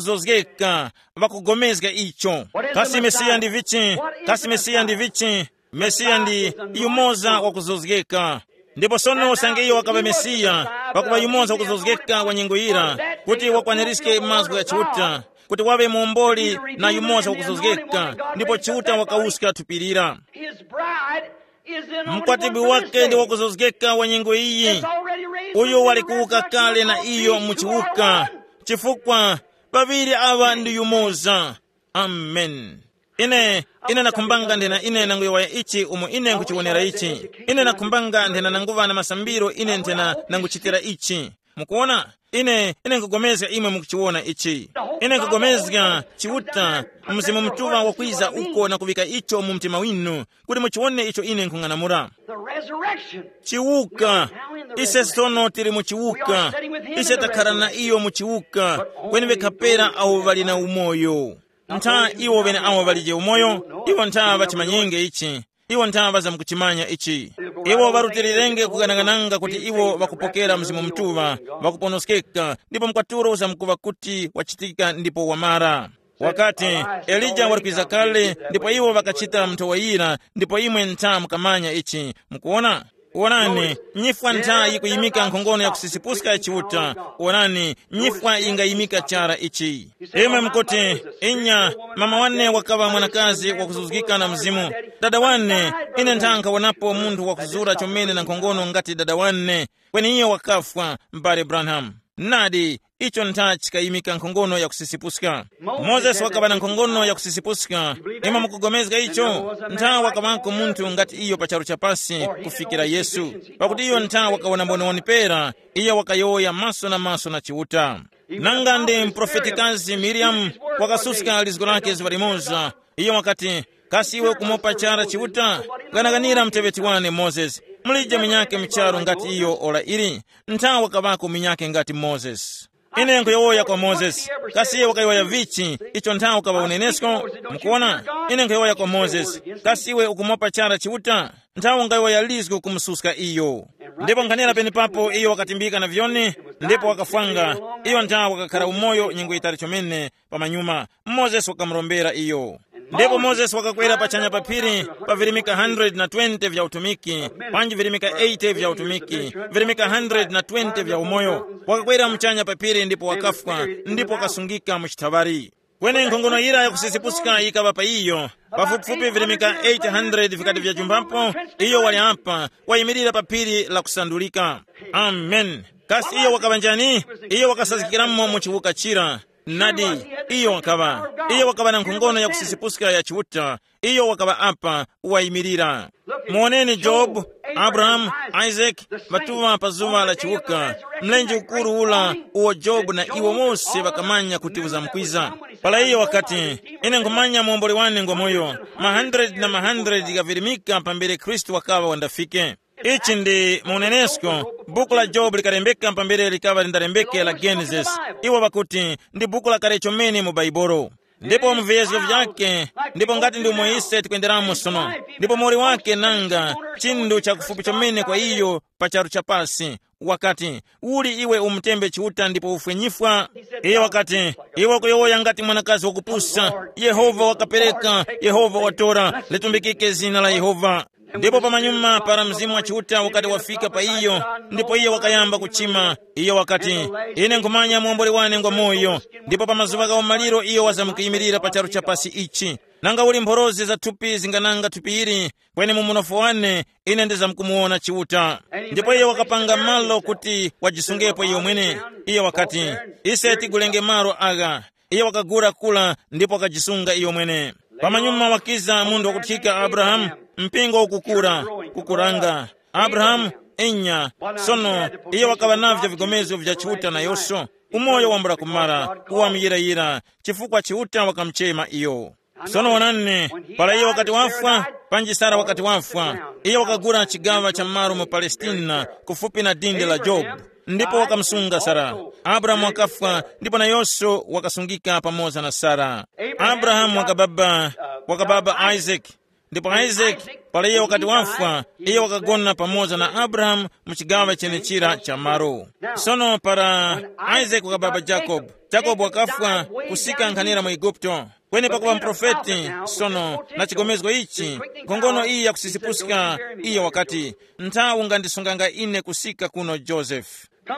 vakuzozgeka, vakugomezga icho. Kasi Mesiya ndi vichi? Kasi Mesiya ndi vichi? Mesiya ndi yumoza wakuzozgeka. Ndipo sono usange iyo wakaŵa Mesiya, pakuŵa yumoza wakuzozgeka wa nyengo yira, kuti wakwaniriske mazgu gha Chiuta, kuti waŵe muomboli na yumoza wakuzozgeka, ndipo Chiuta wakawuska thupi lira. His bride is in only Mkwatibwi one wake ndi minute. Wakuzozgeka wa nyengo iyi. It's already raised from the dead. Uyo wali kuwuka kale na iyo mu chiwuka, chifukwa paŵiri aŵa ndi yumoza. Amen. Ine, ine nakhumbanga ndena ine nanguyowoya ichi umo ine nkuchiwonera ichi. Ine nakhumbanga ndena nanguŵa na masambiro ine ndena nanguchitira ichi. Mukuona? Ine ine nkugomezga imwe mukuchiwona ichi. Ine nkugomezga Chiuta, Mzimu Mutuŵa wakwiza uko na kuŵika icho mu mtima winu, kuti muchiwone icho ine nkhung'anamula. The resurrection. Chiwuka. Ise sono tili mu chiwuka. Ise takhala na iyo mu chiwuka, kweni ŵekha pera awo ŵali na umoyo. Ntha iwo ŵeneawo ŵalije umoyo, iwo ntha ŵachimanyenge ichi. Iwo ntha ŵazamkuchimanya ichi. Iwo ŵarutilirenge kuganagananga kuti iwo ŵakupokera Mzimu Mutuŵa, ŵakuponoskeka, ndipo mkwatulo uzamkuŵa kuti wachitika ndipo wamara. Wakati, Elija wali kwiza kale, ndipo iwo ŵakachita mnthowa yira, ndipo imwe ntha mukamanya ichi. Mukuona? Wonani, nyifwa ntha yikuyimika nkhongono ya kusisipuska ya Chiuta. Wonani, nyifwa yingayimika chara ichi. Imwe mukuti, inya, mama wane wakaŵa mwanakazi wakuzuzgika na mzimu. Dada wane, ine ntha nkhawonapo munthu wakuzura chomene na nkhongono ngati dada wane, kweni iyo wakafwa, m'bale Branham. Nadi, icho ntha chikayimika nkhongono ya kusisipuska. Mozesi wakaŵa na nkhongono ya kusisipuska. Imwe mukugomezga icho? Ntha wakaŵako munthu ngati iyo pa charu cha pasi kufikira Yesu, pakuti iyo ntha wakawona mboniwoni pera. Iyo wakayowoya maso na maso na Chiuta. Nanga ndi mprofetikazi Miriamu wakasuska lizgo lake zuŵa limoza. Iyo wakati, kasi iwe ukumopa chara Chiuta? Ganaganira muteŵeti wane Mozesi. Mulije munyake mucharu ngati iyo ora ili. Ntha wakaŵako munyake ngati Mozesi. Ine nkhuyowoya kwa Mozesi, kasi iwe wakayowoya vichi icho nthawe ukaŵa unenesko? Mukuona, ine nkhuyowoya kwa Mozesi, kasi iwe ukumopa chara Chiuta? Nthawe ungayowoya lizgu kumususka iyo. Ndipo nkhanira penepapo iyo wakatimbika na vyoni, ndipo wakafwanga. Iyo nthawe wakakhara umoyo nyengo yitali chomene. Pamanyuma, Mozesi wakamurombera iyo. Ndipo Mozesi wakakwera pachanya pa phiri pa virimika hundred na twenty vya utumiki, panji virimika eighty vya utumiki, virimika hundred na twenty vya umoyo. Wakakwera muchanya pa phiri ndipo wakafwa, ndipo wakasungika mu chithaŵari. Kweni nkhongono yira yakusisipuska yikaŵa pa iyo, pafupifupi virimika eight hundred vikati vyajumbapo. Iyo wali apa, wayimirira pa phiri la kusandulika. Amen. Kasi iyo wakaŵa njani? Iyo wakasazgikiramo mu chiwuka chira. Nadi, iyo wakaŵa, iyo wakaŵa na nkhongono ya kusisipuska ya Chiuta. Iyo wakaŵa apa, wayimirira. Muwoneni Jobu, Abrahamu, Isaki, ŵatuŵa pa zuŵa la chiwuka, mlenje ukuru ula uwo Jobu na iwo wose ŵakamanya kuti uzamkwiza. Para iyo wakati, ine nkhumanya muomboli wane ngwamoyo. Ma hundred na ma hundred ghavirimika pambere Khristu wakaŵa wandafike. Ichi ndi mu unenesko. Buku la Jobu likalembeka pambere likaŵa lindarembeke la Genesis. Iwo ŵakuti ndi buku lakale chomene mu Baibolo. Ndipo mu viyezgo vyake, ndipo ngati ndi umo ise tikwenderamo sono, ndipo muwoli wake nanga chindu chakufupi chomene kwa iyo pa charu cha pasi, wakati, uli iwe umutembe Chiuta ndipo ufwe nyifwa? Iye wakati, iwe ukuyowoya ngati mwanakazi wakupusa. Yehova wakapereka, Yehova watora, litumbikike zina la Yehova. Ndipo pamanyuma para Mzimu wa Chiuta ukati wafika pa iyo, ndipo iyo wakayamba kuchima. Iyo wakati, ine nkhumanya muomboli wane ngwa moyo. Ndipo pa mazuŵa gha umaliro iyo wazamkuyimirira pa charu cha pasi ichi. Nanga uli mphorozi za thupi zingananga thupi ili, kweni mu munofu wane ine ndizamkumuwona Chiuta. Ndipo iyo wakapanga malo kuti wajisungepo iyo mwene. Iyo wakati, ise tigulenge malo agha. Iye wakagura kula ndipo wakajisunga iyo mwene. Pamanyuma wakiza munthu wakuthika Abrahamu, mpingo ukukura, kukuranga. Abrahamu, inya, sono iye wakaŵa navyo vigomezgo vya Chiuta nayosho. Umoyo wambula kumara, uwamuyirayira, chifukwa Chiuta wakamuchema iyo. Sono wonani, para iye wakati wafwa, panji Sara wakati wafwa, iye wakagura chigaŵa cha malo mu Palestina, kufupi na dindi la Jobu, ndipo wakamusunga Sara. Abrahamu wakafwa, ndipo nayonso wakasungika pamoza na Sara. Abrahamu wakababa, wakababa Isaac, ndipo Isaac, para iye wakati wafwa, iye wakagona pamoza na Abrahamu mu chigaŵa chenechira cha malo. Sono para Isaac wakababa Jacob, Jacob wakafwa, kusika nkhanira mu Eguputo. Kweni pakuŵa muprofeti, sono, na chigomezgo ichi, nkhongono iyi yakusisipuska, iyo wakati, nthawi ungandisunganga ine kusika kuno Joseph.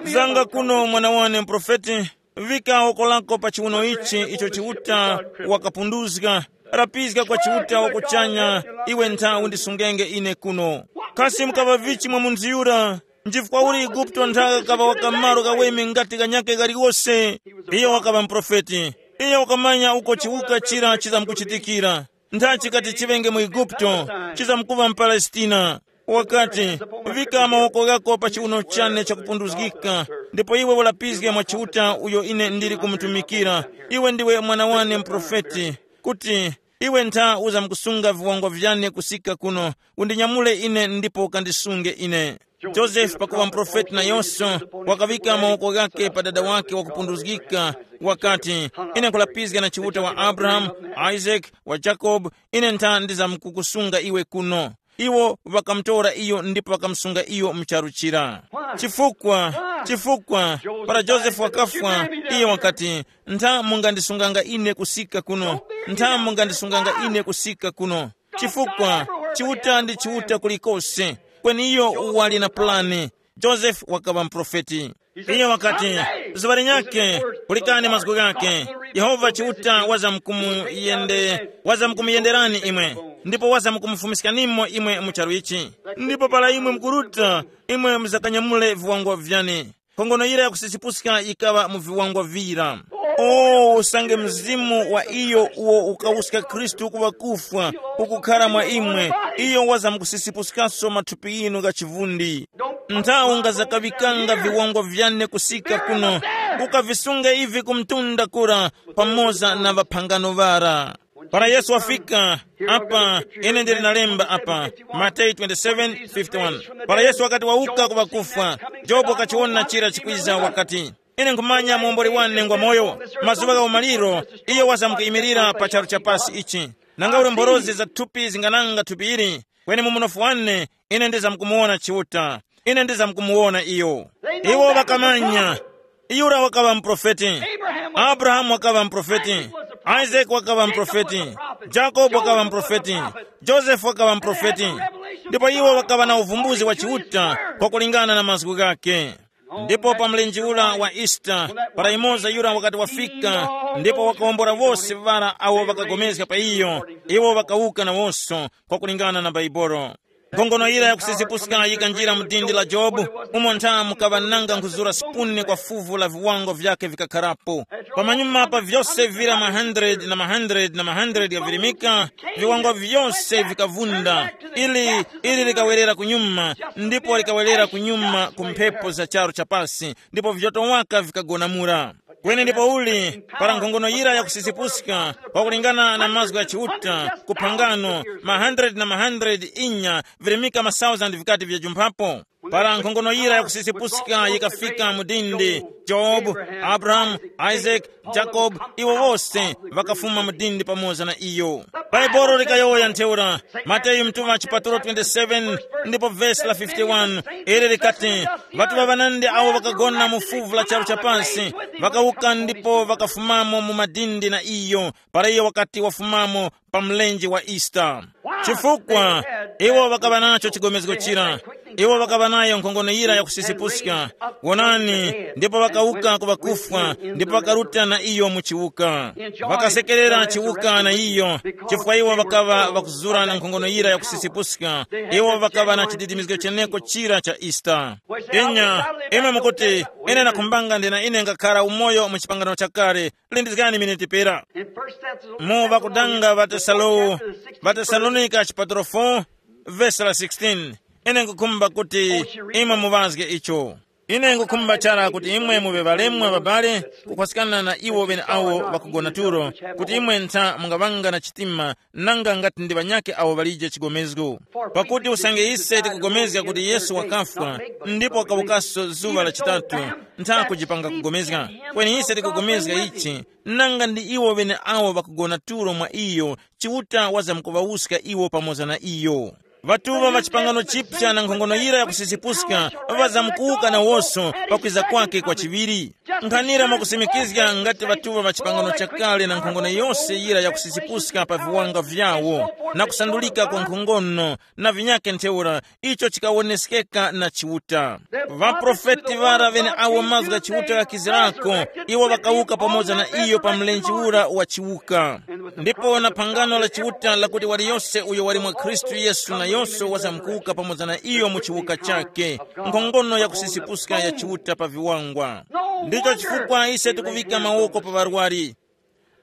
Zanga kuno mwana wane muprofeti, vika woko lako pa chiwuno ichi icho Chiuta wakapunduzga, rapizga kwa Chiuta wakuchanya, iwe nthawi undisungenge ine kuno. Kasi mukaŵa vichi mwa munthu yura? Nchifukwa uli Eguputo nthaka kaŵa wakamaro kaweme ngati kanyakhe kaliwose. Iyo wakaŵa muprofeti. Iyo wakamanya uko chiwuka chira chizamkuchitikira. Ntha chikati chiŵenge mu Eguputo, chizamkuŵa mu Palestina. Wakati, vika mawoko ghako pa chiuno chane chakupunduzgika, ndipo iwe ulapizge mwa Chiuta uyo ine ndili kumutumikira. Iwe ndiwe mwana wane mprofeti, kuti iwe ntha uzamkusunga viwango vyane kusika kuno, undinyamule ine ndipo ukandisunge ine. Josefe pakuŵa mprofeti nayonso, wakaŵika mawoko ghake pa dada wake wakupunduzgika, wakati, ine nkhulapizga na Chiuta wa Abrahamu, Isaac, wa Jacob, ine ntha ndizamkukusunga iwe kuno. Iwo ŵakamutora iyo ndipo ŵakamusunga iyo mu charu chira. Chifukwa, chifukwa, para Josefe wakafwa, iyo wakati, ntha mungandisunganga ine kusika kuno, ntha mungandisunganga ine kusika kuno. Chifukwa, Chiuta ndi Chiuta kulikose, kweni iyo wali na pulani. Josefe wakaŵa mprofeti. Iyo wakati, zuŵa linyakhe, pulikani mazgu ghakhe. Yehova Chiuta wazamkumuyende wazamkumuyenderani imwe, ndipo wazamkumufumiskanimo imwe mu charu ichi. Ndipo para imwe mukuruta, imwe muzakanyamule viwango vyane. Nkhongono yira yakusisipuska yikaŵa mu viwango vira. O usange mzimu wa iyo uwo ukawuska Khristu ku ŵakufwa ukukhara mwa imwe, iyo wazamkusisipuskanso mathupi yinu gha chivundi. Nthawi ungazakaŵikanga viwango vyane kusika kuno, ukavisunge ivi ku mtunda kura, pamoza na ŵaphangano ŵara. Para Yesu wafika, apa, ine ndili nalemba apa, Mateyu twenty-seven fifty-one. Para Yesu wakati wawuka ku ŵakufwa, Jobu wakachiwona chira chikwiza wakati, ine nkhumanya muomboli wane ngwa moyo. Mazuŵa gha umaliro, iyo wazamkuyimirira pa charu cha pasi ichi. Nanga uli mborozi za thupi zingananga thupi ili, kweni mu munofu wane, ine ndizamkumuwona Chiuta. Ine ndizamkumuwona iyo. Iwo ŵakamanya. Yura wakaŵa mprofeti. Abrahamu wakaŵa mprofeti. Isaac wakaŵa mprofeti. Jacob wakaŵa mprofeti. Joseph wakaŵa mprofeti. Ndipo iwo ŵakaŵa na uvumbuzi wa Chiuta, kwakulingana na mazgu ghake. Ndipo pa mlenje ura wa Easter, para imoza yura wakati wafika, ndipo wakawombora wose ŵara awo ŵakapulikana pa iyo, iwo ŵakawuka nawonso, kwakulingana na Baibolo. Nkhongono yira yakusisipuska yikanjira mu dindi la Jobu, umo ntha mukaŵa nanga nkhuzura sipuni kwa fuvu la viwango vyakhe vikakharapo. Pamanyuma pa vyose vira ma hundred na ma hundred na ma hundred ghavirimika, viwango vyose vikavunda. Ili, ili likawerera kunyuma, ndipo likawerera kunyuma ku mphepo za charu chapasi, ndipo vyoto waka vikagonamula. Kweni ndipo uli, para nkhongono yira yakusisipuska, kwakulingana na mazgu gha Chiuta, ku phangano, ma hundred na ma hundred inya, virimika ma thousand vikati vyajumphapo. Para nkhongono yira yakusisipuska yikafika mu dindi, Jobu, Abrahamu, Isaac, Jacob, iwo wose ŵakafuma mu dindi pamoza na iyo. Baibolo likayowoya ntheura, Mateyu mtuŵa chipatulo twenty-seven ndipo vesi la fifty-one, ili likati, ŵatuŵa ŵanandi awo ŵakagona mu fuvu la charu cha pasi, ŵakawuka ndipo ŵakafumamo mu madindi na iyo, para iyo wakati wafumamo pa mlenje wa Easter. Chifukwa, iwo ŵakaŵa nacho chigomezgo chira. Iwo ŵakaŵa nayo nkhongono yira yakusisipuska. Wonani, ndipo ŵakawuka ku ŵakufwa, ndipo ŵakaruta na iyo mu chiwuka. Ŵakasekerera chiwuka na iyo, chifukwa iwo ŵakaŵa ŵakuzura na nkhongono yira yakusisipuska. Iwo ŵakaŵa na chididimizgo cheneko chira cha Easter. Inya, imwe mukuti, ine nakhumbanga ndina ine ngakhara umoyo mu chipangano chakale, lindizgani miniti pera. In First Thessalonians Mu ŵakudanga ŵa Tesalo-, ŵa Tesalonika chipatulo four, vesi la sixteen. Ine nkukhumba kuti imwe muŵazge icho. Ine nkukhumba chara kuti imwe muŵe ŵalemwa ŵabale, kukhwasikana na iwo ŵeneawo ŵakugona tulo, kuti imwe ntha mungaŵanga na chitima, nanga ngati ndi ŵanyakhe awo ŵalije chigomezgo. Pakuti usange ise tikugomezga kuti Yesu wakafwa, ndipo wakawukaso zuŵa la chitatu, ntha kujipanga kugomezga. Kweni ise tikugomezga ichi, nanga ndi iwo ŵeneawo ŵakugona tulo mwa iyo, Chiuta wazamkuŵawuska iwo pamoza na iyo. Ŵatuŵa ŵa chipangano chipya na nkhongono yira yakusisipuska, ŵazamkuwuka nawonso pakwiza kwake kwa chiŵiri. Nkhanira mwakusimikizga ngati ŵatuŵa ŵa chipangano chakale na nkhongono yose yira yakusisipuska pa viwanga vyawo, na kusandulika kwa nkhongono, na vinyakhe ntheura, icho chikawoneskeka na Chiuta. Ŵaprofeti ŵara ŵeneawo mazgu gha Chiuta ghakizirako, iwo ŵakawuka pamoza na iyo pa mlenje ura wa Chiuta. Ndipo na phangano la Chiuta lakuti waliyose uyo wali mwa Khristu Yesu nayonso wazamkuwuka pamoza na iyo mu chiwuka chakhe, nkhongono yakusisipuska ya Chiuta pa viwangwa. Ndicho chifukwa ise tikuŵika mawoko pa ŵarwari.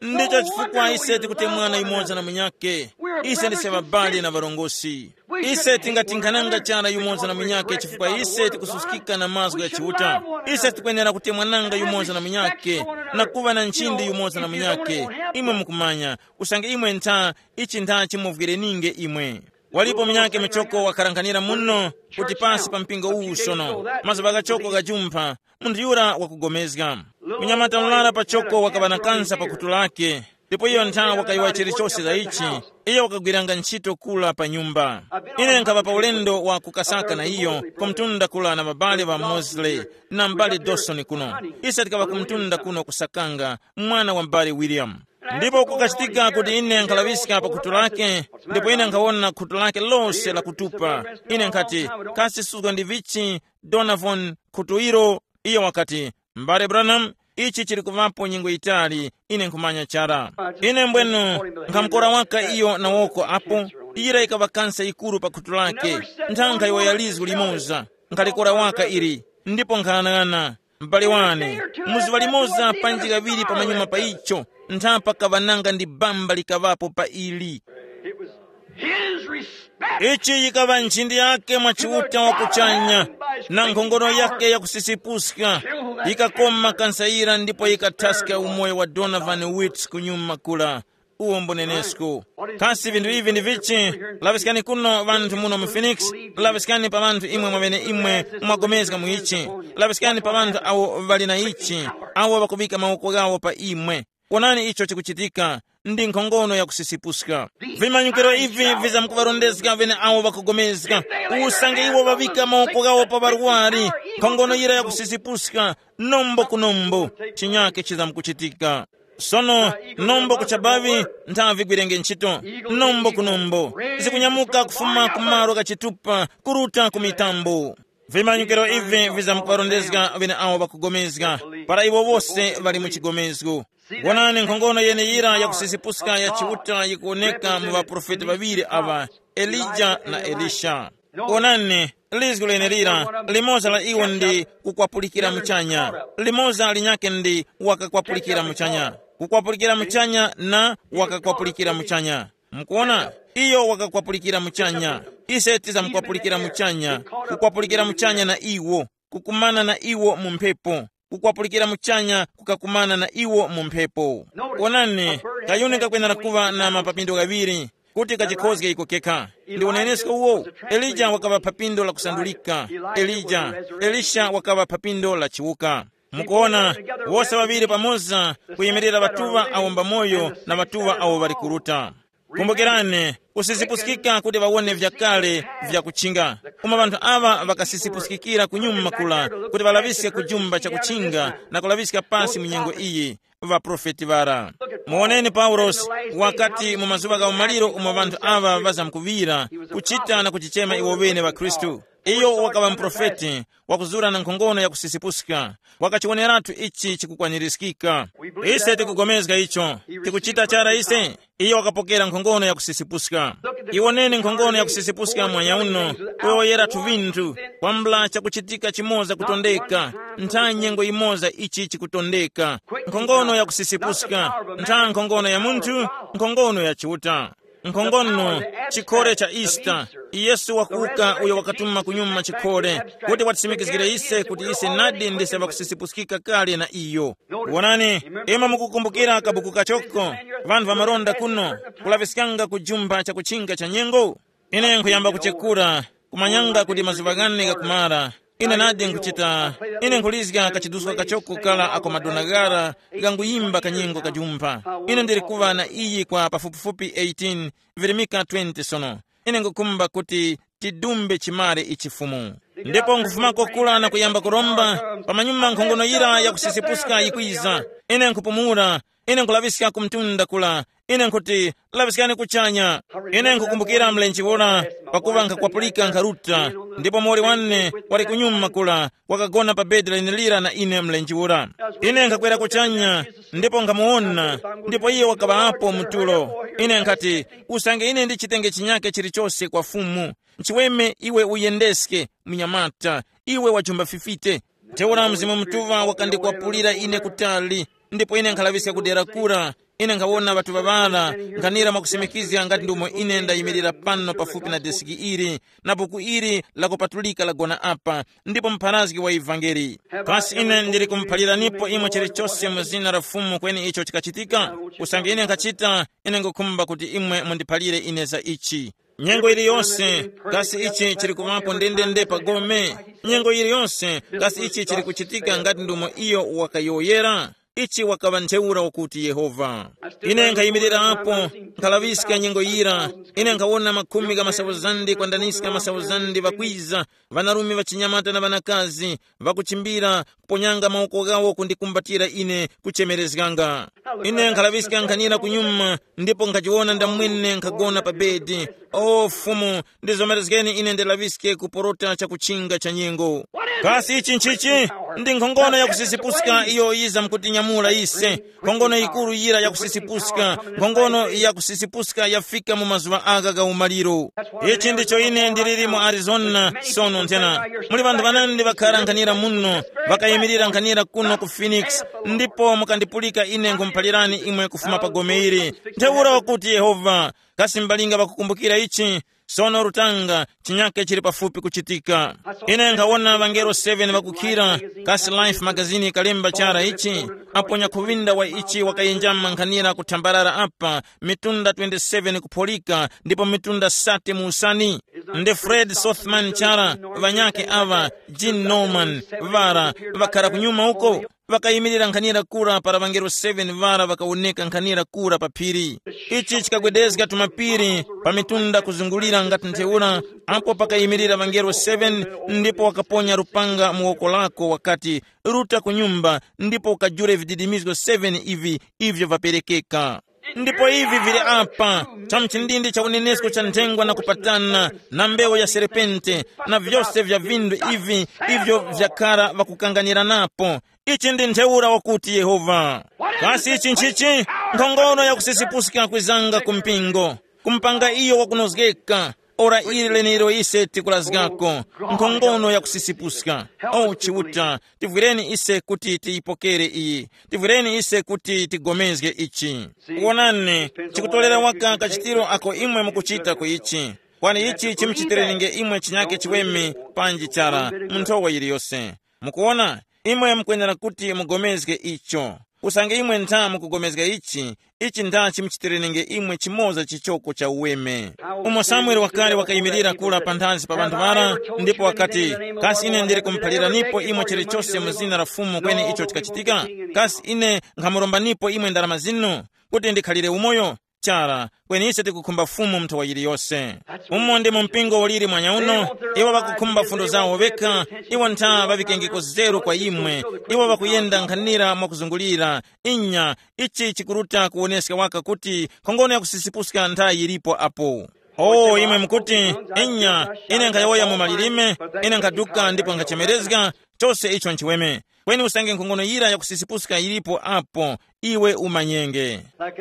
Ndicho chifukwa ise tikutemwana yumoza na munyakhe. Ise ndise ŵabali na ŵarongozgi. Ise tingatinkhananga chara yumoza na munyakhe chifukwa ise tikususkika na mazgu gha Chiuta. Ise tikwenera kutemwananga yumoza na munyakhe, na kuŵa na nchindi yumoza na munyakhe. Imwe mukumanya, usange imwe ntha, ichi ntha chimuvwireninge imwe. Walipo munyakhe muchoko wakharanghanira muno kuti pasi pa mpingo uwu sono, mazuŵa ghachoko ghajumpha, munthu yura wakugomezga. Munyamata murara pachoko wakaŵa na kansa pa khutu lake, ndipo iyo ntha wakayowa chilichose za ichi. Iyo wakagwiranga ntchito kula pa nyumba. Ine nkhaŵa pa ulendo wa kukasaka na iyo ku mtunda kula na ŵabale ŵa Mosley na m'bale Dawson kuno. Ise tikaŵa ku mtunda kuno kusakanga mwana wa m'bale William. Ndipo kukachitika kuti ine nkhalaŵiska pa khutu lake, ndipo ine nkhawona khutu lake lose lakutupa. Ine nkhati, kasi suzga ndi vichi, Donovan, khutu ilo? Iyo wakati, m'bale Branham, ichi chili kuŵapo nyengo yitali, ine nkhumanya chara. Ine mbwenu nkhamukora waka iyo na woko apo, yira yikaŵa kansa yikuru pa khutu lake. Nthankha iwo ya lizgu limoza, nkhalikora waka ili, ndipo nkhanang'ana, m'bale wane, mu zuŵa limoza panji kaŵiri pamanyuma pa icho, nthapa kaŵa nanga ndi bamba likaŵapo pa ili. It was his respect. Ichi yikaŵa nchindi yake mwa Chiuta wa kuchanya, na nkhongono yake ya kusisipuska, yikakoma kansayira ndipo yikathaska umoyo wa Donovan Witts kunyuma kula. Uwo mbunenesko. Kasi vinthu ivi ndi vichi? Laŵiskani kuno ŵanthu muno mu Phoenix, laŵiskani pa ŵanthu imwe mwaŵene imwe mwagomezga mu ichi. Laŵiskani pa ŵanthu awo ŵali na ichi, awo ŵakuŵika mawoko ghawo pa imwe. Wonani icho chikuchitika. Ndi nkhongono ya kusisipuska. Vimanyikiro ivi vizamkuŵarondezga ŵene awo ŵakugomezga. Usange iwo ŵaŵika mawoko ghawo pa ŵarwari, nkhongono yira ya kusisipuska, nombo ku nombo, chinyake chizamkuchitika. Sono, nombo kuchabavi, nthavi gwirenge ntchito, nombo ku nombo, zikunyamuka kufuma ku malo ghachitupa kuruta ku mitambo. Vimanyikiro ivi vizamkuŵarondezga ŵene awo ŵakugomezga, para iwo wose ŵali mu chigomezgo. Wonani nkhongono yeneyira ya kusisipuska ya Chiuta yikuwoneka mu ŵaprofeti ŵaŵiri aŵa, Elija na Elisha. Wonani, lizgu lenelira, limoza la iwo ndi kukwapulikira muchanya, limoza linyakhe ndi wakakwapulikira muchanya. Kukwapulikira muchanya na wakakwapulikira muchanya. Mukuwona? Iyo wakakwapulikira muchanya. Ise tizamkwapulikira muchanya, kukwapulikira muchanya na iwo, kukumana na iwo mu mphepo, kukwapulikira muchanya kukakumana na iwo mu mphepo. Wonani, kayuni kakwenera kuŵa na mapapindo ghaŵiri, kuti kachikhozge iko kekha. Ndi unenesko uwo. Elija wakaŵa phapindo la kusandulika. Elija, Elisha wakaŵa phapindo la chiwuka. Mukuona, wose ŵaŵiri pamoza kuyimirira ŵatuŵa awo mbamoyo na ŵatuŵa awo ŵali kuruta. Kumbukirani, kusizipuskika kuti ŵawone vyakale vyakuchinga. Koma ŵanthu aŵa ŵakasizipuskikira kunyuma kula kuti ŵalaŵiske kujumba chakuchinga na kulaŵiska pasi mu nyengo iyi, ŵaprofeti ŵara. Muwoneni Paulosi wakati mu mazuŵa gha umaliro umo ŵanthu aŵa ŵazamkuŵira kuchita na kuchichema iwo ŵene ŵakhristu. Iyo wakaŵa muprofeti wakuzura na nkhongono ya kusisipuska. Wakachiwoneratu ichi chikukwanirizgika. Ise tikugomezga icho. Tikuchita chara ise. Iyo wakapokera nkhongono ya kusisipuska. Iwoneni nkhongono ya kusisipuska mwanya uno. Kuyowoyeratu vinthu kwambula chakuchitika chimoza kutondeka. Ntha nyengo yimoza ichi chikutondeka. Nkhongono ya kusisipuska. Ntha nkhongono ya munthu. Nkhongono ya Chiuta. Nkhongono, chikhole cha Easter. Yesu wakuwuka uyo wakatuma kunyuma chikhole kuti watisimikizgire ise kuti ise nadi ndise ŵakusisipuskika kale na iyo. Wonani, imwe mukukumbukira kabuku kachoko, ŵanthu ŵamalonda kuno, kulaŵiskanga kujumba chakuchinga cha nyengo? Ine nkhuyamba kuchekura, kumanyanga kuti mazuŵa ghane ghakumara. Ine nadi nkhuchita, ine nkhulizga kachiduska kachoko kala ako madona ghara ghanguyimba kanyengo kajumpha. Ine ndili kuŵa na iyi kwa pafupifupi eighteen, virimika twenty sono. Ine nkhukhumba kuti tidumbe chimare ichi Fumu. Ndipo nkhufumako kula na kuyamba kuromba, pamanyuma nkhongono yira yakusisipuska yikwiza. Ine nkhupumula, ine nkhulaŵiska ku mtunda kula, ine nkhuti, laŵiskani kuchanya. Ine nkhukumbukira mlenje ura, pakuŵa nkhakwapulika nkharuta, ndipo muwoli wane wali kunyuma kula, wakagona pa bedi lenelira na ine mlenje ura. Ine nkhakwera kuchanya, ndipo nkhamuwona, ndipo iye wakaŵa apo mu tulo. Ine nkhati, usange ine ndichitenge chinyake chilichose kwa Fumu, nchiweme iwe uyendeske, munyamata, iwe wajumba fifite. Ntheura Mzimu Mutuŵa wakandikwapulira ine kutali, ndipo ine nkhalaŵiska kudera kura, Ine nkhawona ŵatuŵa ŵara nkhanira mwakusimikizga ngati ndumo ine ndayimirira pano pafupi na desiki ili, na buku ili lakupatulika lagona apa, ndipo mpharazgi wa ivangeli. Kasi ine ndili kumuphaliranipo imwe chilichose mu zina la Fumu kweni icho chikachitika? Usange ine nkhachita, ine ngukhumba kuti imwe mundiphalire ine za ichi. Nyengo iliyonse, kasi ichi chili kuŵapo ndendende pa gome? Nyengo iliyonse, kasi ichi chili kuchitika ngati ndumo iyo wakayowoyera? Ichi wakaŵa ntheura wakuti Yehova. Ine nkhayimirira apo, nkhalaŵiska nyengo yira. Ine nkhawona makhumi gha masauzandi kwandaniska masauzandi ŵakwiza, ŵanarume ŵachinyamata na ŵanakazi, ŵakuchimbira, kuponyanga mawoko ghawo kundikumbatira ine, kuchemerezganga. Ine nkhalaŵiska nkhanira kunyuma, ndipo nkhachiwona ndamwene nkhagona pa bedi. O Fumu, ndizomerezgeni ine ndilaŵiske kuporota chakuchinga cha nyengo. Kasi ichi nchichi? Ndi nkhongono yakusisipuska iyo yiza mkutinyamula ise. Nkhongono yikuru yira yakusisipuska, nkhongono yakusisipuska yafika mu mazuŵa agha gha umaliro. Ichi ndicho ine ndiliri mu Arizona sono nthena. Muli ŵanthu ŵanandi ŵakhara nkhanira muno, ŵakayimirira nkhanira kuno ku Phoenix, ndipo mukandipulika ine nkhumuphalirani imwe kufuma pa gome ili. Ntheura wakuti Yehova, kasi mbalinga ŵakukumbukira ichi? Sono lutanga, chinyake chili pafupi kuchitika. Ine nkhawona ŵangelo seven ŵakukhira, kasi Life magazini ikalemba chara ichi, apo nyakhuŵinda wa ichi wakayenjama nkhanira kuthambarara apa, mitunda twenty-seven kupholika, ndipo mitunda sate mu usani. Ndi Fred Sothman chara, ŵanyakhe aŵa, Gene Norman, ŵara, ŵakhara kunyuma uko, ŵakayimirira nkhanira kura para ŵangelo seven ŵara ŵakawoneka nkhanira kura pa phiri. Ichi chikagwedezga tumapiri pa mitunda kuzungulira ngati ntheura, apo pakayimirira ŵangelo seven, ndipo wakaponya lupanga mu woko lako wakati, ruta ku nyumba, ndipo ukajule vididimizgo seven ivi ivyo vaperekeka. Ndipo ivi vili apa, cha mchindindi cha unenesko cha nthengwa na kupatana, na mbewu ya serpente, na vyose vya vindu ivi ivyo vyakara vakukanganiranapo. Ichi ndi ntheura wakuti Yehova. Kasi ichi nchichi? Nkhongono yakusisipuska kwizanga ku mpingo, kumpanga iyo wakunozgeka. Ora ili lenelo ise tikulazgako, nkhongono yakusisipuska. O Chiuta, tivwireni ise kuti tiyipokere iyi, tivwireni ise kuti tigomezge ichi. Wonani, chikutolera waka kachitiro ako imwe mukuchita ku ichi. Kwani ichi chimuchitirenenge imwe chinyake chiweme, panji chara mu nthowa yiliyose. Mukuwona, imwe mukwenera kuti mugomezge icho. Usange imwe ntha mukugomezga ichi, ichi ntha chimuchitirenenge imwe chimoza chichoko cha uweme. Umo Samuele wakale wakayimirira kula panthazi pa ŵanthu ŵara, ndipo wakati, kasi ine ndili kumuphaliranipo imwe chilichose mu zina la Fumu kweni icho chikachitika? Kasi ine nkhamurombanipo imwe ndarama zinu kuti ndikhalire umoyo? Chara, kweni ise tikukhumba Fumu mu nthowa yiliyose. Umo ndi mu mpingo uliri mwanyauno, iwo ŵakukhumba fundo zawo ŵekha, iwo ntha ŵaŵikengeko zeru kwa imwe, iwo ŵakuyenda nkhanira mwakuzungulira. Inya, ichi chikuruta kuwoneska waka kuti nkhongono yakusisipuska ntha yilipo apo. O imwe mukuti, inya, ine nkhayowoya mu malilime, ine nkhaduka ndipo nkhachemerezga, chose icho nchiweme. Kweni usange nkhongono yira yakusisipuska yilipo apo, iwe umanyenge.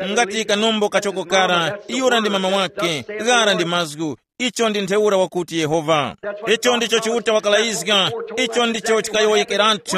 Ngati kanombo kachoko kara, yura ndi mama wake, ghara ndi mazgu. Icho ndi ntheura wakuti Yehova. Icho ndicho Chiuta wakalayizga. Icho ndicho chikayowoyekeratu.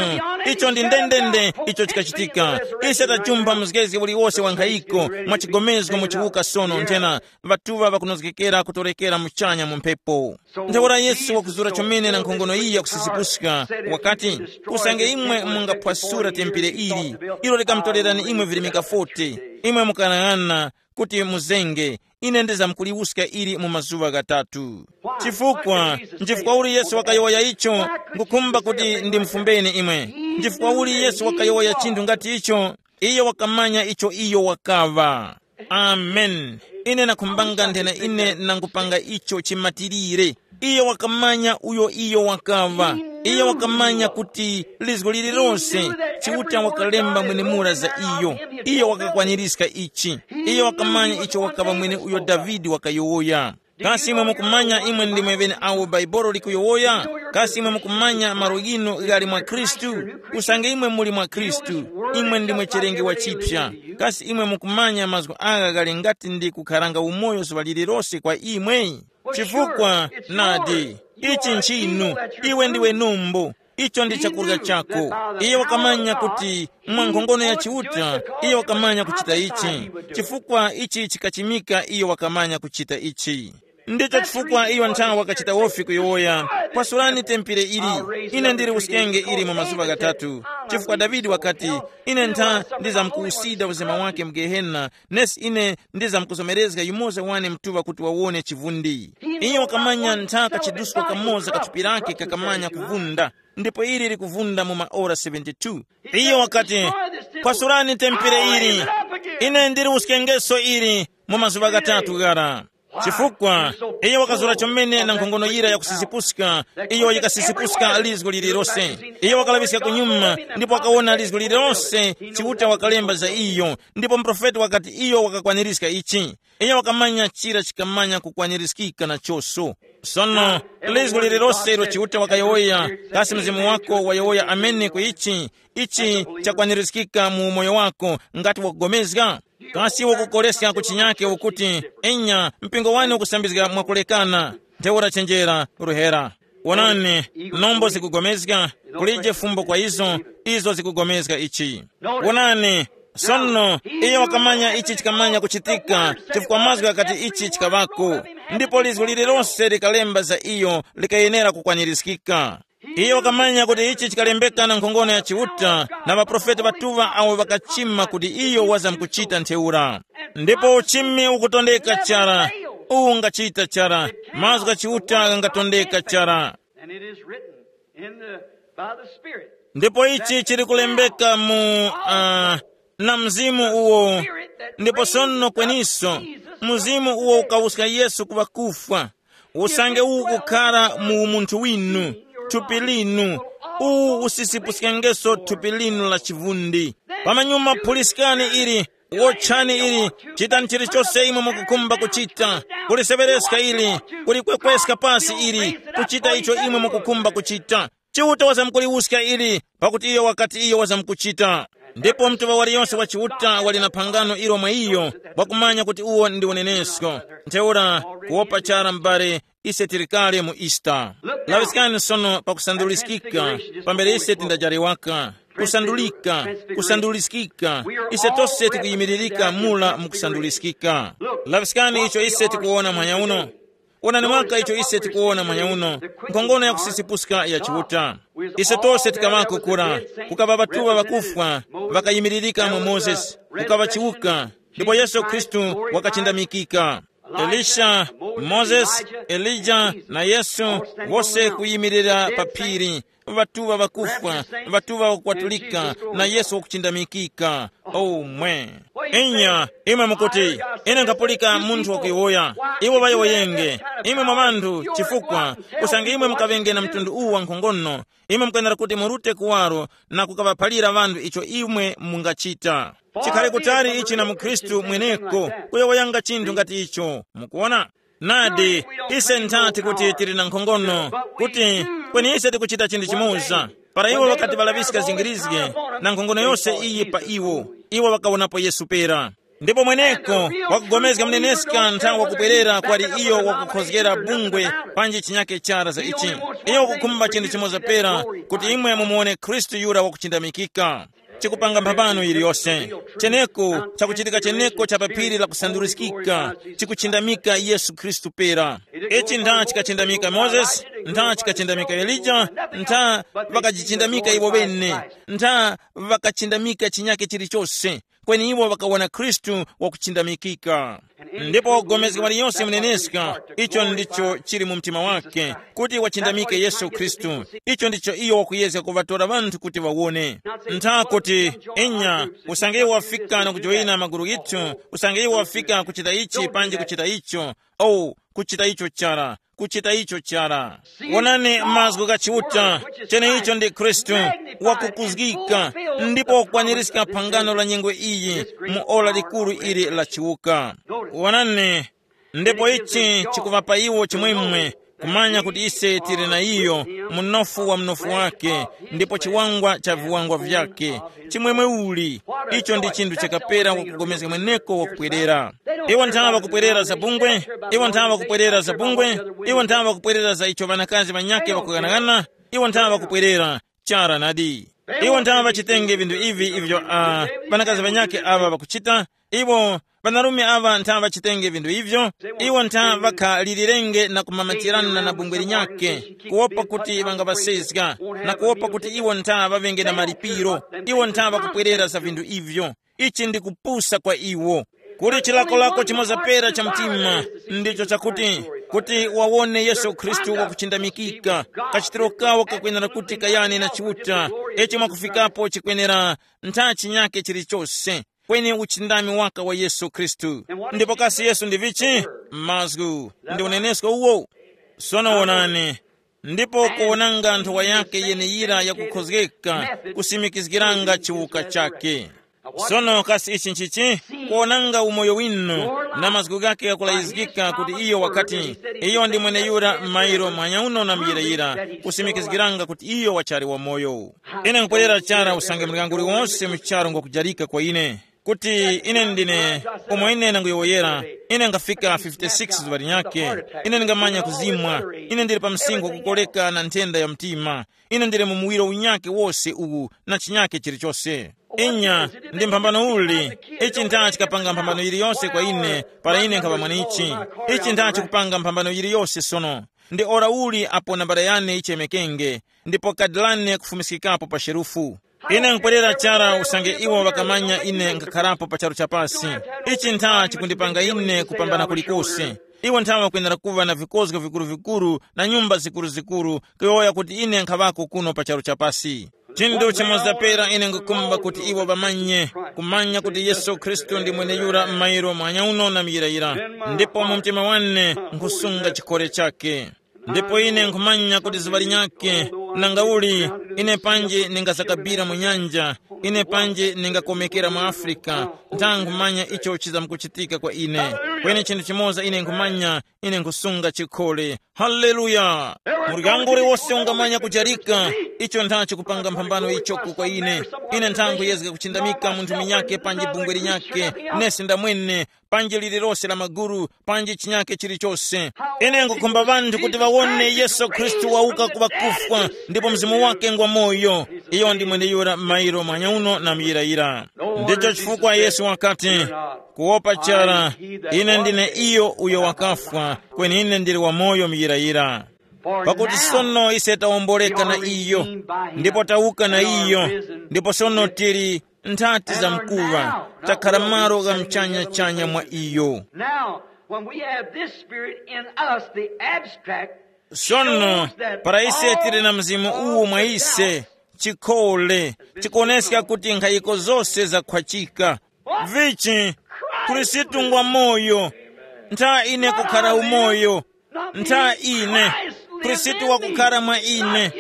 Icho ndi ndendende icho chikachitika. Ise tajumpha mzgezge uliwose wa nkhayiko mwa chigomezgo mu chiwuka sono nthena, ŵatuŵa ŵakunozgekera kutorekera muchanya mu mphepo. Ntheura Yesu wakuzura chomene na nkhongono iyi yakusisipuska, wakati, usange imwe mungaphwasura tempere ili, ilo likamutorerani imwe virimika forty, imwe mukalang'ana kuti muzenge, ine ndizamkuliwuska ili mu mazuŵa ghatatu. Chifukwa, nchifukwa uli Yesu wakayowoya icho, ngukhumba kuti ndimufumbeni imwe. Nchifukwa uli Yesu wakayowoya chinthu ngati icho, iyo wakamanya icho iyo wakaŵa. Amen. Ine nakhumbanga nthena ine nangupanga icho chimatirire. Iyo wakamanya uyo iyo wakaŵa. Iyo wakamanya kuti lizgo lililonse Chiuta wakalemba mwenemura za iyo. Iyo wakakwanirizga ichi. Iyo wakamanya icho wakaŵa mwene uyo Davide wakayowoya. Kasi imwe mukumanya imwe ndimwe ŵeneawo Bhaibuli likuyowoya? Kasi imwe mukumanya malo ghinu ghali mwa Khristu? Usange imwe muli mwa Khristu, imwe ndimwe chilengewa chipya. Kasi imwe mukumanya mazgu agha ghali ngati ndi kukharanga umoyo zuŵa lililose kwa imwe? Chifukwa, nadi, ichi nchinu, iwe ndiwe numbu. Icho ndi chakurya chako. Iye wakamanya kuti mwa nkhongono ya Chiuta, iye wakamanya kuchita ichi, chifukwa ichi chikachimika iye wakamanya kuchita ichi. Ndicho chifukwa iyo nthawi wakachita wofi kuyowoya, "Kwasurani tempere ili, ine ndiri uskenge ili mu mazuŵa ghatatu." Chifukwa Davide wakati, "Ine ntha ndizamkuwusida uzima wake mu Gehena, nesi ine ndizamkuzomerezga yumoza wane mtuŵa kuti wawone chivundi." Iyo wakamanya ntha kachiduska kamoza kathupi lake kakamanya kuvunda, ndipo ili likuvunda mu maora seventy-two. Iyo wakati, "Kwasurani tempere ili, ine ndiri uskengeso ili mu mazuŵa ghatatu ghara." Chifukwa iyo wakazura chomene na nkhongono yira yakusisipuska, iyo yikasisipuska lizgo lililose. Iyo wakalaŵiska kunyuma ndipo wakawona lizgo lililose, Chiuta wakalemba za iyo, ndipo muprofeti wakati iyo wakakwanirizga ichi. Iyo wakamanya chira chikamanya kukwanirizgika nachoso. Sono, lizgo lililose ilo Chiuta wakayowoya, kasi mzimu wako wayowoya amene ku ichi, ichi chakwanirizgika mu umoyo wako, ngati wakugomezga? Kasi wakukoleska ku chinyake ukuti, "Enya, mpingo wani ukusambizga mwakulekana, ntheura chenjera, ruhera." Wonani, nombo zikugomezga, kulije fumbo kwa izo, izo zikugomezga ichi. Wonani, sono, iyo wakamanya ichi chikamanya kuchitika, chifukwa mazgu ghakati ichi chikaŵako, ndipo lizgu lililose likalemba za iyo likayenera kukwanirizgika. Iyo wakamanya kuti ichi chikalembeka na nkhongono ya Chiuta na ŵaprofeti ŵatuŵa awo ŵakachima kuti iyo wazamkuchita ntheura. Ndipo uchimi ukutondeka chara, uwu ungachita chara, mazgu gha Chiuta ghangatondeka chara. And it is written in the, by the Spirit. Ndipo ichi chili kulembeka mu uh, na mzimu uwo. Ndipo sono kweniso, mzimu uwo ukawuska Yesu ku ŵakufwa, usange uwu kukhara mu umunthu winu, thupi linu, uwu usisipuskengeso thupi linu la chivundi. Pamanyuma phuliskani ili, wotchani ili, chitani chilichose imwe mukukhumba kuchita, kuliseŵereska ili, kulikwekweska pasi ili, kuchita icho imwe mukukhumba kuchita. Chiuta wazamkuliwuska ili, pakuti iyo wakati iyo wazamkuchita. Ndipo mtuŵa waliyonse wa Chiuta wali na phangano ilo mwa iyo, wakumanya kuti uwo ndi unenesko. Ntheura, kuwopa chara m'bale, ise tili kale mu Easter. Laŵiskani sono pakusanduliskika, pambere ise tindajali waka. Kusandulika, kusanduliskika, ise tose tikuyimiririka mula mu kusanduliskika. Laŵiskani icho ise tikuwona mwanya uno. Wonani mwaka icho ise tikuwona mwanya uno, nkhongono ya kusisipuska ya Chiuta. Ise tose tikaŵako kura, kukaŵa ŵatuŵa ŵakufwa, ŵakayimiririka mwa Mozesi, kukaŵa chiwuka, ndipo Yesu Khristu wakachindamikika. Elisha, Mozesi, Elija na Yesu, wose kuyimirira pa phiri, ŵatuŵa ŵakufwa, ŵatuŵa wakukwatulika, na Yesu wakuchindamikika. Omwe. Inya, imwe mukuti, ine nkhapulika munthu wakuyowoya. Iwo ŵayowoyenge, imwe mwa ŵanthu, chifukwa usange imwe mukaŵenge na mtundu uwu wa nkhongono, imwe mukwenera kuti murute kuwaro na kukaŵaphalira ŵanthu icho imwe mungachita. Chikhale kutali ichi na mukhristu mweneko, kuyowoyanga chinthu ngati icho. Mukuona? Nadi, ise nthati kuti tili na nkhongono, kuti kweni ise tikuchita chinthu chimoza. Para iwo ŵakati ŵalaŵiska zingirizge na nkhongono yose iyi pa iwo, iwo ŵakawonapo Yesu pera. Ndipo mweneko wakugomezga muneneska nthawi wakubwerera kwali iyo wakukhozgera bungwe panji chinyake chara za ichi. Iyo wakukhumba chinthu chimoza pera, kuti imwe mumuwone Khristu yura wakuchindamikika. Chikupanga mphambano yiliyose. Cheneko, chakuchitika cheneko cha pa phiri la kusanduliskika, chikuchindamika Yesu Khristu pera. Ichi ntha chikachindamika Mozesi, ntha chikachindamika Elija, ntha ŵakajichindamika iwo ŵene, ntha ŵakachindamika chinyake chilichose. Kweni iwo ŵakawona Khristu wakuchindamikika. Ndipo wogomezga waliyonse muneneska, icho ndicho chili mu mtima wake, kuti wachindamike Yesu Khristu. Icho ndicho iyo wakuyezga kuŵatora ŵanthu kuti ŵawone. Ntha kuti, inya, usange iwo wafika na kujoyina magulu ghithu, usange iwo wafika kuchita ichi panji kuchita icho, oh, kuchita icho chara, kuchita icho chara. Wonani mazgu gha Chiuta, cheneicho ndi Khristu, wakukuzgika, ndipo wakukwanirizga phangano la nyengo iyi mu ora likuru ili la chiwuka. Wonani, ndipo ichi chikuŵapa iwo chimwemwe, kumanya kuti ise tili na iyo, munofu wa mnofu wake, ndipo chiwangwa cha viwangwa vyake. Chimwemwe uli, icho ndi chinthu chakapera wakugomezga mweneko wakupwerera. Iwo nthawe ŵakupwerera za bungwe, iwo nthawe ŵakupwerera za bungwe, iwo nthawe ŵakupwerera za icho ŵanakazi ŵanyakhe ŵakughanagana, iwo nthawe ŵakupwerera. Chara nadi. Iwo ntha ŵachitenge vinthu ivi ivyo uh, ŵanakazi ŵanyakhe aŵa ŵakuchita. Iwo ŵanarume aŵa ntha ŵachitenge vinthu ivyo. Iwo ntha ŵakhalilirenge na kumamatirana na bungwe linyakhe, kuwopa kuti ŵangaŵasezga, na kuwopa kuti iwo ntha ŵaŵenge na malipiro. Iwo ntha ŵakupwerera za vinthu ivyo. Ichi ndi kupusa kwa iwo. Kuli chilakolako chimoza pera cha mtima, ndicho chakuti kuti wawone Yesu Khristu wakuchindamikika, kachitiro kawo kakwenera kuti kayane na Chiuta. Ichi mwakufikapo chikwenera ntha chinyake chilichose, kweni uchindami waka wa Yesu Khristu. Ndipo kasi Yesu ndi vichi? Mazgu. Ndi unenesko uwo. Sono wonani, ndipo kuwonanga nthowa yake yeneyira yakukhozgeka, kusimikizgiranga chiwuka chake. Sono kasi ichi nchichi? Kuwonanga umoyo winu, na mazgu ghake ghakulayizgika kuti iyo wakati, iyo ndi mweneyura m'mayiro mwanyauno na muyirayira, kusimikizgiranga kuti iyo wachali wamoyo. Ine nkupwerera chara usange mlyango uliwonse mu charu ngwakujarika kwa ine, kuti ine ndine, umo ine nanguyowoyera, ine ngafika fifty-six zuŵa linyakhe. Ine ndingamanya kuzimwa. Ine ndili pa msinkhu wakukoleka na nthenda ya mtima. Ine ndili mu muwiro unyakhe wose uwu, na chinyakhe chilichose. Inya, ndi mphambano uli? Ichi ntha chikapanga mphambano yiliyonse kwa ine, para ine nkhaŵa mwanichi. Ichi ntha chikupanga mphambano yiliyonse sono. Ndi ora uli apo nambala yane yichemekenge, ndipo kadi lane kufumiskikapo pa sherufu. Ine nkupwerera chara usange iwo ŵakamanya ine nkhakharapo pa charu cha pasi. Ichi ntha chikundipanga ine kupambana kulikose. Iwo ntha ŵakwenera kuŵa na vikozgo vikuru-vikuru na nyumba zikuru-zikuru, kuyowoya kuti ine nkhaŵako kuno pa charu cha pasi. Chinthu chimoza pera ine ngukumba kuti iwo ŵamanye, kumanya kuti Yesu Khristu ndi mweneyura m'mayiro mwanyauno na muyirayira, ndipo mu mtima wane nkhusunga chikhole chakhe. Ndipo ine nkhumanya kuti zuŵa linyakhe, nangauli, ine panji ningazakabira mu nyanja, ine panji ningakomekera mu Afrika, ntha nkhumanya icho chizamkuchitika kwa ine. Kweni chinthu chimoza ine nkhumanya, ine nkhusunga chikhole. Haleluya! Muryango uliwose ungamanya kujarika, icho ntha chikupanga mphambano ichoko kwa ine. Ine ntha nkhuyezga kuchindamika munthu munyakhe panji bungwe linyakhe, nesi ndamwene, panji lililose la maguru, panji chinyakhe chilichose. Ine ngukhumba ŵanthu kuti ŵawone Yesu Khristu wawuka ku ŵakufwa, ndipo mzimu wake ngwa moyo. Iyo ndi mweneyura m'mayiro mwanyauno na muyirayira. Ndicho chifukwa Yesu wakati, kuwopa chara, ine ndine iyo uyo wakafwa, kweni ine ndili wamoyo muyirayira. Pakuti sono ise tawomboleka na iyo, ndipo tawuka na iyo, ndipo sono tili nthati za mkuŵa, takhala malo gha mchanya-chanya mwa iyo. Now, when we have this spirit in us, the abstract, sono, para ise tili na mzimu uwu mwa ise, chikhole, chikuwoneska kuti nkhayiko zose zakhwachika. Vichi? Khristu ngwa moyo. Ntha ine kukhala umoyo. Ntha ine. Khristu wakukhala mwa ine.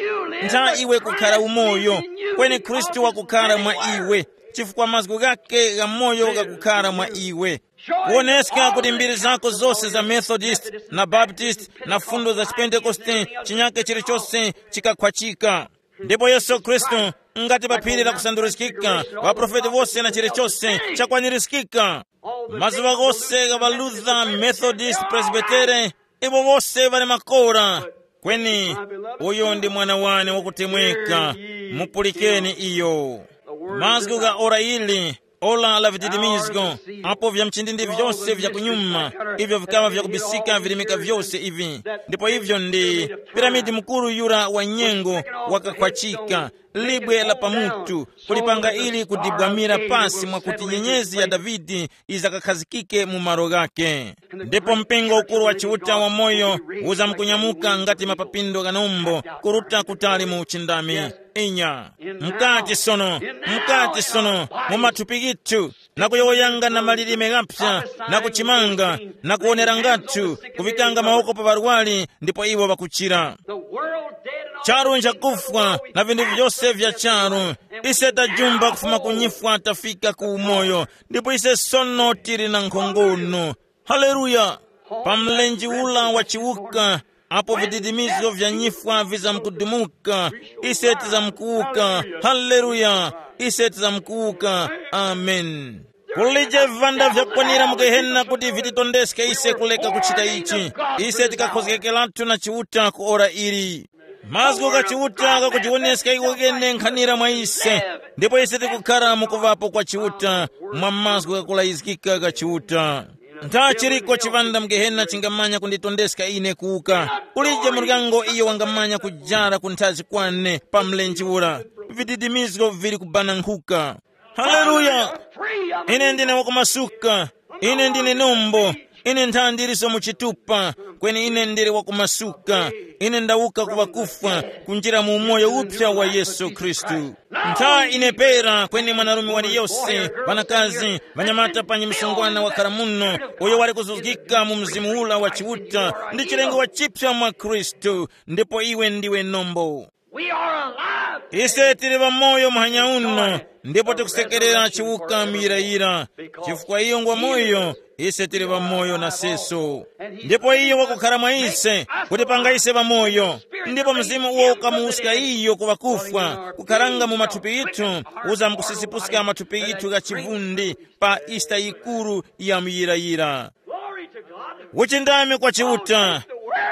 Ntha iwe kukhala umoyo, kweni Khristu wakukhala mwa iwe, chifukwa mazgu ghake gha moyo ghakukhala mwa iwe. Kuoneska kuti mbiri zako zose za Methodist na Baptist na fundo za Chipentekoste, chinyake chilichonse chikakhwachika. Ndipo Yesu Khristu, ngati pa phiri la kusanduliskika, ŵaprofeti wose na chilichonse chakwanirizikika. Mazuŵa ghose gha ŵaLuther, Methodist, Presbytere, iwo wose ŵali makora. Kweni, uyu ndi mwana wane wakutemweka, mupulikeni iyo. Mazgu gha ora ili, ora la vididimizgo, apo vya mchindindi vyose vya kunyuma, ivyo vikaŵa vyakubisika virimika vyose ivi. Ndipo ivyo ndi piramidi mukuru yura wa nyengo wakakhwachika, libwe la pamutu, kulipanga ili kudibwamira pasi mwakuti nyenyezi ya Davide izakakhazikike mu malo ghake. Ndipo mpingo ukuru wa Chiuta wa moyo uzamkunyamuka ngati mapapindo gha nombo kuruta kutali mu uchindami. Inya, mkati sono, mkati sono, mu mathupi ghithu, na kuyowoyanga na malilime ghaphya, na kuchimanga, na kuwonera ngathu, kuŵikanga mawoko pa ŵarwari, ndipo iwo ŵakuchira. Charu nchakufwa na vinthu vyose vya charu. Ise tajumba kufuma ku nyifwa tafika ku umoyo, ndipo ise sono tili na nkhongono. Haleluya! Pa mlenje ula wa chiwuka, apo vididimizo vya nyifwa vizamkudumuka, ise tizamkuwuka. Haleluya! Ise tizamkuwuka. Amen. Kulije vivanda vyakwanira mu Gehena kuti vititondeske ise kuleka kuchita ichi. Ise tikakhozgekeratu na Chiuta ku ora ili. Mazgu gha Chiuta ghakujiwoneska iwo ghene nkhanira mwa ise, ndipo ise tikukhara mu kuŵapo kwa Chiuta, mwa mazgu ghakulayizgika gha Chiuta. Ntha chiriko chiŵanda mu Gehena chingamanya kunditondeska ine kuwuka? Kulije muryango iyo wangamanya kujara kunthazi kwane pa mlenje ura. Vididimizgo vili kubanankuka. Haleluya! Ine ndine wakumasuka. Ine ndine nombo. Ine ntha ndiliso mu chitupa. Kweni ine ndili wakumasuka. Ine ndawuka ku ŵakufwa, kunjira mu umoyo uphya wa Yesu Khristu. Ntha ine pera kweni mwanarume waliyose, ŵanakazi, ŵanyamata panyi msungwana wakhala muno, uyo wali kuzuzgika mu mzimu ula wa Chiuta, ndi chilengo wachipsa mwa Khristu, ndipo iwe ndiwe nombo. We are alive. Ise tili ŵamoyo muhanya uno, ndipo tikusekerera chiwuka muyirayira. Chifukwa iyo ngwa moyo, ise tili ŵamoyo naseso. Ndipo iye wakukhala mwa ise, kuti panga ise ŵamoyo. Ndipo mzimu uwo ukamuwuska iyo ku ŵakufwa, kukharanga mu mathupi yithu, uza mukusisipuska mathupi yithu gha chivundi pa Easter yikuru ya muyirayira. Glory to God. Uchindami kwa Chiuta.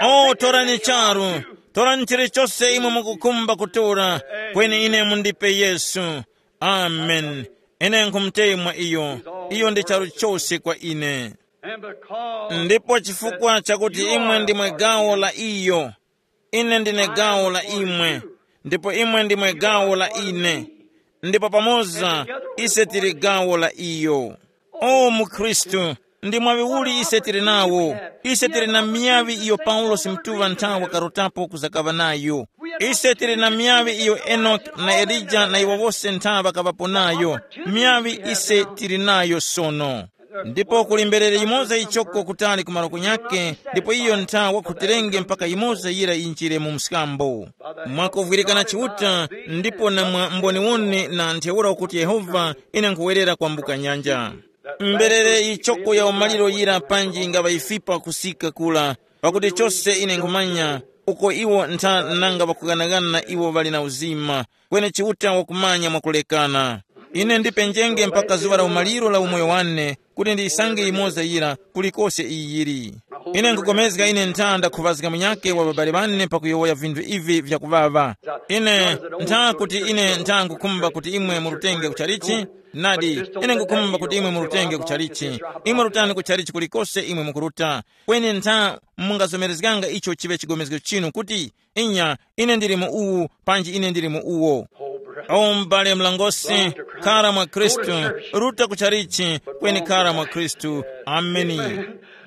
O, torani charu. Torani chilichose imwe mukukhumba kutora, kweni ine mundipe Yesu. Amen. Ine nkhumutemwa iyo. Iyo ndi charu chose kwa ine. And because ndipo chifukwa chakuti imwe ndimwe gawo la iyo, ine ndine gawo la imwe, ndipo imwe ndimwe gawo la ine, ndipo pamoza ise tili gawo la iyo. O mukhristu, ndi mwaŵi uli ise tili nawo? Ise tili na miyaŵi iyo Paulosi mtuŵa ntha wakarotapo kuzakaŵa nayo. Ise tili na miyaŵi iyo Enoki na Elija na iwo wose ntha ŵakaŵapo nayo. Miyaŵi ise tili nayo sono. Ndipo kuli mberere yimoza yichoko kutali ku malo kunyakhe, ndipo iyo ntha wakhutirenge mpaka yimoza yira yinjire mu mskambo. Mwakuvwirikana Chiuta, ndipo na mwa mboniwone na ntheura ukuti Yehova, ine nkhuwerera kwambuka nyanja. Mberere yichoko ya umaliro yira panji ngaŵa yifipa kusika kula, pakuti chose ine nkhumanya, uko iwo ntha nanga ŵakughanaghana iwo ŵali na uzima, kweni Chiuta wakumanya mwakulekana. Ine ndipenjenge mpaka zuŵa la umaliro la umoyo wane, kuti ndiyisange yimoza yira kulikose iyi yili. Ine nkupulikana ine ntha ndakhuŵazga munyakhe wa ŵabale ŵane pakuyowoya vinthu ivi vyakuŵaŵa. Ine ntha kuti ine ntha nkukhumba kuti imwe murutenge kuchalichi. Nadi, ine nkukhumba kuti imwe murutenge kuchalichi. Imwe rutani kuchalichi kulikose imwe mukuruta. Kweni ntha mungazomerezganga icho chiŵe chigomezgo chinu kuti, inya, ine ndili mu uwu, panji ine ndili mu uwo. O m'bale mlangosi, khara mwa Khristu, ruta kuchalichi, kweni khara mwa Khristu. Ameni.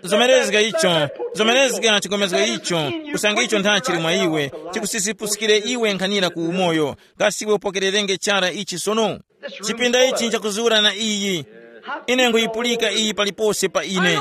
Zomerezga icho, zomerezga chigomezgo icho, kusanga icho ntha chili mwa iwe, chikusisipuskire iwe nkhanira ku umoyo. Kasi iwe upokererenge chara ichi sono? Chipinda ichi nchakuzura na iyi. Ine nkuyipulika iyi palipose pa ine.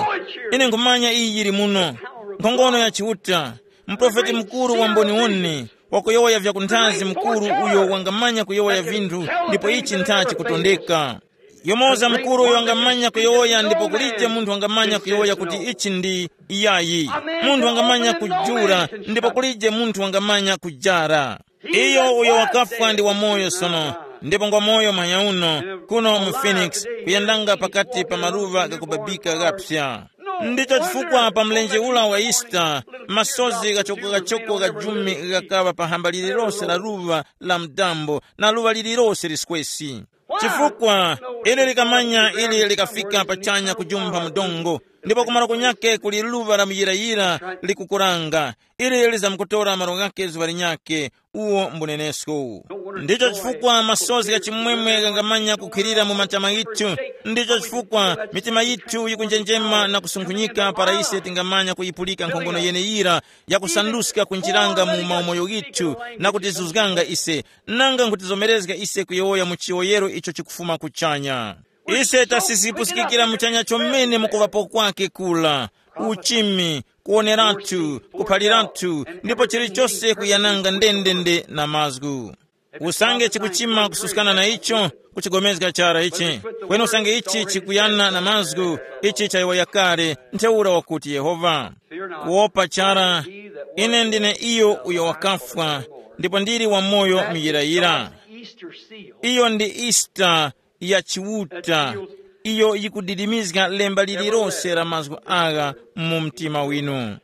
Ine nkhumanya iyi yili muno. Nkhongono ya Chiuta. Muprofeti mukuru wa mboniwone, wakuyowoya vyakunthazi mukuru uyo wangamanya kuyowoya vinthu, ndipo ichi ntha chikutondeka. Yomoza mukuru uyo wangamanya kuyowoya ndipo kulije munthu wangamanya kuyowoya kuti ichi ndi iyayi. Munthu wangamanya kujula ndipo kulije munthu wangamanya kujara. Iyo uyo wakafwa ndi wamoyo sono, ndipo ngwamoyo manya uno, kuno mu Phoenix, kuyendanga pakati pa maluŵa ghakubabika ghapsa. Ndicho chifukwa pa mlenje ula wa Easter, masozi ghachoko-ghachoko gha jumi ghakaŵa pa hamba lililose la luŵa la mdambo na luŵa lililose liskwesi. Chifukwa ili likamanya ili likafika pachanya kujumpha mdongo, ndipo kumalo kunyake kuli luŵa la muyirayira likukuranga, ili lizamkutora malo ghake zuŵa linyakhe, uwo mbunenesko. Ndicho chifukwa masozi gha chimwemwe ghangamanya kukhwirira mu matama yithu. Ndicho chifukwa mitima yithu yikunjenjema na kusunkhunyika para ise tingamanya kuyipulika nkhongono yeneyira yakusanduska kunjiranga mu maumoyo ghithu na kutizuzganga ise, nanga nkutizomerezga ise kuyowoya mu chiyowoyero icho chikufuma kuchanya. Ise tasisipusikikira muchanya chomene mukuŵapo kwake kula, uchimi, kuwoneratu, kuphaliratu, ndipo chilichose kuyananga ndendende na mazgu. Usange chikuchima kususkana na icho, kuchigomezga chara ichi. Kweni usange ichi chikuyana na mazgu, ichi chayowoya kale, ntheura wakuti Yehova. Kuwopa chara, ine ndine iyo uyo wakafwa, ndipo ndili wamoyo muyirayira. Iyo ndi Easter ya Chiuta, iyo yikudidimizga lemba lililose la mazgu agha mu mtima winu.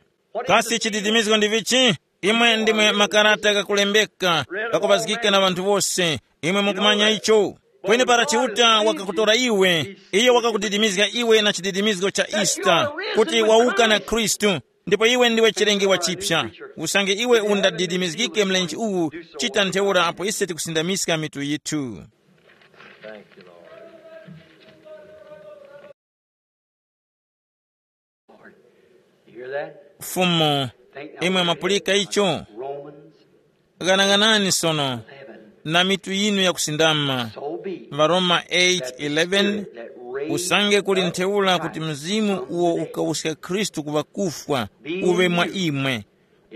Kasi chididimizgo ndi vichi? Imwe ndimwe makarata ghakulembeka, ghakupazgika na ŵanthu wose. Imwe mukumanya icho. Kweni para Chiuta wakakutora iwe, iyo wakakudidimizga iwe na chididimizgo cha Easter, kuti wawuka na Khristu, ndipo iwe ndiwe chilengewa chipya. Usange iwe undadidimizgike mlenje uwu, chita ntheura apo ise tikusindamiska mitu yithu. Thank you, Lord. Lord, you hear that? Fumu, imwe mwapulika icho? Romans ghanaghanani sono eleven. Na mitu yinu yakusindama. So be it. Varoma eight eleven. Usange kuli ntheura kuti mzimu uwo ukawuska Khristu ku ŵakufwa uŵe mwa imwe,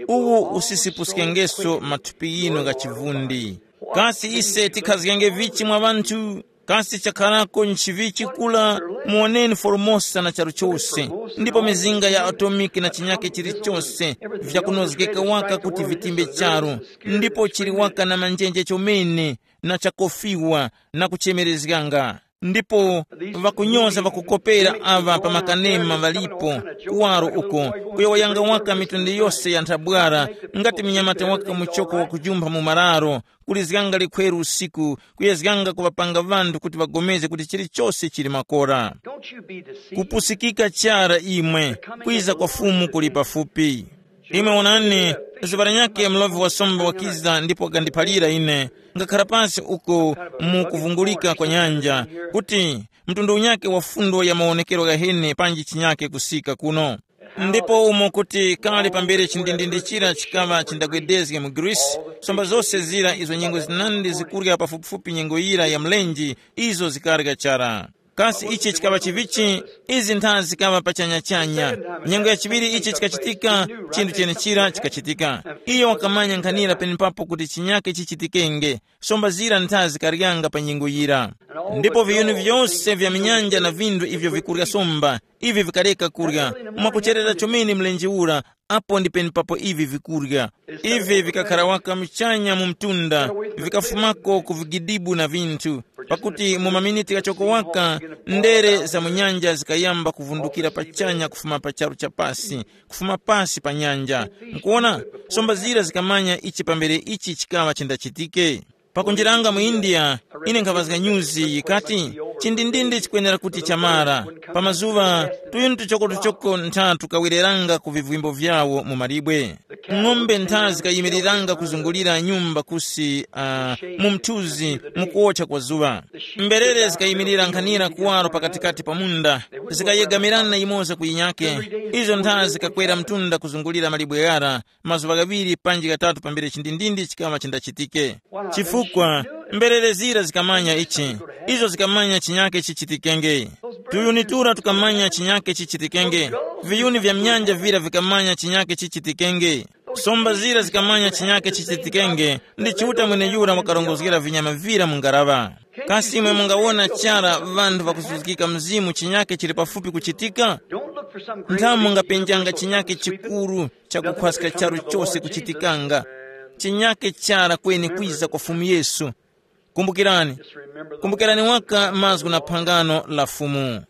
uwu usisipuskengeso mathupi ghinu gha chivundi. Kasi ise tikhazgenge vichi mwa ŵanthu? Kasi chakharako nchivichi kula? Muwoneni Formosa na charu chose, ndipo mizinga ya atomiki na chinyake chilichose vyakunozgeka waka kuti vitimbe charu, ndipo chili waka na manjenje chomene na chakofiwa na kuchemerezganga. Ndipo ŵakunyoza ŵakukopera aŵa pa makanema ŵalipo kuwaro uko, kuyowoyanga waka mitundu yose ya nthabwara, ngati mnyamata waka muchoko wakujumpha mu mararo, kulizganga likhweru usiku, kuyezganga kuŵapanga ŵanthu kuti ŵagomeze kuti chilichose chili makora. Don't you be deceived. Kupusikika chara imwe, kwiza kwa Fumu kuli pafupi. Imwe wonani, zuŵa lanyakhe mlovi wa somba wakiza ndipo wakandiphalira ine, ngakhara pansi uko mu kuvungulika kwa nyanja, kuti mtundu unyakhe wa fundo ya mawonekero ghahene panji chinyakhe kusika kuno. Ndipo umo kuti kale pambere chindindindi chira chikaŵa chindagwedezge mu Greece, somba zose zira izo nyengo zinandi zikurya pafupifupi nyengo yira ya mlenje, izo zikarya chara. Kasi ichi chikaŵa chivichi? Izi ntha zikaŵa pachanyachanya. Nyengo ya chiŵiri ichi chikachitika, chinthu chenechira chikachitika. Iyo wakamanya nkhanira penepapo kuti chinyake chichitikenge. Somba zira ntha zikaryanga pa nyengo yira. Ndipo viyuni vyose vya minyanja na vinthu ivyo vikurya somba, ivi vikareka kurya. Mwakucherera chomene mlenje ura, apo ndi penepapo ivi vikurya. Ivi vikakhara waka muchanya mu mtunda, vikafumako ku vigidibu na vinthu, pakuti mu maminiti ghachoko waka, ndere za mu nyanja zikayamba kuvundukira pachanya kufuma pa charu cha pasi, kufuma pasi pa nyanja. Mukuona, somba zira zikamanya ichi pambere ichi chikaŵa chindachitike. Pakunjiranga mu India, ine nkhaŵazga nyuzi yikati, chindindindi chikwenera kuti chamara. Pa mazuŵa, tuyuni tuchokotuchoko ntha tukawereranga ku vivwimbo vyawo mu malibwe. Ng'ombe ntha zikayimiriranga kuzungulira nyumba kusi uh, mu mthuzi mukuwotcha kwa zuŵa. Mberere zikayimirira nkhanira kuwaro pakatikati pa munda, zikayegamirana yimoza ku yinyake. Izo ntha zikakwera mtunda kuzungulira malibwe ghara, mazuŵa ghaŵiri panji ghatatu pambere chindindindi chikaŵa chindachitike. Chifukwa mberere zira zikamanya ichi, izo zikamanya chinyake chichitikenge. Tuyuni tura tukamanya chinyake chichitikenge. Viyuni vya mnyanja vira vikamanya chinyake chichitikenge. Somba zira zikamanya chinyake chichitikenge. Ndi Chiuta mweneyura wakarongozgera vinyama vira mu ngaraŵa. Kasi imwe mungawona chara ŵanthu ŵakuzuzikika mzimu chinyake chili pafupi kuchitika? Nthamu mungapenjanga chinyake chikuru chakukhwaska charu chose kuchitikanga. Chinyake chara kweni kwiza kwa Fumu Yesu. Kumbukirani, kumbukirani waka mazgu na phangano la Fumu.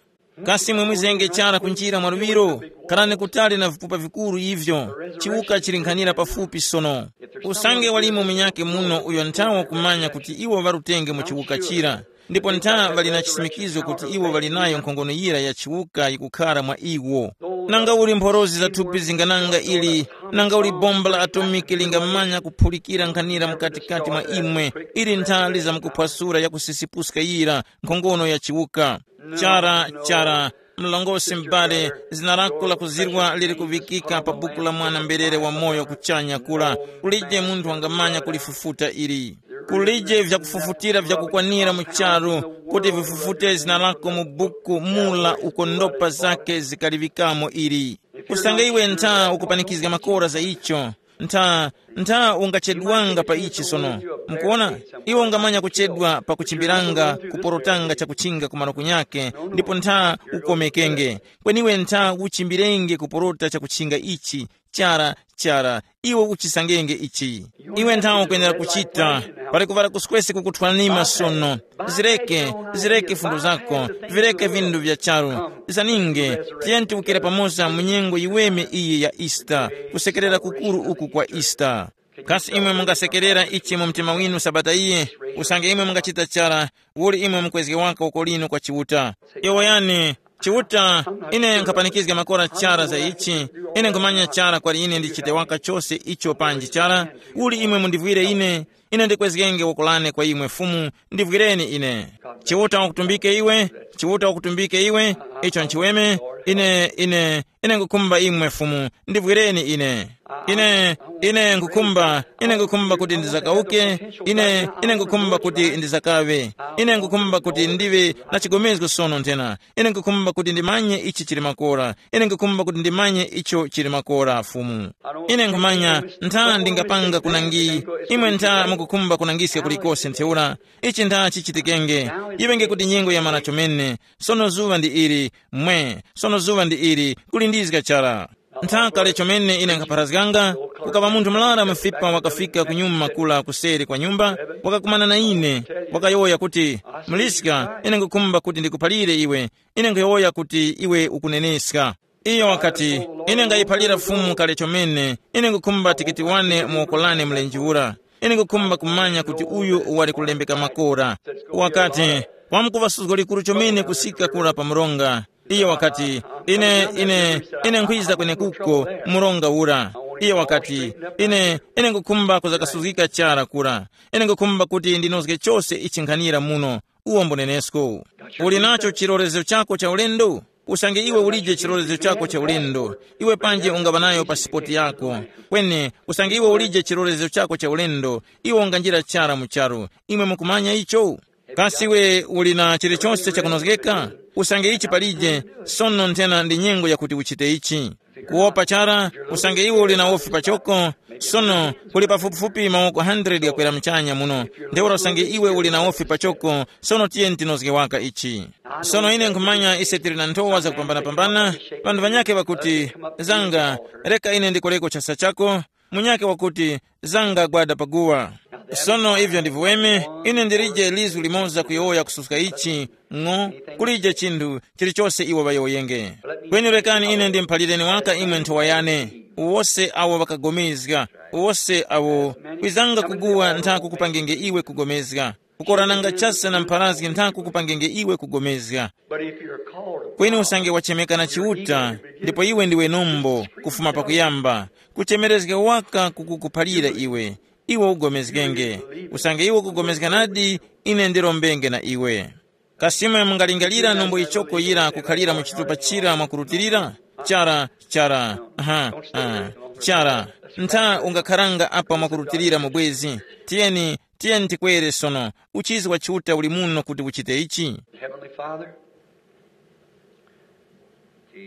Kasi imwe mwizenge chara kunjira mwa luŵiro? Kharani kutali na vipupa vikuru ivyo. Chiwuka chili nkhanira pafupi sono. Usange walimo munyake muno uyo nthawa kumanya kuti iwo ŵarutenge mu chiwuka chira, ndipo ntha ŵali na chisimikizo kuti iwo ŵali nayo nkhongono yira ya chiwuka yikukhara mwa iwo. Nanga uli mphorozi za thupi zingananga ili, nanga uli bomba la atomiki lingamanya kuphulikira nkhanira mkatikati mwa imwe, ili ntha lizamkuphwasura ya kusisipuska yira nkhongono ya chiwuka. Chara, chara, mlongosi m'bale, zina lako lakuzirwa liri kuŵikika pa buku la mwana mberere wa moyo kuchanya kula. Kulije munthu wangamanya kulifufuta ili. Kulije vyakufufutira vyakukwanira mu charu kuti vifufute zina lako mu buku mula uko ndopa zake zikaliŵikamo ili. Usange iwe ntha ukupanikizga makora za icho, ntha, ntha ungachedwanga pa ichi sono. Mukuona, iwe ungamanya kuchedwa pakuchimbiranga, kuporotanga chakuchinga ku malo kunyake, ndipo ntha ukomekenge. Kweni iwe ntha uchimbirenge kuporota chakuchinga ichi, Chara, chara, iwe uchisangenge ichi. Iwe nthawe ukwenera kuchita. Pali kuvara kuswesi kukuthwanima sono. Zireke, zireke fundo zako, vireke vindu vya charu. Zaninge, tiyeni tiwukire pamoza mu nyengo yiweme iyi ya Easter, kusekerera kukuru uku kwa Easter. Kasi imwe mungasekerera ichi mu mtima winu sabata iyi? Usange imwe mungachita chara, uli imwe mukwezge waka uko lino kwa Chiuta? Yowoyani, Chiuta, ine nkhapanikizga makora chara za ichi. Ine nkhumanya chara kwali ine ndichite waka chose icho panji chara. Uli imwe mundivwire ine, ine ndikwezgenge woko lane kwa imwe Fumu, ndivwireni ine. Chiuta wakutumbike iwe. Chiuta wakutumbike iwe. Icho nchiweme. Ine ine ine ngukhumba imwe Fumu, ndivwireni ine. Ine ine ngukhumba, ine ngukhumba kuti ndizakauke. Ine ine ngukhumba kuti ndizakawe. Ine ngukhumba kuti ndive na chigomezgo sono nthena. Ine ngukhumba kuti ndimanye ichi chili makora. Ine ngukhumba kuti ndimanye icho chili makora Fumu. Ine nkhumanya ntha ndingapanga kunangi. Imwe ntha mukukhumba kunangiska kulikose ntheura. Ichi ntha chichitikenge. Iŵenge kuti nyengo yamara chomene. Sono zuŵa ndi ili. Mwe, sono zuŵa ndi ili, kulindizga chara. Ntha kale chomene ine nkhapharazganga, kukaŵa munthu murara mufipa wakafika kunyuma kula kuseri kwa nyumba, wakakumana na ine, wakayowoya kuti, muliska, ine ngukhumba kuti ndikuphalire iwe. Ine nkhuyowoya kuti iwe ukuneneska. Iyo wakati, ine ngayiphalira Fumu kale chomene. Ine ngukhumba tikiti wane mu woko lane mlenje ura. Ine ngukhumba kumanya kuti uyu wali kulembeka makora. Wakati, wamkuŵa suzgo likuru chomene kusika kura pa mronga. Iyo wakati, ine ine ine nkhwiza kwenekuko, mronga ura. Iyo wakati, ine ine ngukhumba kuzakasuzgika chara kura. Ine ngukhumba kuti ndinozge chose ichi nkhanira muno. Uwo mbunenesko. Uli nacho chilorezero chako cha ulendo? Usange iwe ulije chilorezero chako cha ulendo, iwe panje ungaŵa nayo pasipoti yako. Kweni usange iwe ulije chilorezero chako cha ulendo, iwe unganjira chara mu charu. Imwe mukumanya icho? Kasi iwe uli na chilichonse chakunozgeka? Usange ichi palije, sono nthena ndi nyengo yakuti uchite ichi. Kuwopa chara, usange iwe uli na wofi pachoko. Sono kuli pafupifupi mawoko hundred ghakwera muchanya muno. Ntheura usange iwe uli na wofi pachoko, sono tiyeni tinozge waka ichi. Sono ine nkhumanya ise tili na nthowa zakupambanapambana. Ŵanthu ŵanyakhe ŵakuti, zanga, reka ine ndikoreko chasa chako. Munyakhe wakuti, zanga gwada paguwa. Sono ivyo ndi viweme, ine ndilije lizgu limoza kuyowoya kususka ichi, ng'o, kulije chinthu chilichose iwo ŵayowoyenge. Kweni rekani ine ndimphalireni waka imwe nthowa yane. Uwose awo ŵakagomezga, uwose awo kwizanga kuguwa ntha kukupangenge iwe kugomezga. Kukorananga chase na mpharazgi ntha kukupangenge iwe kugomezga. But if you're called of Kweni God, usange wachemeka na Chiuta, ndipo iwe ndiwe nombo kufuma pakuyamba, kuchemerezga waka kukukuphalira iwe, iwe ugomezgenge. Usange iwe ukugomezga nadi, ine ndirombenge na iwe. Kasi imwe mungalingalira nombo ichoko yira kukhalira mu chitupa chira mwakurutilira? Chara, chara, aha, ah, chara. Ntha ungakharanga apa mwakurutilira mu bwezi. Tiyeni, tiyeni tikwere sono. Uchizi wa Chiuta uli muno kuti uchite ichi. Heavenly Father,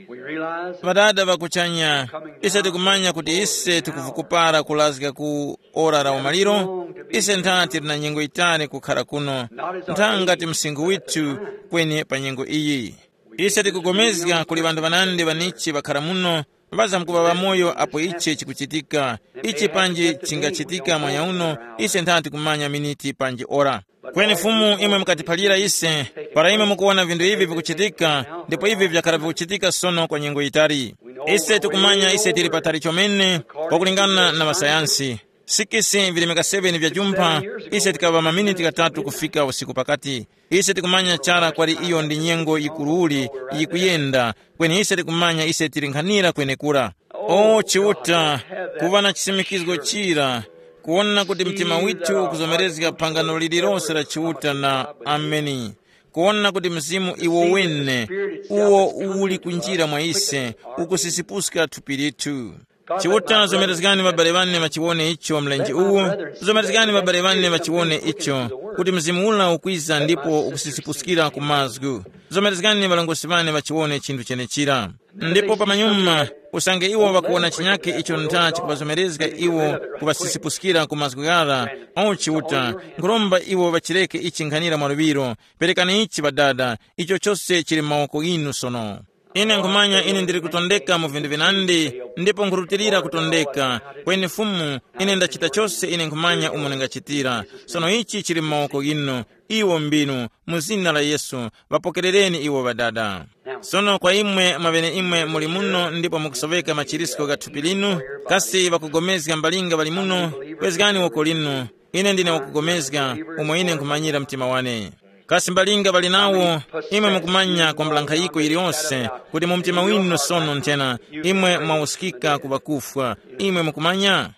we realize Ŵadada ŵakuchanya, ise tikumanya kuti ise tikuvukupara kulazga ku ora la umaliro. Ise ntha tili na nyengo yitali kukhara kuno, ntha ngati msinkhu withu kweni pa nyengo iyi. Ise tikugomezga kuli ŵanthu ŵanandi ŵanichi ŵakhara muno, ŵazamkuŵa ŵamoyo apo ichi chikuchitika. Ichi panji chingachitika mwanya uno, ise ntha tikumanya miniti panji ora. Kweni Fumu, imwe mukatiphalira ise, para imwe mukuwona vinthu ivi vikuchitika, ndipo ivi vyakhala vikuchitika sono kwa nyengo yitali. Ise tikumanya ise tili patali chomene, kwakulingana na ŵasayansi. Sikisi vilemeka seveni vya jumpha, ise tikaŵa maminiti ghatatu kufika usiku pakati. Ise tikumanya chara kwali iyo ndi nyengo yikuruli yikuyenda, kweni ise tikumanya ise tili nkhanira kwenekura. O Chiuta, kuŵa na chisimikizgo chira, kuwona kuti mtima withu ukuzomerezga phangano lililose la Chiuta na Ameni. Kuwona kuti Mzimu iwo wene, uwo uli kunjira mwa ise, ukusisipuska thupi lithu. Chiuta, zomerezgani ŵabale ŵane ŵachiwone icho mlenje uwu. Zomerezgani ŵabale ŵane ŵachiwone icho, kuti Mzimu ula ukwiza ndipo ukusisipuskira ku mazgu. Zomerezgani ŵalongosi ŵane ŵachiwone chinthu chenechira. Ndipo pamanyuma, usange iwo ŵakuwona chinyakhe icho ntha chikuŵazomerezga iwo, kuŵasisipuskira ku mazgu ghara, o Chiuta, nkhuromba iwo ŵachireke ichi nkhanira mwaluŵiro. Perekani ichi Ŵadada, icho chose chili mu mawoko ghinu sono. Ine nkhumanya ine ndili kutondeka mu vinthu vinandi, ndipo nkhurutilira kutondeka. Kweni Fumu, ine ndachita chose ine nkhumanya umo ndingachitira. Sono ichi chili mu mawoko ghinu. Iwo mbinu, mu zina la Yesu, ŵapokerereni iwo Ŵadada. Sono kwa imwe mwaŵeneimwe muli muno ndipo mukusoweka machirisko gha thupi linu, kasi ŵakugomezga mbalinga ŵali muno? Kwezgani woko linu. Ine ndine wakugomezga, umo ine nkhumanyira mtima wane. Kasi mbalinga ŵali nawo? Imwe mukumanya kwambula nkhayiko yiliyonse, kuti mu mtima winu sono nthena imwe mwawuskika ku ŵakufwa. Imwe mukumanya?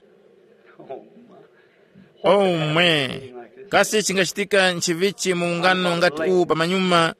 Omwe, kasi chingachitika nchivichi mu ungano ngati uwu pamanyuma?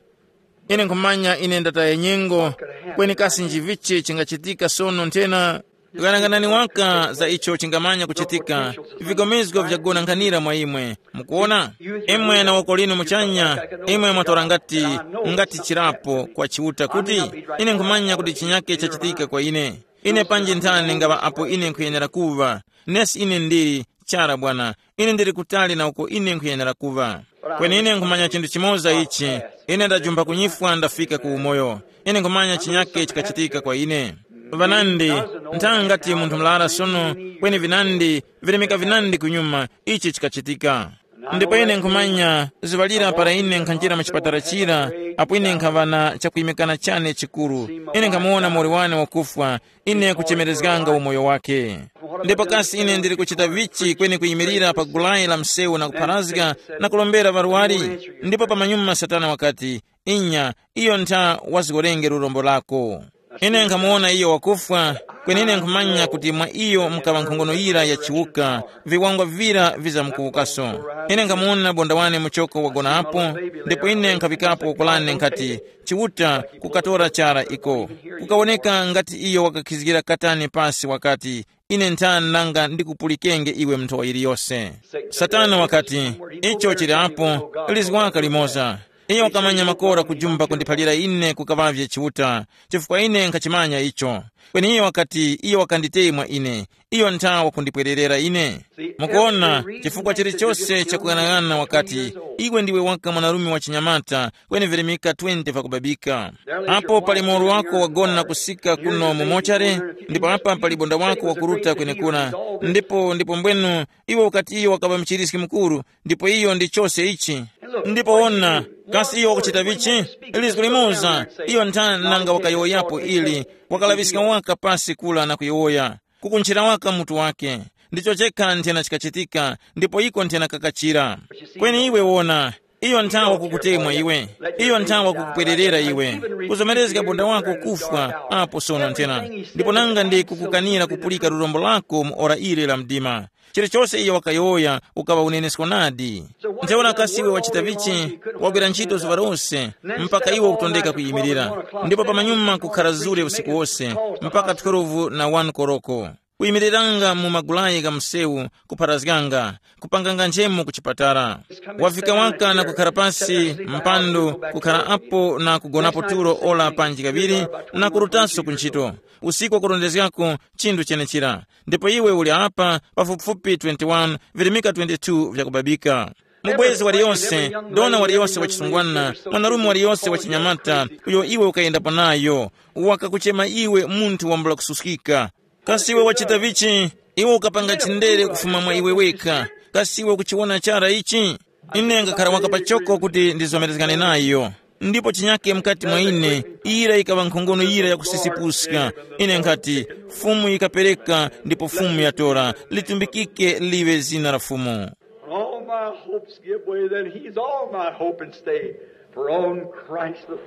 Ine nkhumanya ine ndataya nyengo. Kweni kasi nchivichi chingachitika sono nthena? Ghanaghanani waka za icho chingamanya kuchitika. Vigomezgo vyagona nkhanira mwa imwe. Mukuona? Imwe na woko linu muchanya, imwe mwatora ngati, ngati chirapo kwa Chiuta kuti, ine nkhumanya kuti chinyake chachitika kwa ine. Ine panji nthani ngaŵa apo ine nkhuyenera kuŵa. Nesi ine ndili, chara Bwana, ine ndili kutali na uko ine nkhuyenera kuŵa. Kweni ine nkhumanya chinthu chimoza ichi, ine ndajumpha kunyifwa ndafika ku umoyo. Ine nkhumanya chinyake chikachitika kwa ine. Vanandi, nthanga ngati munthu murara sono, kweni vinandi, virimika vinandi kunyuma, ichi chikachitika. Ndipo ine nkhumanya zuŵa lira para ine nkhanjira mu chipatala chira, apo ine nkhaŵa na chakuyimikana chane chikuru, ine nkhamuwona muwoli wane wakufwa, ine kuchemerezganga umoyo wake. Ndipo kasi ine ndili kuchita vichi kweni kuyimirira pa gulayi la msewu na kupharazga na kulombera ŵarwari? Ndipo pamanyuma Satana wakati, inya, iyo ntha wazgorenge lurombo lako. Ine nkhamuwona iyo wakufwa, kweni ine nkhumanya kuti mwa iyo mukaŵa nkhongono yira ya chiwuka, viwangwa vira vizamkuwukaso. Ine nkhamuwona bonda wane muchoko wagona apo, ndipo ine nkhaŵikapo woko lane nkhati, Chiuta, kukatora chara iko. Kukawoneka ngati iyo wakakhizgira katani pasi wakati, ine nthani nanga ndikupulikenge iwe mu nthowa yiliyose. Satana wakati, icho chili apo, lizgwaka limoza. Iyo wakamanya makora kujumba kundiphalira ine kukaŵavye Chiuta, chifukwa ine nkhachimanya icho. Kweni iyo wakati iyo wakanditemwa ine, iyo ntha wakundipwererera ine. Mukuona, chifukwa chilichose chakuyang'ana wakati, iwe ndiwe waka mwanarume wa chinyamata, kweni virimika twenty vakubabika. Apo pali muwolo wako wagona kusika kuno mu mochare, ndipo apa pali bonda wako wakuruta kwenekura. Ndipo ndipo mbwenu, iwe ukati iyo wakaŵa mchiriski mukuru, ndipo iyo ndi chose ichi. Ndipo wona, kasi iyo wakuchita vichi? Lizgu limoza, iyo nthani nanga wakayowoyapo ili, wakalaŵiska waka pasi kula na kuyowoya, kukunchira waka mutu wake. Ndicho chekha nthena chikachitika, ndipo iko nthena kakachira. Kweni iwe wona, iyo nthawa kukutemwa iwe, iyo nthawa kukupwererera iwe, kuzomerezga bonda wako kufwa apo sono nthena, ndipo nanga ndi kukukanira kupulika lurombo lako mu ora ili la mdima. Chilichose iyo wakayowoya ukaŵa unenesko nadi. Ntheura kasi iwe wachita vichi? Wagwira ntchito zuŵa lose, mpaka iwe ukutondeka kuyimirira, ndipo pamanyuma kukhara zure usiku wose, mpaka twelve na one koroko, kuyimiriranga mu magulayi gha msewu, kupharazganga, kupanganga nchemo ku chipatala. Wafika waka na kukhara pasi mpandu, kukhara apo na kugonapo tulo ora panji kaŵiri, na kurutaso ku ntchito. Usiku wakurondezgako chinthu chenechira. Ndipo iwe uli apa pafupifupi twenty-one, virimika twenty-two vyakubabika. Mubwezi waliyonse, dona waliyonse wachisungwana, mwanarume waliyonse wachinyamata, uyo iwe ukayendapo nayo, wakakuchema iwe munthu wambula kususkika. Kasi iwe wachita vichi? Iwe ukapanga chindere kufuma mwa iwe wekha. Kasi iwe ukuchiwona chara ichi? Ine ngakhara waka pachoko kuti ndizomerezgane nayo. Ndipo chinyake mukati mwa ine, ira yikaŵa nkhongono yira yakusisipuska. Ine nkhati, Fumu yikapereka, ndipo Fumu yatora. Litumbikike liwe zina la Fumu. When all my hopes give way, then he's all my hope and stay. For on Christ the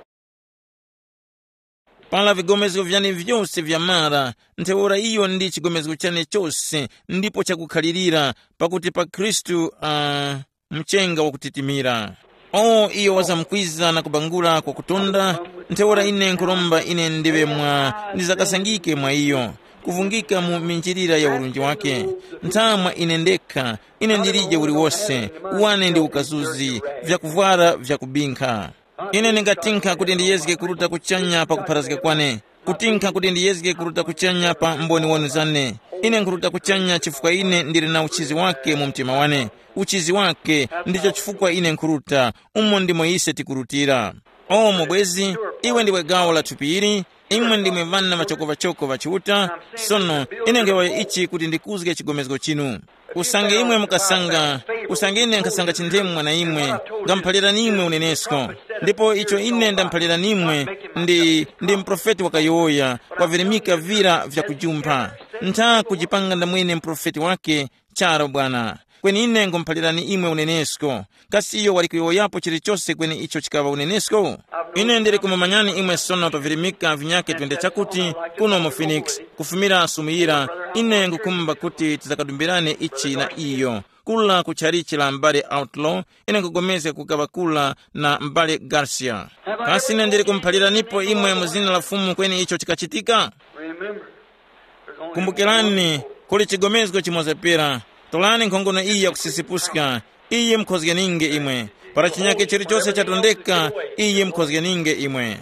Para vigomezgo vyane vyose vyamara, ntheura iyo ndi chigomezgo chane chose, ndipo chakukhalirira, pakuti pa Khristu, uh, mchenga wakutitimira. O iyo wazamkwiza na kubangula kwa kutonda, ntheura ine nkhuromba ine ndiŵe mwa, ndizakasangike mwa iyo, kuvungika mu minjirira ya urunji wake. Nthamwa ine ndekha, ine ndilije uliwose, wane ndi ukazuzi, vyakuvwara vyakubinkha. Ine ndingatinkha kuti ndiyezge kuruta kuchanya pa kupharazga kwane, kutinkha kuti ndiyezge kuruta kuchanya pa mboni wanu zane. Ine nkhuruta kuchanya chifukwa ine ndili na uchizi wake mu mtima wane. Uchizi wake ndicho chifukwa ine nkhuruta, umo ndimo ise tikurutira. O mubwezi, iwe ndiwe gawo la thupi ili, Imwe ndimwe ŵana ŵachokoŵachoko ŵa Chiuta. Sono ine ngeŵayo ichi kuti ndikuzge chigomezgo chinu. Usange imwe mukasanga, usange ine nkhasanga chindemu mwa na imwe, ngamuphalirani imwe unenesko. Ndipo icho ine ndamuphalirani imwe ndi, ndi muprofeti wakayowoya, wavirimika vira vyakujumpha. Ntha kujipanga ndamwene muprofeti wake, charo bwana. Kweni ine ngumuphalirani imwe unenesko. Kasi iyo wali kuyowoyapo chilichose kweni icho chikaŵa unenesko? Ine ndili kumumanyani imwe sono pa virimika vinyake twende chakuti, kuno mu Phoenix, kufumira sumuyira, ine ngukhumba kuti tizakadumbirane ichi na iyo. Kula ku tchalichi la m'bale Outlaw, ine nkupulikana kukaŵa kula na m'bale Garcia. Kasi ine ndili kumuphaliranipo imwe mu zina la Fumu kweni icho chikachitika? Remember, there's only kumbukirani, kuli chigomezgo chimoza pera. Tolani nkhongono iyi yakusisipuska. Iyi mukhozgeninge imwe. Para chinyake chilichose chatondeka, iyi mukhozgeninge imwe.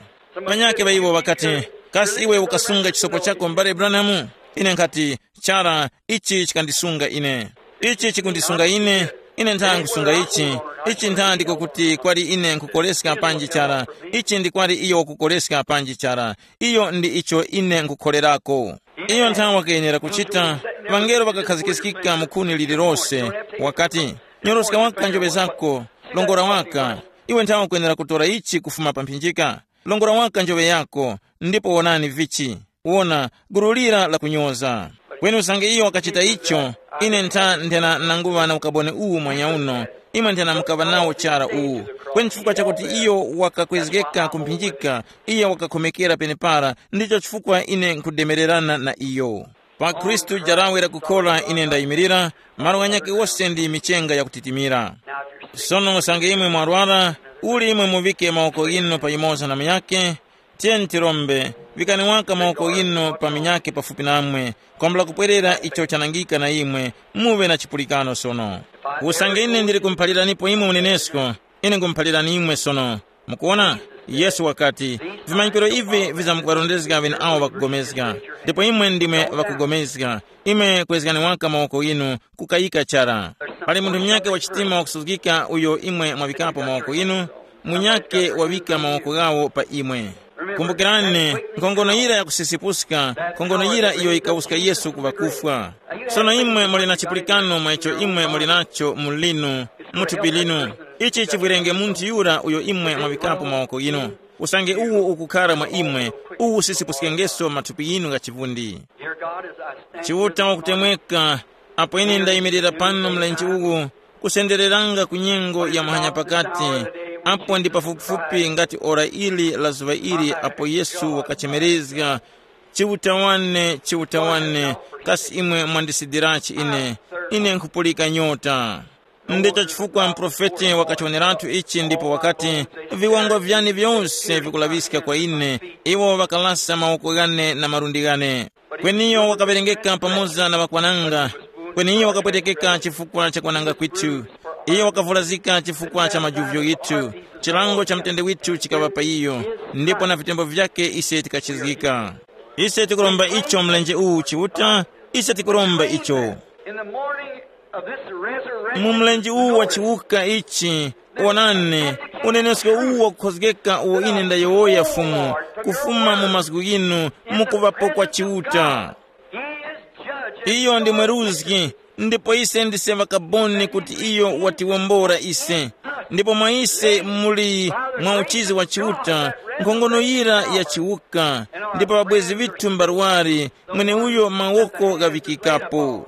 Panyake ŵa iwo ŵakati, kasi iwe ukasunga chisopo chako m'bale Branham? Ine nkhati, chara, ichi chikandisunga ine. Ichi chikundisunga ine. Ine ntha nkusunga ichi. Ichi ntha ndiko kuti kwali ine nkukoleska panji chara. Ichi ndi kwali iyo wakukoleska panji chara. Iyo ndi icho ine nkukholerako. Iyo nthawi wakayenera kuchita. Ŵangelo ŵakakhazikiskika mu khuni lililose. Wakati, nyoroska waka njoŵe zako. Longora waka. Iwe nthawi ukuyenera kutora ichi kufuma pa mphinjika. Longora waka njoŵe yako. Ndipo wonani vichi. Wona, gulu lira lakunyoza. Kweni usange iyo wakachita icho, ine ntha nthena nanguŵa na ukaboni uwu mwanyauno. Imwe nthena mukaŵa nawo chara uwu. Kweni chifukwa chakuti iyo wakakwezgeka ku mphinjika, iyo wakakhomekera penepara, ndicho chifukwa ine nkhudemererana na iyo. Pa Khristu jarawe lakukhora ine ndayimirira, malo ghanyakhe wose ndi michenga yakutitimira. Sono usange imwe mwarwara, uli imwe muvike mawoko ghinu pa yumoza na munyakhe, tiyeni tirombe, vikani waka mawoko ghinu pa munyakhe pafupi namwe, kwambula kupwerera icho chanangika na imwe, muŵe na chipulikano sono. Usange ine ndili kumuphaliranipo imwe unenesko, ine ngumuphalirani imwe sono. Mukuona? Yesu wakati, vimanyikiro ivi vizamkuŵarondezga ŵeneawo ŵakugomezga. Ndipo imwe ndimwe ŵakugomezga. Imwe kwezgani waka mawoko ghinu, kukayika chara. Pali munthu munyakhe wa chitima wakusuzgika uyo imwe mwaŵikapo mawoko ghinu, munyakhe waŵika mawoko ghawo pa imwe. Kumbukirani, nkhongono yira yakusisipuska, nkhongono yira iyo yikawuska Yesu ku ŵakufwa. Sono imwe muli na chipulikano mwa icho imwe muli nacho mu linu, mu thupi linu. Ichi chivwirenge munthu yura uyo imwe mwaŵikapo mawoko ghinu. Usange uwu ukukhara mwa imwe, uwu usisipuskengeso mathupi ghinu gha chivundi. Chiuta wakutemweka, apo ine ndayimirira pano mlenje uwu, kusendereranga ku nyengo ya muhanya pakati, apo ndi pafupifupi ngati ora ili la zuŵa ili apo Yesu wakachemerezga, Chiuta wane, Chiuta wane, kasi imwe mwandisidirachi ine? Ine nkhupulika nyota. Ndicho chifukwa muprofeti wakachiwoneratu ichi ndipo wakati, viwongwa vyane vyose vikulaŵiska kwa ine, iwo ŵakalasa mawoko ghane na malundi ghane. Kweni iyo wakaŵerengeka pamoza na ŵakwananga. Kweni iyo wakapwetekeka chifukwa cha kwananga kwithu. Iyo wakavulazika chifukwa cha majuvyo ghithu. Chilango cha mutende withu chikaŵa pa iyo, ndipo na vitembo vyake ise tikachizgika. Ise tikuromba icho mlenje uwu Chiuta, ise tikuromba icho. In the morning of this resurrection, mu mlenje uwu wa chiwuka ichi, wonani, unenesko uwu wakukhozgeka uwo ine ndayowoya Fumu, kufuma mu mazgu ghinu, mukuŵapo kwa Chiuta. Iyo ndi mweruzgi, ndipo ise ndise ŵakaboni kuti iyo watiwombora ise. Ndipo mwa ise muli mwa uchizi wa Chiuta, nkhongono yira ya chiwuka, ndipo ŵabwezi ŵithu mbarwari, mweneuyo mawoko ghaŵikikapo.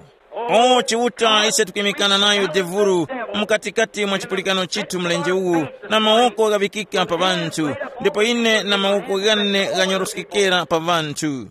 O Chiuta, ise tukwimikana nayo devuru mukatikati mwa chipulikano chithu mlenje uwu, na mawoko ghaŵikika pa ŵanthu, ndipo ine na mawoko ghane ghanyoroskekera pa ŵanthu.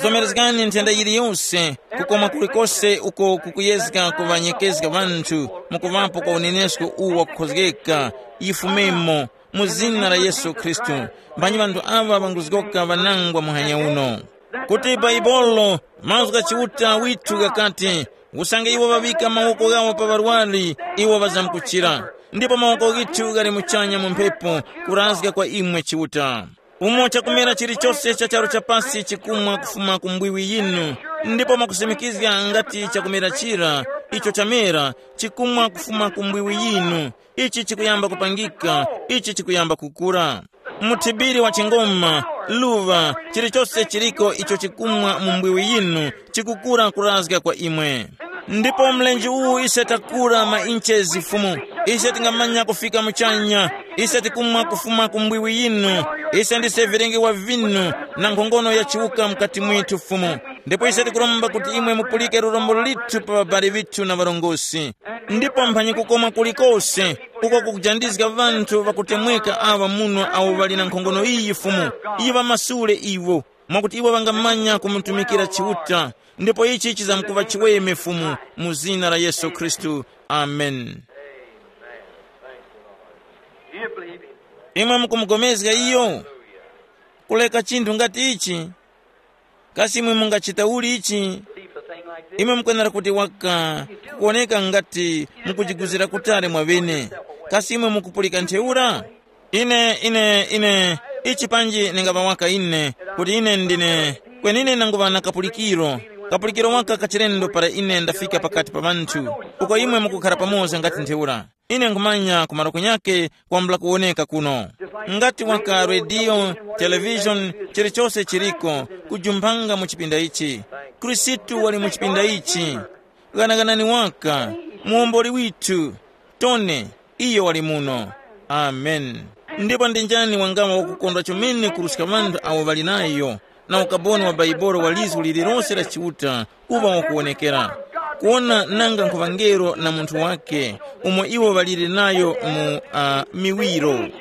Zomerezgani nthenda yiliyose, kukoma kulikose uko kukuyezga kuŵanyekezga ŵanthu, mukuŵapo kwa unenesko uwu wakukhozgeka, yifumemo, mu zina la Yesu Khristu. Mbanyi ŵanthu aŵa ŵanguzgoka ŵanangwa muhanya uno. Kuti Baibolo, mazgu gha Chiuta withu ghakati, usange iwo ŵaŵika mawoko ghawo pa ŵarwari, iwo ŵazamkuchira. Ndipo mawoko ghithu ghali muchanya mu mphepo, kurazga kwa imwe Chiuta. Umo chakumera chilichose cha charu cha pasi chikumwa kufuma ku mbwiwi yinu, ndipo mwakusimikizga ngati chakumera chira icho chamera chikumwa kufuma ku mbwiwi yinu, ichi chikuyamba kupangika, ichi chikuyamba kukura. Muthibiri wa chingoma, luŵa, chilichose chiliko icho chikumwa mu mbwiwi yinu, chikukura kurazga kwa imwe. Ndipo mlenje uwu ise takura ma inches Fumu, ise tingamanya kufika muchanya. Ise tikumwa kufuma ku mbwiwi yinu. Ise ndise vilengewa vinu na nkhongono ya chiwuka mukati mwithu Fumu. Ndipo ise tikuromba kuti imwe mupulike lurombo lithu pa ŵabali vithu na ŵarongosi. Ndipo mphanyi kukoma kulikose, uko kukujandizga ŵanthu ŵakutemweka aŵa muno awo ŵali na nkhongono iyi Fumu, iyi ŵamasule iwo, mwakuti iwo ŵangamanya kumutumikira Chiuta. Ndipo ichi chizamkuŵa chiweme Fumu, mu zina la Yesu Khristu. Amen. Do you believe him? Imwe mukumugomezga iyo? Kuleka chinthu ngati ichi? Kasi imwe mungachita uli ichi? Imwe mukwenera kuti waka kuoneka ngati mukujiguzira kutali mwaŵene. Kasi imwe mukupulika ntheura? Ine ine ine ichi panji ningaŵa waka ine, kuti ine ndine, kweni ine nanguŵa na kapulikiro, kapulikiro waka kachilendo para ine ndafika pakati pa ŵanthu, uko imwe mukukhara pamoza ngati ntheura. Ine nkhumanya ku malo kunyake kwambula kuwoneka kuno. Ngati waka rediyo, televishoni, chilichose chiliko, kujumpanga mu chipinda ichi. Khristu wali mu chipinda ichi. Ghanaganani waka, muwomboli withu, Tone, iyo wali muno. Amen. Ndipo ndi njani wangawa wakukondwa chomene kuruska ŵanthu awo ŵali nayo na ukaboni wa Baibolo wa lizgu lililose la Chiuta kuŵa wakuwonekera, kuwona nanga nkhuŵangelo na munthu wake umo iwo ŵalire nayo mu uh, miwiro. And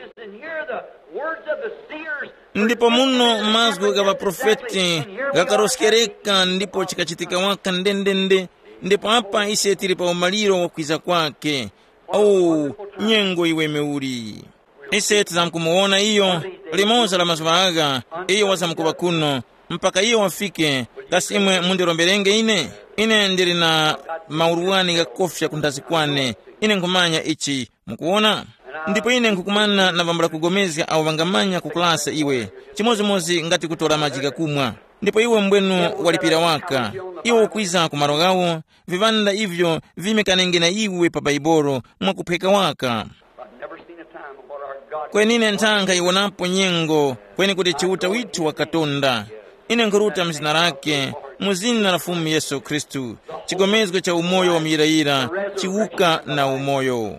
hear the words of the seers. Ndipo muno mazgu gha ŵaprofeti ghakaroskereka ndipo chikachitika waka ndendende. Ndipo apa ise tili pa umaliro wa kwiza kwake. Oh, nyengo iwe meuli. Ise tizamkumuwona iyo limoza la mazuŵa agha, iyo wazamkuŵa kuno, mpaka iyo wafike. Kasi imwe mundiromberenge ine? Ine ndili na maurwani ghakofya kundazi kwane. Ine nkhumanya ichi. Mukuwona? Ndipo ine nkhukumana na bambo lakugomezga awo ŵangamanya kukulasa iwe, chimodzimodzi ngati kutora maji ghakumwa. Ndipo iwe mbwenu walipira waka. Iwe ukwiza ku malo ghawo, viŵanda ivyo vimekanenge na iwe pa Baibolo mwakuphweka waka. I've never seen a time when our God. Kweni ine nthanga iwonapo nyengo kweni kuti Chiuta withu wakatonda. Ine nkhuruta mu zina lake, mu zina la Fumu Yesu Khristu, chigomezgo cha umoyo wa muyirayira, chiwuka na umoyo.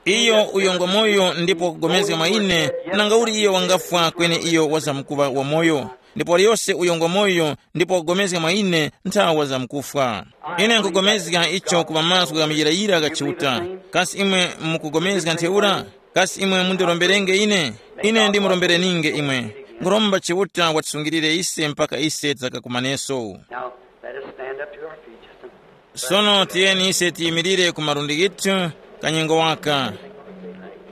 Iyo uyo ngwa moyo ndipo wakugomezga mwa ine, nanga uli iyo wangafwa kweni iyo wazamkuŵa wamoyo. Ndipo waliyose uyo ngwa moyo ndipo wakugomezga mwa ine nthawa zamkufwa. Ine nkugomezga icho ku mazgu gha muyirayira gha Chiuta. Kasi imwe mukugomezga ntheura? Kasi imwe mundiromberenge ine? Ine ndimurombereninge imwe. Nkhuromba Chiuta watisungirire ise mpaka ise tidzakakumaneso. Now, let us stand up to our feet just a minute. Sono tiyeni ise tiyimirire ku malundi ghithu kanyengo waka.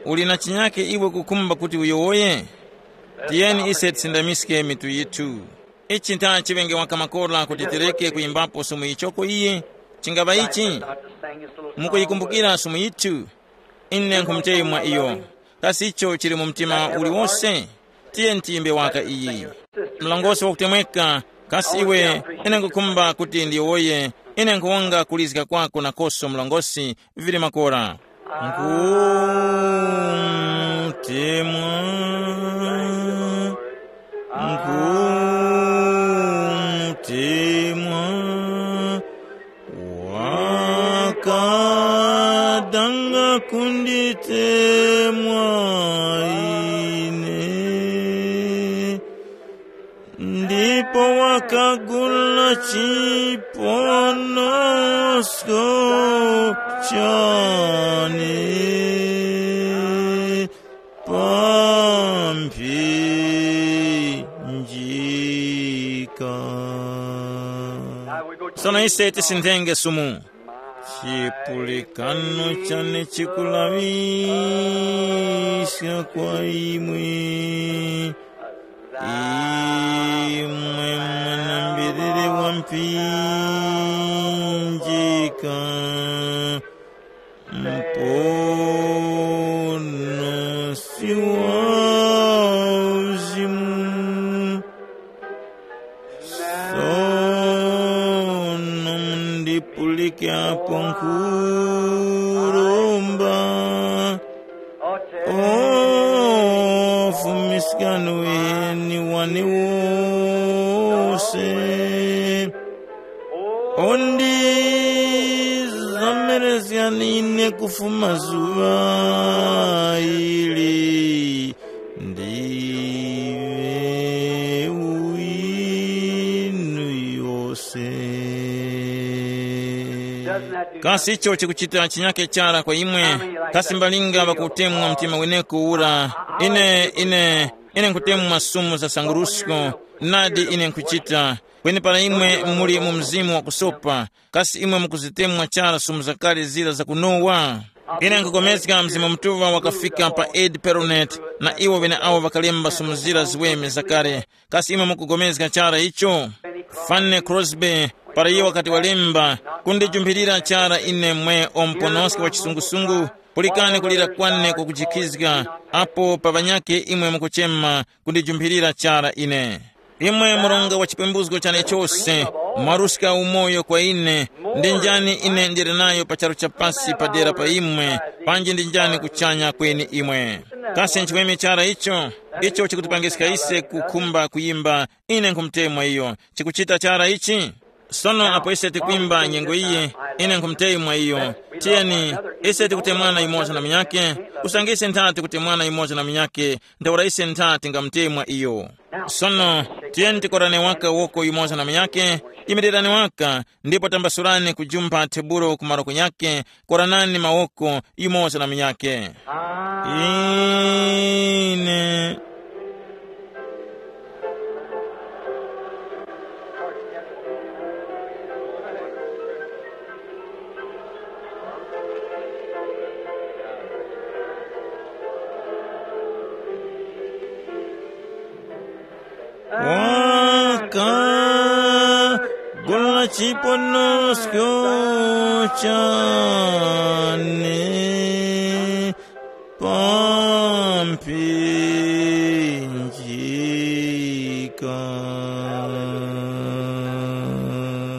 Uli na chinyake iwe kukhumba kuti uyowoye? Tiyeni ise tisindamiske mitu yithu. Ichi ntha chiŵenge waka makora kuti tireke kuyimbapo sumu yichoko iyi. Chingaŵa ichi? Mukuyikumbukira sumu yithu? Ine nkhumuchemwa iyo. Kasi icho chili mu mtima uliwose? Tiye ntiyimbe waka iyi. Mlongosi wakutemweka, kasi iwe, ine nkukhumba kuti ndiyowoye, ine nkuwonga kulizga kwako nakoso mlongosi, vili makora. Nkutemwa, nkutemwa, wakadanga kunditemwa ine, ndipo wakagula chiponosko chane pa mphinjika. Sono ise tisindenge sumu. Chipulikano chane chikulaŵiska kwa imwe, imwe mwanambiriri wa mphinjika, muponosi wa uzimu. Sono mundipulike apo nkhuromba. O Fumu Yesu Kanu weni wane wose. Undi zamerezganine kufuma zuŵa ili, ndiwe winu yose. Kasi icho chikuchita chinyake chara kwa imwe? Kasi mbalinga ŵakutemwa mtima weneko ura? Ine, ine, ine nkutemwa sumu za sangurusko. Nadi ine nkuchita. Kweni para imwe muli mu mzimu wa kusopa, kasi imwe mukuzitemwa chara sumu zakale zira za kunowa? Ine nkupulikana Mzimu Mutuŵa wakafika pa Ed Peronet, na iwo ŵeneawo ŵakalemba sumu zira ziweme zakale. Kasi imwe mukugomezga chara icho? Fanny Crosby, para iyo wakati walemba, kundijumphirira chara ine mwe o muponoski wa chisungusungu, pulikani kulira kwane kwakujikizga, apo pa ŵanyakhe imwe mukuchema, kundijumphirira chara ine. Imwe murunga wa chipembuzgo chane chose, mwaruska umoyo kwa ine, ndi njani ine ndili nayo pa charu cha pasi padera pa imwe, panji ndi njani kuchanya kweni imwe? Kasi nchiweme chara icho? Icho chikutipangiska ise kukhumba kuyimba, ine nkhumutemwa iyo. Chikuchita chara ichi? Sono apo ise tikwimba nyengo iyi, ine nkhumutemwa iyo. Tiyeni, ise tikutemwana yumoza na munyakhe, usange ise nthati kutemwana yumoza na munyakhe, ntheura ise nthati ngamutemwa iyo. Sono, tiyeni tikorane waka woko yumoza na munyakhe, yimirirani waka, ndipo tambasurani kujumpha tebulo ku maroko nyakhe, koranani mawoko yumoza na munyakhe. Ine. Waka gula chiponosko chane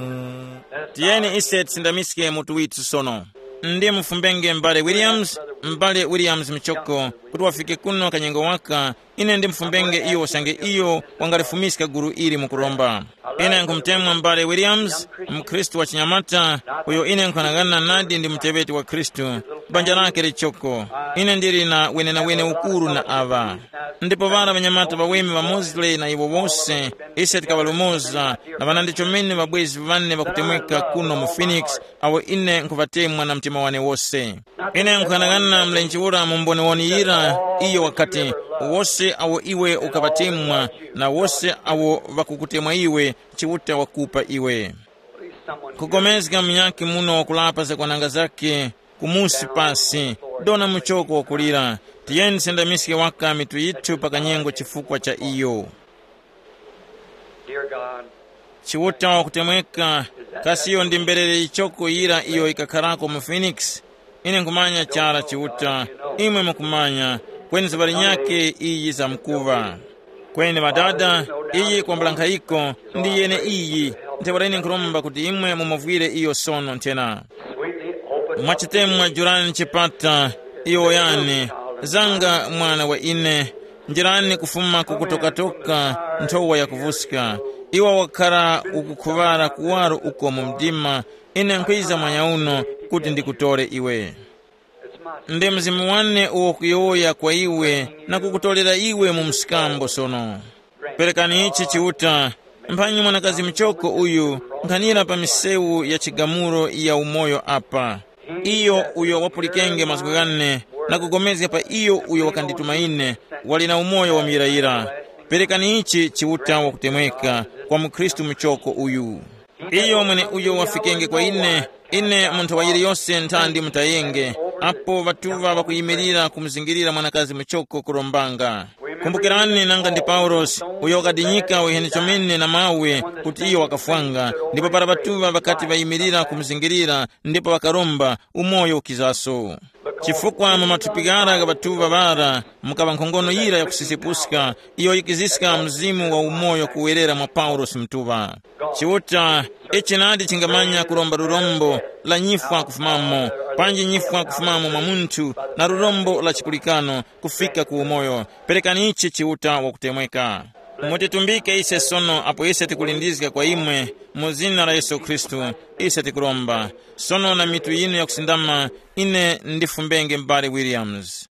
pamphinjika. Tiyeni ise tisindamiske mutu withu sono. Ndi mufumbenge m'bale Williams, m'bale Williams Michoko, kuti wafike kuno kanyengo waka, ine ndimufumbenge iyo usange iyo wangalifumiska gulu ili mukuromba. Ine nkhumutemwa m'bale Williams, mukhristu wa chinyamata, uyo ine nkhanang'ana nadi ndi muteŵeti wa Khristu, banja lake lichoko. Ine ndili na wenenawene ukuru na aŵa. Ndipo ŵara ŵanyamata ŵaweme ŵa Mosley na iwo wose, ise tikaŵalumoza, na ŵanandi chomene ŵabwezi ŵane ŵakutemweka kuno mu Phoenix, awo ine nkhuŵatemwa na mtima wane wose. Ine nkuyang'ana mlenje ura mu mboniwoni yira, iyo wakati, wose awo iwe ukaŵatemwa, na wose awo ŵakukutemwa iwe, Chiuta wakupa iwe. Kugomezga munyakhe muno wakulapa zakwananga zakhe, kumusi pasi, dona muchoko wakulira. Tiyeni tisendamiske waka mitu yithu pa kanyengo chifukwa cha iyo. Dear God, Chiuta wakutemweka, kasi iyo ndi mberere yichoko yira iyo yikakharako mu Phoenix? Ine nkhumanya chara Chiuta, imwe mukumanya, kweni zuŵa linyakhe iyi zamkuŵa. Kweni ŵadada, iyi kwambula nkhayiko, ndi yene iyi, ntheura ine nkhuromba kuti imwe mumuvwire iyo sono nthena. Mwachitemwa jurani chipata, iyo yani, zanga mwana wa ine, njirani kufuma ku kutokatoka nthowa yakuvuska. Iwe wakhara ukukhuŵara kuwaro uko mu mdima, ine nkhwiza mwanyauno kuti ndikutore iwe. Ndi Mzimu wane uwo kuyowoya kwa iwe na kukutorera iwe mu mskambo sono. Perekani ichi Chiuta, mphanyi mwanakazi muchoko uyu nkhanira pa misewu ya chigamulo ya umoyo apa. Iyo uyo wapulikenge mazgu ghane na kugomezga pa iyo uyo wakandituma ine, wali na umoyo wa muyirayira. Perekani ichi Chiuta wakutemweka kwa mukhristu muchoko uyu. Iyo mweneuyo wafikenge kwa ine, ine munthu wa yiliyose nthandi mutayenge, apo ŵatuŵa ŵakuyimirira kumuzingirira mwanakazi muchoko kurombanga. Kumbukirani nanga ndi Paulosi, uyo wakadinyika uheni chomene na mawe kuti iyo wakafwanga, ndipo para ŵatuŵa ŵakati ŵayimirira kumuzingirira ndipo ŵakaromba, umoyo ukizaso. Chifukwa mu mathupi ghara gha ŵatuŵa ŵara mukaŵa nkhongono yira yakusisepuska, iyo yikiziska mzimu wa umoyo kuwerera mwa Paulosi mtuŵa. Chiuta, ichi nadi chingamanya kuromba lurombo la nyifwa kufumamo, Panji nyifwa kufumamo mwa munthu na lurombo la chikulikano kufika ku umoyo. Perekani ichi Chiuta wakutemweka. Mutitumbike ise sono apo ise tikulindizga kwa imwe, mu zina la Yesu Khristu, ise tikuromba. Sono na mitu yinu yakusindama, ine ndifumbenge m'bale Williams.